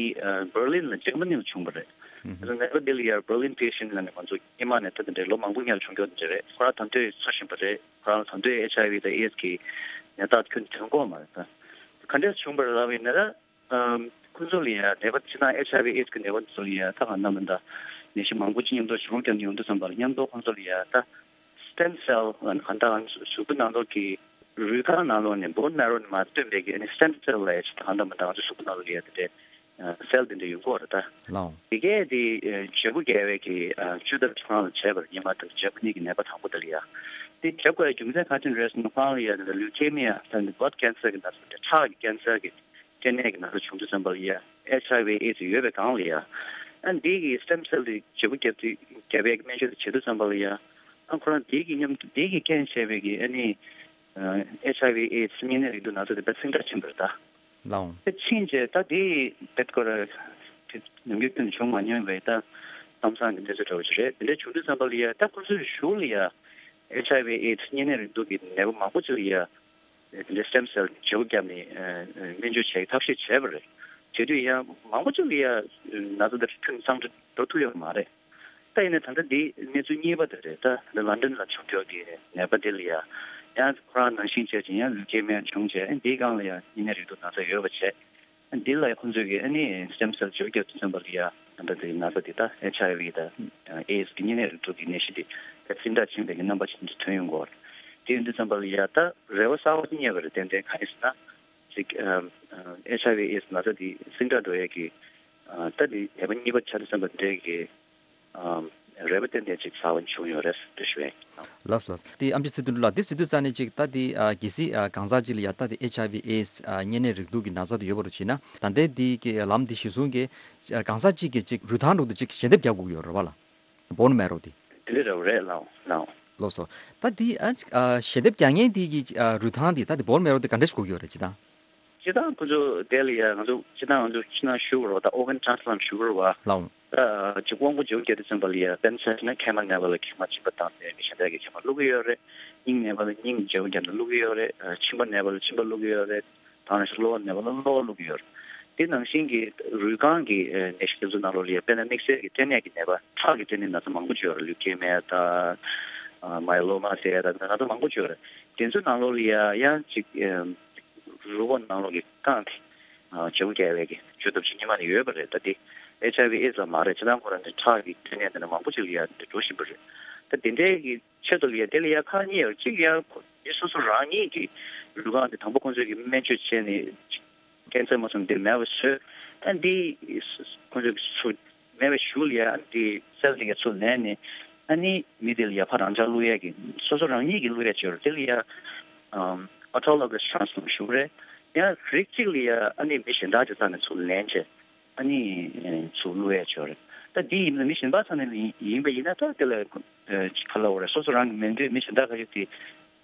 བར་ལིན་ལ་འཇར་མ་ནི་ལ་བྱུང་བ་རེད། ཨུ་ཧུ། ད་ནད་པ་དེ་ལ་ཡ་བར་ལིན་པེ་ཤེན་ལ་ནི་ང་ཚོ་སྔོན་མ་ནས་ད་དེ་འདྲའི་ལོ་མང་པོ་སྔོན་ལ་བྱུང་རྒྱུ་དེ་འདྲ་རེད། ཁོ་རང་ད་དུང་འཚོ་བཞིན་པ་རེད། ཁོ་རང་ད་དུང་ཨེཆ་ཨའི་ཝི་དང་ཨེ་ཌི་གི་ནད་རྟགས་ཁྱོན་ནས་ཐོན་གོ་མ་རེད། ད་ག་འདྲས་བྱུང་བ་རེད་ལབ་ཡིན་ན། ཨམ། ཁོང་ཚོ་ལ་ཡ་ནད་པ་ཕྱི་ནང་ཨེཆ་ཨའི་ཝི་ཨེ་ཌི་གི་ནད་པ་ཚོ་ལ་ཡ་ད་ག་ནམ་ད་ནད་གཞི་མང་པོ་ཅིག་མཉམ་དུ་བྱུང་རྒྱུ་ཡོང་དུས་ཙམ་པ་ལ་མཉམ་དུ་ཁོང་ཚོ་ལ་ཡ་ད་སི་ཊེམ་སེལ་གང་ལྟར་གཟུགས་པོ་ནང་ལོགས་ཀྱི་རུས་ཁང་ནང་ལོགས་ནས་བོན་མེ་རོ་ནས་མར་བཏོན་པའི་གི་ཨ་ནི་སི་ཊེམ་སེལ་ལ་ཡ་ཅིག་ད་ག་ནམ་ད་ང་ཚོ་གཟུགས་པོ་ནང་ལོགས་ལ་ཡ་དེ་འདྲའི་སེལ་དེ་འདྲ་ཡོང་གི་ཡོད་རེད་ད། ལའོ། དེ་གས་དེ་བྱེད་སྒོ་བརྒྱབ་པའི་གི་བཅོས་ཐབས་ཁོ་རང་ལ་བྱས་པ་རེད། སྔོན་མ་དང་འཇར་མ་ནི་གི་ནད་པ་དང་པོ་དེ་ལ་ཡ། དེ་བྱེད་དགོས་རྒྱུ་མཚན་ག་ཅི་རེད་ཟེར་ན། ཁོ་རང་ལ་ཡ་དེ་ལུ་ཀེ་མི་ཡ་ད་ནི་བྷ་ལཌ་ཀེན་སར་གི་ན་ཚ་དེ། ཁྲག་གི་ཀེན་སར་གི་སྐྲན་ནད་ཀྱི་ན་ཚ་བྱུང་དུས་ཙམ་པ་ལ་ཡ་ཨེཆ་ཨའི་ཝི་ཨེ་ཌི་ཡོད་པའི་སྒང་ལ་ཡ། ཨ་འདི་གི་སི་ཊེམ་སེལ་དེ་བྱེད་སྒོ་བརྒྱབ་དུས་བརྒྱབ་པའི་སྨན་བཅོས་དེ་བྱེད་དུས་ཙམ་པ་ལ་ཡ། ཨ་ཁོ་རང་འདི་གི་མཉམ་དུ་འདི་གི་རྐྱེན་བྱས་པའི་གི་ཨ་ནི་ཨེཆ་ཨའི་ཝི་ཨེ་ཌི་གཉན་ནད་རེག་དུག་ན་ཚ་དེ་དཔེ་སིང་དྲག་ཕྱིན་པ་རེད་ད། ལའོ། དེ་ཕྱིན་རྗེས་ད་དེ་དེ་སྐོར་དེ་ནམ་རྒྱུན་ཁྱོན་ནས་བྱུང་མ་མྱོང་བའི་ད་གཏམ་བཟང་གི་གནས་ཚུལ་འདྲ་བོ་ཞིག་རེད། དེ་འདྲ་བྱུང་དུས་ཙམ་པ་ལ་ཡ་ད་ཁོ་ཚོའི་གཞུག་ལ་ཡ་ཨེཆ་ཨའི་ཝི་ཨེ་ཌི་གཉན་ནད་རེག་དུག་གི་ནད་པ་མང་པོ་ཅིག་ལ་ཡ་དེ་འདྲ་སི་ཊེམ་སེལ་བྱེད་སྒོ་བརྒྱབ་ནས་སྨན་བཅོས་བྱེད་ཐབས་ཤེས་བྱས་པ་རེད། བྱེད་དུས་ཡང་མང་པོ་ཅིག་ལ་ཡ་ན་ཚ་དེ་ཁྱོན་ནས་སངས་འགྲོ་ཐུབ་ཡོད་མ་རེད། ད་ཡིན་ན་ད་ལྟ་འདི་གནས་ཚུལ་གཉིས་པ་དེ་རེད། ད་ལ་ལན་ཌན་ལ་བྱུང་ཡོད་ཀྱི་ནད་པ་དེ་ལ་ཡ་ཡང་ཁོ་རང་ནང་བཞིན་བྱས་ཅིང་ཡང་ལུ་ཀེ་མི་ཡ་བྱུང་བྱས། ཨ་འདིའི་སྒང་ལ་ཡ་གཉན་ནད་རེག་དུག་ན་ཚ་ཡོད་པ་བྱས། ཨ་འདི་ལ་ཡ་ཁོང་ཚོས་ཀྱི་ཨ་ནི་སི་ཊེམ་སེལ་བཅོས་བརྒྱབ་དུས་ཙམ་པ་ལ་ཡ་ད་ལྟ་དེ་ན་ཚ་དེ་ད་ཨེཆ་ཨའི་ཝི་དང་ཨེ་ཌི་གི་གཉན་ནད་རེག་དུག་གི་ནད་གཞི་དེ་ད་སིང་དྲག་ཕྱིན་པའི་གི་རྣམ་པ་ཅིག་ཐོན་ཡོང་གི་ཡོད་རེད། དེ་ཡིན་དུས་ཙམ་པ་ལ་ཡ་ད་རེ་བ་གསར་པ་ཅིག་རྙེད་པ་རེད། ཏན་ཏན་གང་ཡིན་ཟེར་ན། ཅིག་ཨ་ཨ་ཨེཆ་ཨའི་ཝི་ཨེ་ཌི་ན་ཚ་དེ་སིང་དྲག་འགྲོ་ཡས་ཀྱི་ཨ་ད་དེ་ནད་པ་གཉིས་པ་ཆགས་དུས་ཙམ་པ་འདྲའི་གི་ཨ་རེ་བ་ཏན་ཏན་ཅིག་གསར་པ་བྱུང་ཡོད་རེད་ཟེར་ཞུ་ཡ་ཡིན། ལགས་ལགས། དེ་ཨམ་ཆི་ཚེ་བརྟན་ལགས། དེ་ཟེར་དུས་ཙ་ནས་ཅིག་ད་དེ་ཨ་གལ་སྲིད་ཨ་གང་ཟག་ཅིག་ལ་ཡ་ད་དེ་ཨེཆ་ཨའི་ཝི་ཨེ་ཌི་ཨ་གཉན་ནད་རེག་དུག་གི་ན་ཚ་དེ་ཡོད་པ་རེད་བྱས་ན། ད་ལྟའི་དེ་གི་ལམ་དེ་གཞིར་བཟུང་གི་ཨ་གང་ཟག་ཅིག་གི་ཅིག་རུས་ཐང་འགྲོ་དུས་ཅིག་ཞལ་འདེབས་རྒྱག་དགོས་ཀྱི་ཡོད་རེད་བ་ལ། བོན་མེ་རོ་དེ། དེ་འདྲ་རེད་ལགས་ལགས། ལགས་སོ། ད་དེ་ཨ་ཨ་ཞལ་འདེབས་རྒྱག་མཁན་དེ་གི་ཨ་རུས་ཐང་དེ་ད་དེ་བོན་མེ་རོ་དེ་ག་འདྲ་ཞིག་དགོས་ཀྱི་ཡོད་རེད་སྤྱིར་བཏང་། སྤྱིར་བཏང་ཁོ་ཚོ་དེ་ལ་ཡ་ང་ཚོ་སྤྱིར་བཏང་ང་ཚོ་ཕྱི་ནང་ཞུ་དགོས་རེད་བ། ད་ཨོར་གན་ཊེ་རན་སི་པ་ལན་ཊི་ཞུ་དགོས་རེད་བ། ལགས། ད་ཅིག་དབང་པོ་བཅོས་བརྒྱབ་དུས་ཙམ་པ་ལ་ཡ་དཔེར་ན་ཆ་བཞག་ན་མཁལ་མ་ནད་པ་ལ་མཁལ་མ་གཅིག་པ་བཏང་ནས་མི་གཞན་དག་གི་མཁལ་མ་བླུག་གི་ཡོད་རེད། སྙིང་ནད་པ་ལ་སྙིང་བཅོས་བརྒྱབ་ནས་བླུག་གི་ཡོད་རེད། ཨ་མཆིན་པ་ནད་པ་ལ་མཆིན་པ་བླུག་གི་ཡོད་རེད། དེ་ནང་བཞིན་གློ་བ་ནད་པ་ལ་གློ་བ་བླུག་གི་ཡོད་རེད། དེ་ནང་བཞིན་གྱི་རུས་རྐང་གི་ཨ་ནད་གཞི་དེ་ཚོ་ནང་ལོགས་ལ་ཡ་དཔེར་ན་དམིགས་བསལ་གྱི་སྐྲན་ནད་ཀྱི་ནད་པ། ཁྲག་གི་སྐྲན་ནད་ན་ཚ་མང་པོ་ཅིག་ཡོད་རེད། ལུ་ཀེ་མི་ཡ་དང་ཨ་མ་ཡེ་ལོ་མ་ཟེར་ཡ་དང་ན་ཚ་མང་པོ་ཅིག་ཡོད་རེད། དེ་ཚོའི་ནང་ལོགས་ལ་ཡ་ཡང་ཅིག་ཨ་རུས་པ་ནང་ལོགས་ཀྱི་རྐང་དེ་ཨ་བཅོས་བརྒྱབ་པའི་གི་བཅོས་ཐབས་ཤིག་སྔོན་མ་ནས་ཡོད་པ་རེད། ད་དེ་ཨེཆ་ཨའི་ཝི་ཨེ་ཌི་ཙམ་མ་རེད། ཕྱི་ནང་ཁོ་རང་དེ་ཁྲག་གི་སྐྲན་ནད་དེ་འདྲ་མང་པོ་ཅིག་ལ་ཡ་འགྲོ་བཞིན་པ་རེད། ད་དེ་འདྲའི་གི་ཆེད་དུ་ལ་ཡ་དེ་ལ་ཡ་ཁག་གཉིས་ཡོད། གཅིག་ཡ་ཁོ་མི་སོ་སོ་རང་ཉིད་ཀྱི་རུས་རྐང་དེ་དང་པོ་ཁོང་ཚོས་ཀྱི་སྨན་བཅོས་བྱས་ནས་ཀེན་སར་མ་སོང་དེ་མེད་པ་བཟོས། ཨ་འདི་ཁོང་ཚོས་ཀྱི་ཚུར་མེད་པའི་གཞུག་ལ་ཡ་ཨ་འདི་སེལ་དེ་ག་ཚུར་ལེན་ནས་ཨ་ནི་མི་དེ་ལ་ཡ་ཕར་རང་འཇགས་བླུག་ཡས་ཀྱི་སོ་སོ་རང་ཉིད་ཀྱིས་བླུག་ཡས་བྱས་རེད། དེ་ལ་ཡ་ཨོ་ཊོ་ལོ་གྷས་ཊེ་རན་སི་པ་ལན་ཊི་ཞུ་གི་རེད། ཡང་རིགས་གཅིག་ལ་ཡ་ཨ་ནི་མི་གཞན་དག་ཅིག་རྩ་ནས་ཚུར་ལེན་བྱས། ཨ་ནི་ཚུར་བླུག་ཡས་ཆོག་རེད། ད་འདི་ཡིན་ན་མི་གཞན་པ་ཚོ་ནས་ཡིན་པ་ཡིན་ན་ད་དེ་ལ་ཅིག་ག་ལབ་དགོས་རེད། སོ་སོ་རང་གི་མི་འདོད་མི་གཞན་དག་ཁ་ཤས་དེ་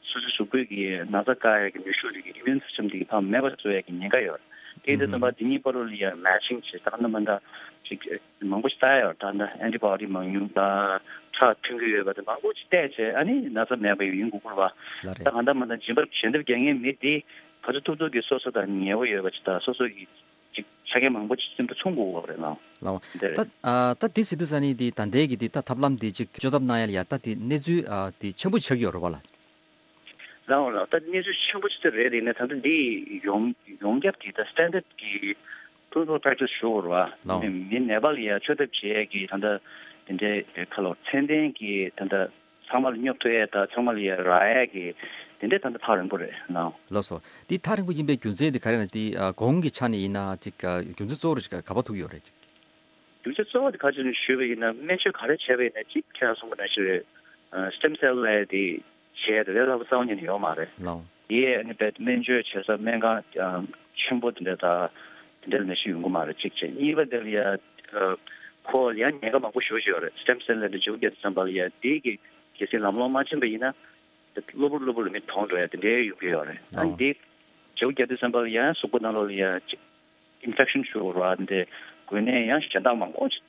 སོ་སོའི་གཟུགས་པོའི་གི་ན་ཚ་བཀག་ཡས་ཀྱི་ནུས་ཤུགས་དེ་གི་ཨི་མིའུན་སི་སི་ཊེམ་དེ་གི་ཕར་མེད་པ་བཟོ་ཡས་ཀྱི་ཉེན་ཁ་ཡོད་རེད། དེ་ཡིན་དུས་ཙམ་པ་འདི་གཉིས་བར་ལ་ཡ་མེ་ཆིང་བྱས་ད་ག་ནང་མ་འདྲ་ཅིག་མང་པོ་ཞིག་བལྟ་ཡ་ཡོད་རེད། ད་ལྟ་ཨན་ཊི་བྷོ་ཌི་མང་ཉུང་དང་ཁྲག་ཐོན་གྱི་ཡོད་པ་དེ་མང་པོ་ཞིག་བལྟས་བྱས་ཨ་ནི་ན་ཚ་མེད་པ་ཡིན་དགོས་ཀྱི་རེད་བ། ལགས་རེད། ད་ག་འདྲ་མ་འདྲ་རྗེས་མར་ཞལ་འདེབས་རྒྱག་མཁན་མི་དེ་ག་ཚོད་ཐུབ་ཐུབ་ཀྱིས་སོ་སོ་དང་ཉེ་བོ་ཡོད་པ་ཅིག་དང་སོ་སོ་གི་ཅིག་ཆ་རྐྱེན་མང་པོ་ཅིག་སེམས་ཁྲལ་མཚོན་དགོས་པ་རེད་ལགས། ལགས། འདི་རེད། ད་ཨ་ད་དེ་ཟེར་དུས་ཙ་ནི་དེ་ད་ལྟའི་གི་དེ་ད་ཐབས་ལམ་དེ་ཅིག་བཅོས་ཐབས་གནང་ཡ་ལ་ཡ་ད་དེ་གནས་ཚུལ་ཨ་དེ་ཆེན་པོ་ཆགས་ཀྱི་ཡོད་རེད་བ་ལགས། ལགས་འོང་ལགས། ད་གནས་ཚུལ་ཆེན་པོ་ཅིག་ད་རེད། ཡིན་ན་ད་ལྟ་འདི་ཡོང་ཡོང་རྒྱབ་ཀྱི་ད་སི་ཊན་ཌར་ཌི་གི་ཀི་ལི་ནི་ཀལ་པེ་རེག་ཊི་སི་ཞུ་དགོས་རེད་བ། ལགས་འོང་། མི་ནད་པ་ལ་ཡ་བཅོས་ཐབས་བྱེད་ཡ་གི་ད་ལྟ་དེ་འདྲའི་ཁ་ལོ་ཚད་ལྡན་གྱི་ད་ལྟ་ཚང་མ་ལ་སྙོབ་ཐུབ་ཡས་དང་ཚང་མ་ལ་ཡ་རག་ཡས་ཀྱི་དེ་འདྲའི་ད་ལྟ་ཐག་རིང་པོ་རེད་ལགས། ལགས་སོ། འདི་ཐག་རིང་པོ་ཡིན་པའི་རྒྱུ་མཚན་དེ་ག་རེ་ན་འདི་ཨ་གོང་གི་ཆ་ནས་ཡིན་ན་ཅིག་ཨ་རྒྱུ་མཚན་གཙོ་བོ་རེ་ཞིག་ག་པར་ཐུག་ཡོད་རེད་ཅིག་རྒྱུ་མཚན་གཙོ་བོ་དེ་ག་ཅི་ནས་ཞུས་པ་ཡིན་ན་སྨན་བཅོས་ག་རེ་བྱས་པ་ཡིན་ན་ཅིག་ཁྱེད་རང་གསུངས་པ་ནང་བཞིན་རེད། ཨ་སི་ཊེམ་སེལ་ལབ་ཡས་དེ་བྱས་དེ་ལས་སླ་པོ་རྩ་བ་ཉིད་ནས་ཡོད་མ་རེད། ལགས་འོང་། དེ་ཨ་ནི་དཔེ་སྨན་བཅོས་བྱེད་ས་སྨན་ཁང་ཨ་ཆེན་པོ་དེ་འདྲ་དང་དེ་འདྲ་ནང་བཞིན་ཡོང་གི་མ་རེད་གཅིག་བྱས། གཉིས་པ་དེ་ལ་ཡ་ཨ་ཁོ་ལ་ཡང་ཉེན་ཁ་མང་པོ་ཞེ་པོ་ཅིག་ཡོད་རེད། སི་ཊེམ་སེལ་ལབ་དེ་བཅོས་བརྒྱབ་དུས་ཙམ་པ་ལ་ཡ་དེ་གི་གལ་སྲིད་ལམ་ལྷོང་མ་ཕྱིན་པ་ཡིན་ན་དེ་གློ་བུར་གློ་བུར་ལ་མི་གྲོངས་འགྲོ་ཡ་དེ་འདྲའི་ཡོང་གི་ཡོད་རེད། ཨ་ལགས་འོང་། དེ་ བྱེའུ་རྒྱག་དུས་ཙམ་པ་ལ་ཡང་གཟུགས་པོ་ནང་ལོགས་ལ་ཡང་ཅིག་ཨིན་ཕེག་ཤན་ཞུ་བ་འདི་འགོས་ནས་ཡང་གཞན་དག་མང་པོ་ཅིག་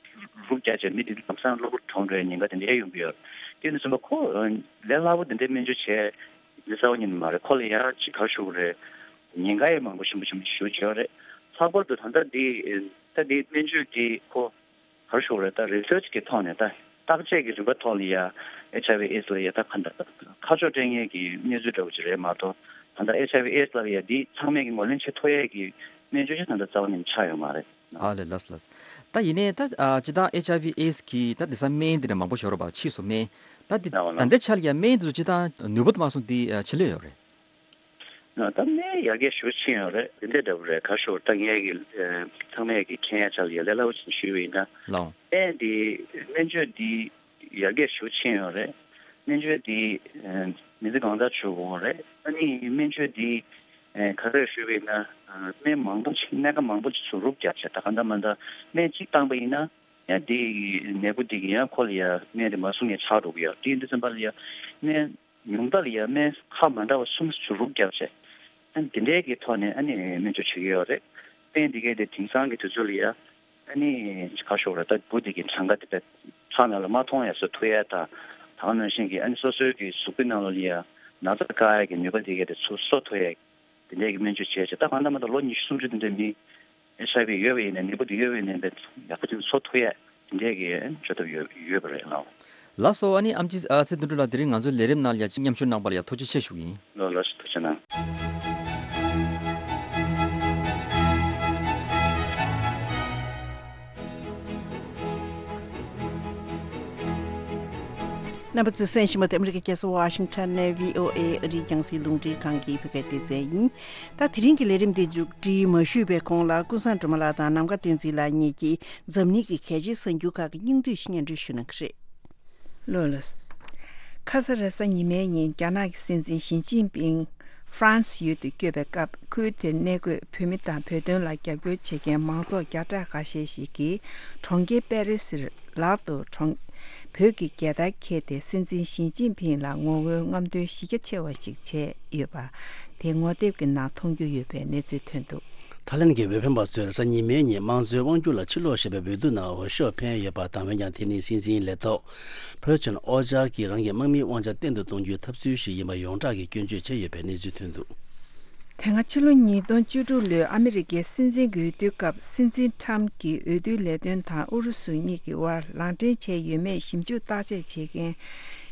རུབ་རྒྱག་བྱས་མི་དེ་ལམ་སང་གློ་བུར་གྲོངས་འགྲོ་ཡའི་ཉེན་ཁ་དེ་འདྲའི་ཡོང་གི་ཡོད། དེ་ནི་ཙམ་པ་ཁོ་ལས་སླ་པོ་དེ་འདྲའི་སྨན་བཅོས་བྱས་ལས་སླ་པོ་ཉིད་མ་རེད། ཁོ་ལ་ཡང་ཅིག་ག་རེ་ཞུ་དགོས་རེད། ཉེན་ཁ་ཡང་མང་པོ་ཞིམ་པོ་ཞིམ་པོ་ཞུ་བྱས་རེད། ལྷག་པར་དུ་ད་ལྟ་འདི་ད་འདི་སྨན་བཅོས་འདི་ཁོ་ག་རེ་ཞུ་དགོས་རེད། ད་རི་སར་ཆི་གི་ཐོག་ནས་ད་བརྟག་དཔྱད་ཀྱི་རིམ་པ་ཐོག་ལ་ཡ་ཨེཆ་ཨའི་ཝི་ཨེ་ཌི་སི་ལ་ཡ་ད་ག་འདྲ་ཁ་ཕྱོགས་སྤྲད་མཁན་གྱི་གནས་ཚུལ་འདྲ་བོ་ཅིག་རེད་མ་གཏོགས། ད་ལྟ་ཨེཆ་ཨའི་ཝི་ཨེ་ཌི་སི་ལ་ཡ་འདི་ཚང་མས་ཀྱི་ངོས་ལེན་བྱེད་ཐུབ་ཡས་ཀྱི་སྨན་བཅོས་ཅིག་ད་ལྟ་རྩ་བ་ནས་ཆགས་ཡོད་མ་རེད། ཨ་ལས། ལགས་ལགས། ད་ཡིན་ནའི་ད་ཨ་སྤྱིར་བཏང་ཨེཆ་ཨའི་ཝི་ཨེ་ཌི་སི་གི་ད་དེང་སང་སྨན་དེ་འདྲ་མང་པོ་ཞིག་ཡོད་རེད་པ། ཕྱིས་སུ་སྨན་ད་དེ་ད་ལྟའི་ཆ་ལ་ཡ་སྨན་དེ་ཚོ་སྤྱིར་བཏང་ནུས་པ་དུ་མ་སོང་དེ་ཕྱིན་ལོས་ཡོད་རེད། ད་སྨན་ཡར་རྒྱས་ཞེ་པོ་ཕྱིན་ཡོད་རེད། དེ་འདྲ་འདྲ་པོ་རེད། ག་རེ་ཞུ་དགོས་རེད། ད་ངས་ཀྱི་ཚང་མས་ཀྱི་མཁྱེན་ཡ་ཆ་ལ་ཡ་ལས་སླ་པོ་ཅིག་ཞུས་པ་ཡིན་ན། ལགས། སྨན་འདི་སྨན་བཅོས་འདི་ཡར་རྒྱས་ཞེ་པོ་ཕྱིན་ཡོད་རེད། སྨན་བཅོས་འདི་མི་ཚེ་གང་ཙམ་བྱེད་དགོས་རེད། ཨ་ནི་སྨན་བཅོས་འདི་ག་རེ་ཞུས་པ་ཡིན་ན། སྨན་མང་པོ་ཅིག་སྨན་ཁབ་མང་པོ་ཅིག་ཚུར་རུབ་རྒྱབ་བྱས། ད་གང་ལྟར་མ་ལྟར་སྨན་གཅིག་བཏང་པ་ཡིན་ན་ཡང་འདི་ནད་འབུ་འདི་གི་ཡང་ཁོ་ལ་ཡ་སྨན་དེ་མ་བཟུང་ཡ་ཆགས་འགྲོ་གི་ཡོད། དེ་ཡིན་དུས་ཙམ་པ་ལ་ཡ་སྨན་ཉུང་མཐའ་ལ་ཡ་སྨན་ཁབ་མ་འདྲ་བ་གསུམ་ཚུར་རུབ་བརྒྱབ་བྱས། ཨ་ནི་དེ་འདྲའི་གི་ཐོག་ནས་ཨ་ནི་སྨན་བཅོས་བྱེད་ཀྱི་ཡོད་རེད། སྨན་འདི་གའི་དེ་དེང་སང་གི་དུས་ཚོད་ལ་ཡ་ཨ་ནི་ག་རེ་ཞུ་དགོས་རེད། ད་འབུ་འདི་གི་གྲངས་ཀ་དེ་བས་ཁྲག་ནང་ལ་མ་མཐོང་ཡ་བཟོ་ཐུབ་ཡ་དང་། ད་ག་ནང་བཞིན་གྱི་ཨ་ནི་སོ་སོའི་གི་གཟུགས་པོའི་ནང་ལ་ཡ་ན་ཚ་བཀག་ཡ་གི་ནུས་པ་འདི་གའི་དེ་ཚུར་གསོ་ཐུབ་ཡ་དེ་འདྲའི་གི་སྨན་བཅོས་བྱས་བྱས། ད་གང་ལྟར་མ་ལྟར་ལོ་ཉི་ཤུ་སུམ་ཅུ་དེ་འདྲ་མི་ཨེཆ་ཨའི་ཝི་ཡོད་པ་ཡིན་ནའི་ནད་འབུ་དེ་ཡོད་པ་ཡིན་ནའི་ཡག་པོ་ཅིག་གསོ་ཐུབ་ཡ་དེ་འདྲའི་གི་བྱེད་ཐབས་ཡོད་ཡོད་པ་རེད་ལགས། ལགས་སོ། ཨ་ནི་ཨེམ་ཆི་ཨ་ཚེ་དོན་གྲུབ་ལགས། དེ་རིང་ང་ཚོའི་ལས་རིམ་ནང་ལ་ཡ་མཉམ་ཞུགས་གནང་བ་ལ་ཡ་ཐུགས་རྗེ་ཆེ་ཞུ་གི་ཡིན། ལགས་ལགས་སོ། ཐུགས་རྗེ་གནང་། རྣམ་པ་ཚོས་གསན་བཞིན་པ་དེ་ཨ་མི་རི་ཀའི་རྒྱལ་ས་ཝ་ཤིང་ཊོན་ནས་བྷི་ཨོ་ཨེ་ཨ་རིའི་རྒྱང་སྲིང་རླུང་འཕྲིན་ཁང་གི་བོད་སྐད་སྡེ་ཚན་ཡིན། ད་དེ་རིང་གི་ལས་རིམ་འདི་མཇུག་སྒྲིལ་མ་ཞུས་པའི་གོང་ལ་ཀུན་བཟང་སྒྲོལ་མ་ལགས་དང་ནམ་མཁའ་བསྟན་འཛིན་ལགས་གཉིས་ཀྱིས་འཛམ་གླིང་གི་གལ་ཆེའི་གསར་འགྱུར་ཁག་གི་སྙིང་བསྡུས་ཤིག་སྙན་སྒྲོན་ཞུ་གནང་གི་རེད། ལགས་ལགས། ཁ་ས་རེས་གཟའ་ཉི་མའི་ཉིན་རྒྱ་ནག་གི་སྲིད་འཛིན་ཞི་ཅིན་ཕིང་ཧྥ་རན་སི་ཡུལ་དུ་བསྐྱོད་པའི་སྐབས། ཁུལ་དེར་གནས་འཁོད་བོད་མི་དང་བོད་དོན་ལ་རྒྱབ་སྐྱོར་བྱེད་མཁན་མང་ཚོགས་བརྒྱ་ཕྲག་ཁ་ཤས་ཤིག་གིས་གྲོང་ཁྱེར་པེ་རི་སིར་ལག་ཏུ་གྲོང་བོད་ཀྱི་རྒྱལ་དར་འཁྱེར་ཏེ། སྲིད་འཛིན་ཞི་ཅིན་ཕིང་ལ་ངོ་རྒོལ་རྔམ་སྟོན་གཞི་རྒྱ་ཆེ་བ་ཞིག་བྱས་ཡོད་པ་དེ་ངོ་དེབ་ཀྱི་ནང་མཐོང་རྒྱུ་ཡོད་པའི་གནས་ཚུལ་ཐོན་འདུག། ཐའི་ལེན་གྱི་འོས་འཕེན་པ་ཚོས་རེས་གཟའ་ཉི་མའི་ཉིན་དམངས་གཙོའི་དབང་སྒྱུར་ལ་ཕྱིར་ལོག་བྱེད་པའི་འོས་བསྡུ་ནང་འོས་ཤོག་འཕེན་ཡོད་པ་དང་། འོན་ཀྱང་དེ་ནི་སྲིད་འཛིན་ལས་ཐོག་ཕུའུ་ཅིན་ཨོ་ཅཱ་གིས་རང་གི་དམག་མིའི་དབང་ཆ་བརྟན་དུ་གཏོང་རྒྱུའི་ཐབས་ཚུལ་ཞིག་ཡིན་པ་ཡོངས་གྲགས་ཀྱིས་སྐྱོན་བརྗོད་བྱས་ཡོད་པའི་གནས་ཚུལ་ཐོན་འདུག། དེ་སྔ་ཕྱི་ལོ་ཉིས་སྟོང་བཅུ་དྲུག་ལོའི་ཨ་མི་རི་ཀའི་སྲིད་འཛིན་གྱི་འོས་བསྡུའི་སྐབས། སྲིད་འཛིན་ཁྲམ་གྱི་འོས་བསྡུའི་ལས་དོན་དང་ཨུ་རུ་སུ་གཉིས་ཀྱི་དབར་ལག་འབྲེལ་བྱས་ཡོད་མེད་ཞིབ་འཇུག་བརྟག་དཔྱད་བྱེད་མཁན་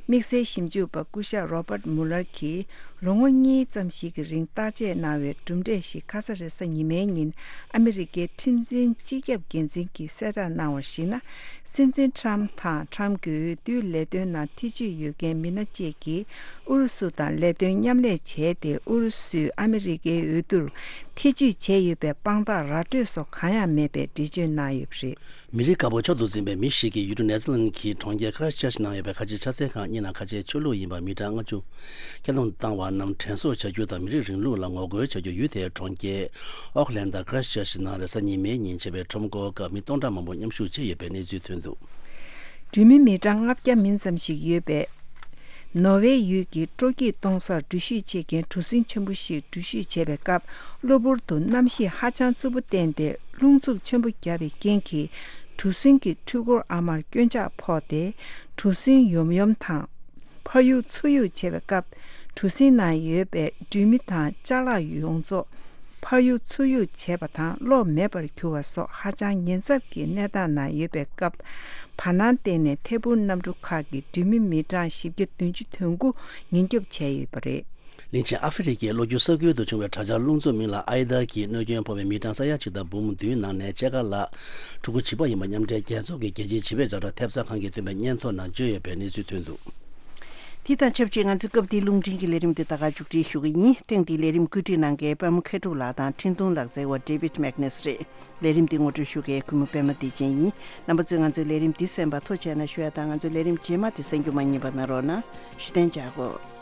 དམིགས་བསལ་ཞིབ་འཇུག་པ་སྐུ་ཞབས་Robert Mueller གྱིས་ལོ་ངོ་གཉིས་ཙམ་ཞིག་གི་རིང་བརྟག་དཔྱད་གནང་བའི་གྲུབ་འབྲས་ཤིག་ཁ་ས་རེས་གཟའ་ཉི་མའི་ཉིན་ཨ་མི་རི་ཀའི་ཁྲིམས་འཛིན་སྤྱི་ཁྱབ་འགན་འཛིན་གྱིས་གསལ་བསྒྲགས་གནང་བར་གཞིགས་ན། སྲིད་འཛིན་ཁྲམ་དང་ཁྲམ་གྱི་འོས་བསྡུའི་ལས་དོན་ནང་ཐེ་བྱུས་ཡོད་མཁན་མི་སྣ་བཅས་ཀྱིས་ཨུ་རུ་སུ་དང་ལས་དོན་མཉམ་ལས་བྱས་ཏེ། ཨུ་རུ་སུས་ཨ་མི་རི་ཀའི་འོས་བསྡུར་ཐེ་བྱུས་བྱས་ཡོད་པའི་དཔང་རྟགས་ར་སྤྲོད་སོགས་གང་ཡང་མེད་པའི་འགྲེལ་བརྗོད་གནང་ཡོད་པ་རེད། མི་རིགས་དཀར་པོ་མཆོག་ཏུ་འཛིན་པའི་མི་ཞིག་གིས་ཡུལ་གྲུ་ནེ་ཐར་ལན་གྱི་གྲོང་ཁྱེར་ཁ་ར་ཆར་ཆི་ནང་ཡོད་པའི་ཁ་ཆེའི་ཕྱག་འཚལ་ཁང་གཉིས་ནང་ཁ་ཆེའི་ཆོས་ལུགས་ཡིན་པ་མི་གྲངས་ལྔ་བཅུ་ཁྱབ་བསྡོམས་བཏང་བ་རྣམས་དྲན་གསོ་བྱ་རྒྱུ་དང་། མི་རིགས་རིང་ལུགས་ལ་ངོ་རྒོལ་བྱ་རྒྱུ། ཡུལ་དེའི་གྲོང་ཁྱེར་ཨོག་ལན་དང་ཁ་ར་ཆར་ཆི་ནང་རེས་གཟའ་ཉི་མའི་ཉིན་བྱས་པའི་ཁྲོམ་སྐོར་སྐབས་མི་སྟོང་ཕྲག་མང་པོ་མཉམ་ཞུགས་བྱས་ཡོད་པའི་གནས་ཚུལ་ཐོན་འདུག། འགྲུལ་མི་མི་གྲངས་ལྔ་བརྒྱ་མིན་ཙམ་ཞིག་ཡོད་པའི་ནོར་ཝེ་ཡུལ་གྱི་སྤྲོ་སྐྱིད་གཏོང་སར་འགྲུལ་བཞུད་བྱེད་མཁན་གྲུ་གཟིངས་ཆེན་པོ་ཞིག་འགྲུལ་བཞུད་བྱེད་པའི་སྐབས། གློ་བུར་དུ་གནམ་གཤིས་ཧ་ཅང་རྩུབ་པོ་བསྟན་ཏེ། རླུང་འཚུབ་ཆེན་པོ་བརྒྱབ་པའི་རྐྱེན་གྱིས་གྲུ་གཟིངས་ཀྱི་འཕྲུལ་འཁོར་ཨ་མར་སྐྱོན་ཆག་ཕོག་སྟེ། གྲུ་གཟིངས་ཡོམ་ཡོམ་དང་ཕར་གཡུག་ཚུར་གཡུག་བྱས་པའི་སྐབས། གྲུ་གཟིངས་ནང་ཡོད་པའི་འགྲུལ་མི་དང་ཅ་ལག་ཡོངས་རྫོགས་ཕར་གཡུག་ཚུར་གཡུག་བྱས་པ་དང་གློག་མེད་པར་གྱུར་བ་སོགས་ཧ་ཅང་ཉེན་ཚབས་ཀྱི་གནས་སྟངས་ནང་ཡོད་པའི་སྐབས། བར་སྣང་སྟེང་ནས་ཐད་འཕུར་གནམ་གྲུ་ཁག་གི་འགྲུལ་མི་མི་གྲངས་བཞི་བརྒྱ་བདུན་ཅུ་དོན་དགུ་ཉེན་སྐྱོབ་བྱས་ཡོད་པ་རེད། གླིང་ཆེན་ཨ་ཧྥེ་རི་ཁའི་ལོ་རྒྱུས་ས་ཁུལ་དུ་བྱུང་བའི་དྲག་ཆར་རླུང་འཚུབ་མིང་ལ་ཨའི་ད་གིས་གནོད་སྐྱོན་ཕོག་པའི་མི་གྲངས་ས་ཡ་གཅིག་དང་འབུམ་བདུན་ནང་ནས་ཕྱེད་ཀ་ལྷག་ཕྲུ་གུ་བྱིས་པ་ཡིན་པ་མཉམ་འབྲེལ་རྒྱལ་ཚོགས་ཀྱི་རྒྱལ་སྤྱིའི་བྱིས་པའི་ཛ་དྲག་ཐེབས་རྩ་ཁང་གིས་བཏོན་པའི་སྙན་ཐོ་ནང་བརྗོད་ཡོད་པའི་གནས་ཚུལ་ཐོན་འདུག། དེ་དང་ཆབས་ཅིག་ང་ཚོའི་སྐབས་འདིའི་རླུང་འཕྲིན་གྱི་ལས་རིམ་དེ་ད་ག་མཇུག་སྒྲིལ་ཞུ་གི་ཡིན། ཐེངས་འདིའི་ལས་རིམ་བཀོད་སྒྲིག་གནང་མཁན་པད་མ་མཁས་གྲུབ་ལགས་དང་འཕྲིན་གཏོང་ལག་རྩལ་བ་David Magnus རེད། ལས་རིམ་འདི་ངོ་སྤྲོད་ཞུ་མཁན་གུས་མོ་པད་མ་བདེ་ཆེན་ཡིན། རྣམ་པ་ཚོས་ང་ཚོའི་ལས་རིམ་འདི་གསན་པར་ཐུགས་རྗེ་གནང་ཞུ་ཡ་དང་། ང་ཚོའི་ལས་རིམ་རྗེས་མ་དེ་གསན་རྒྱུ་མ་བསྙེལ་བ་གནང་རོགས་གནང་། བཞུགས་གདན་འཇགས་དགོས།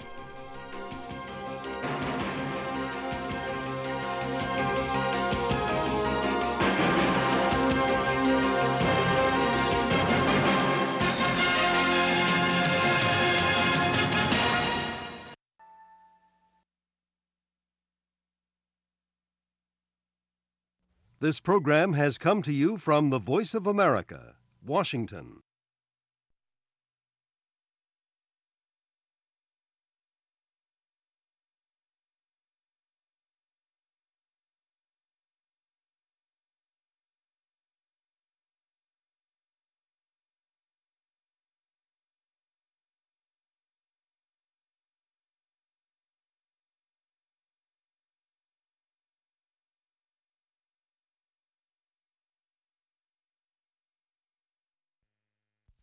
This program has come to you from the Voice of America, Washington.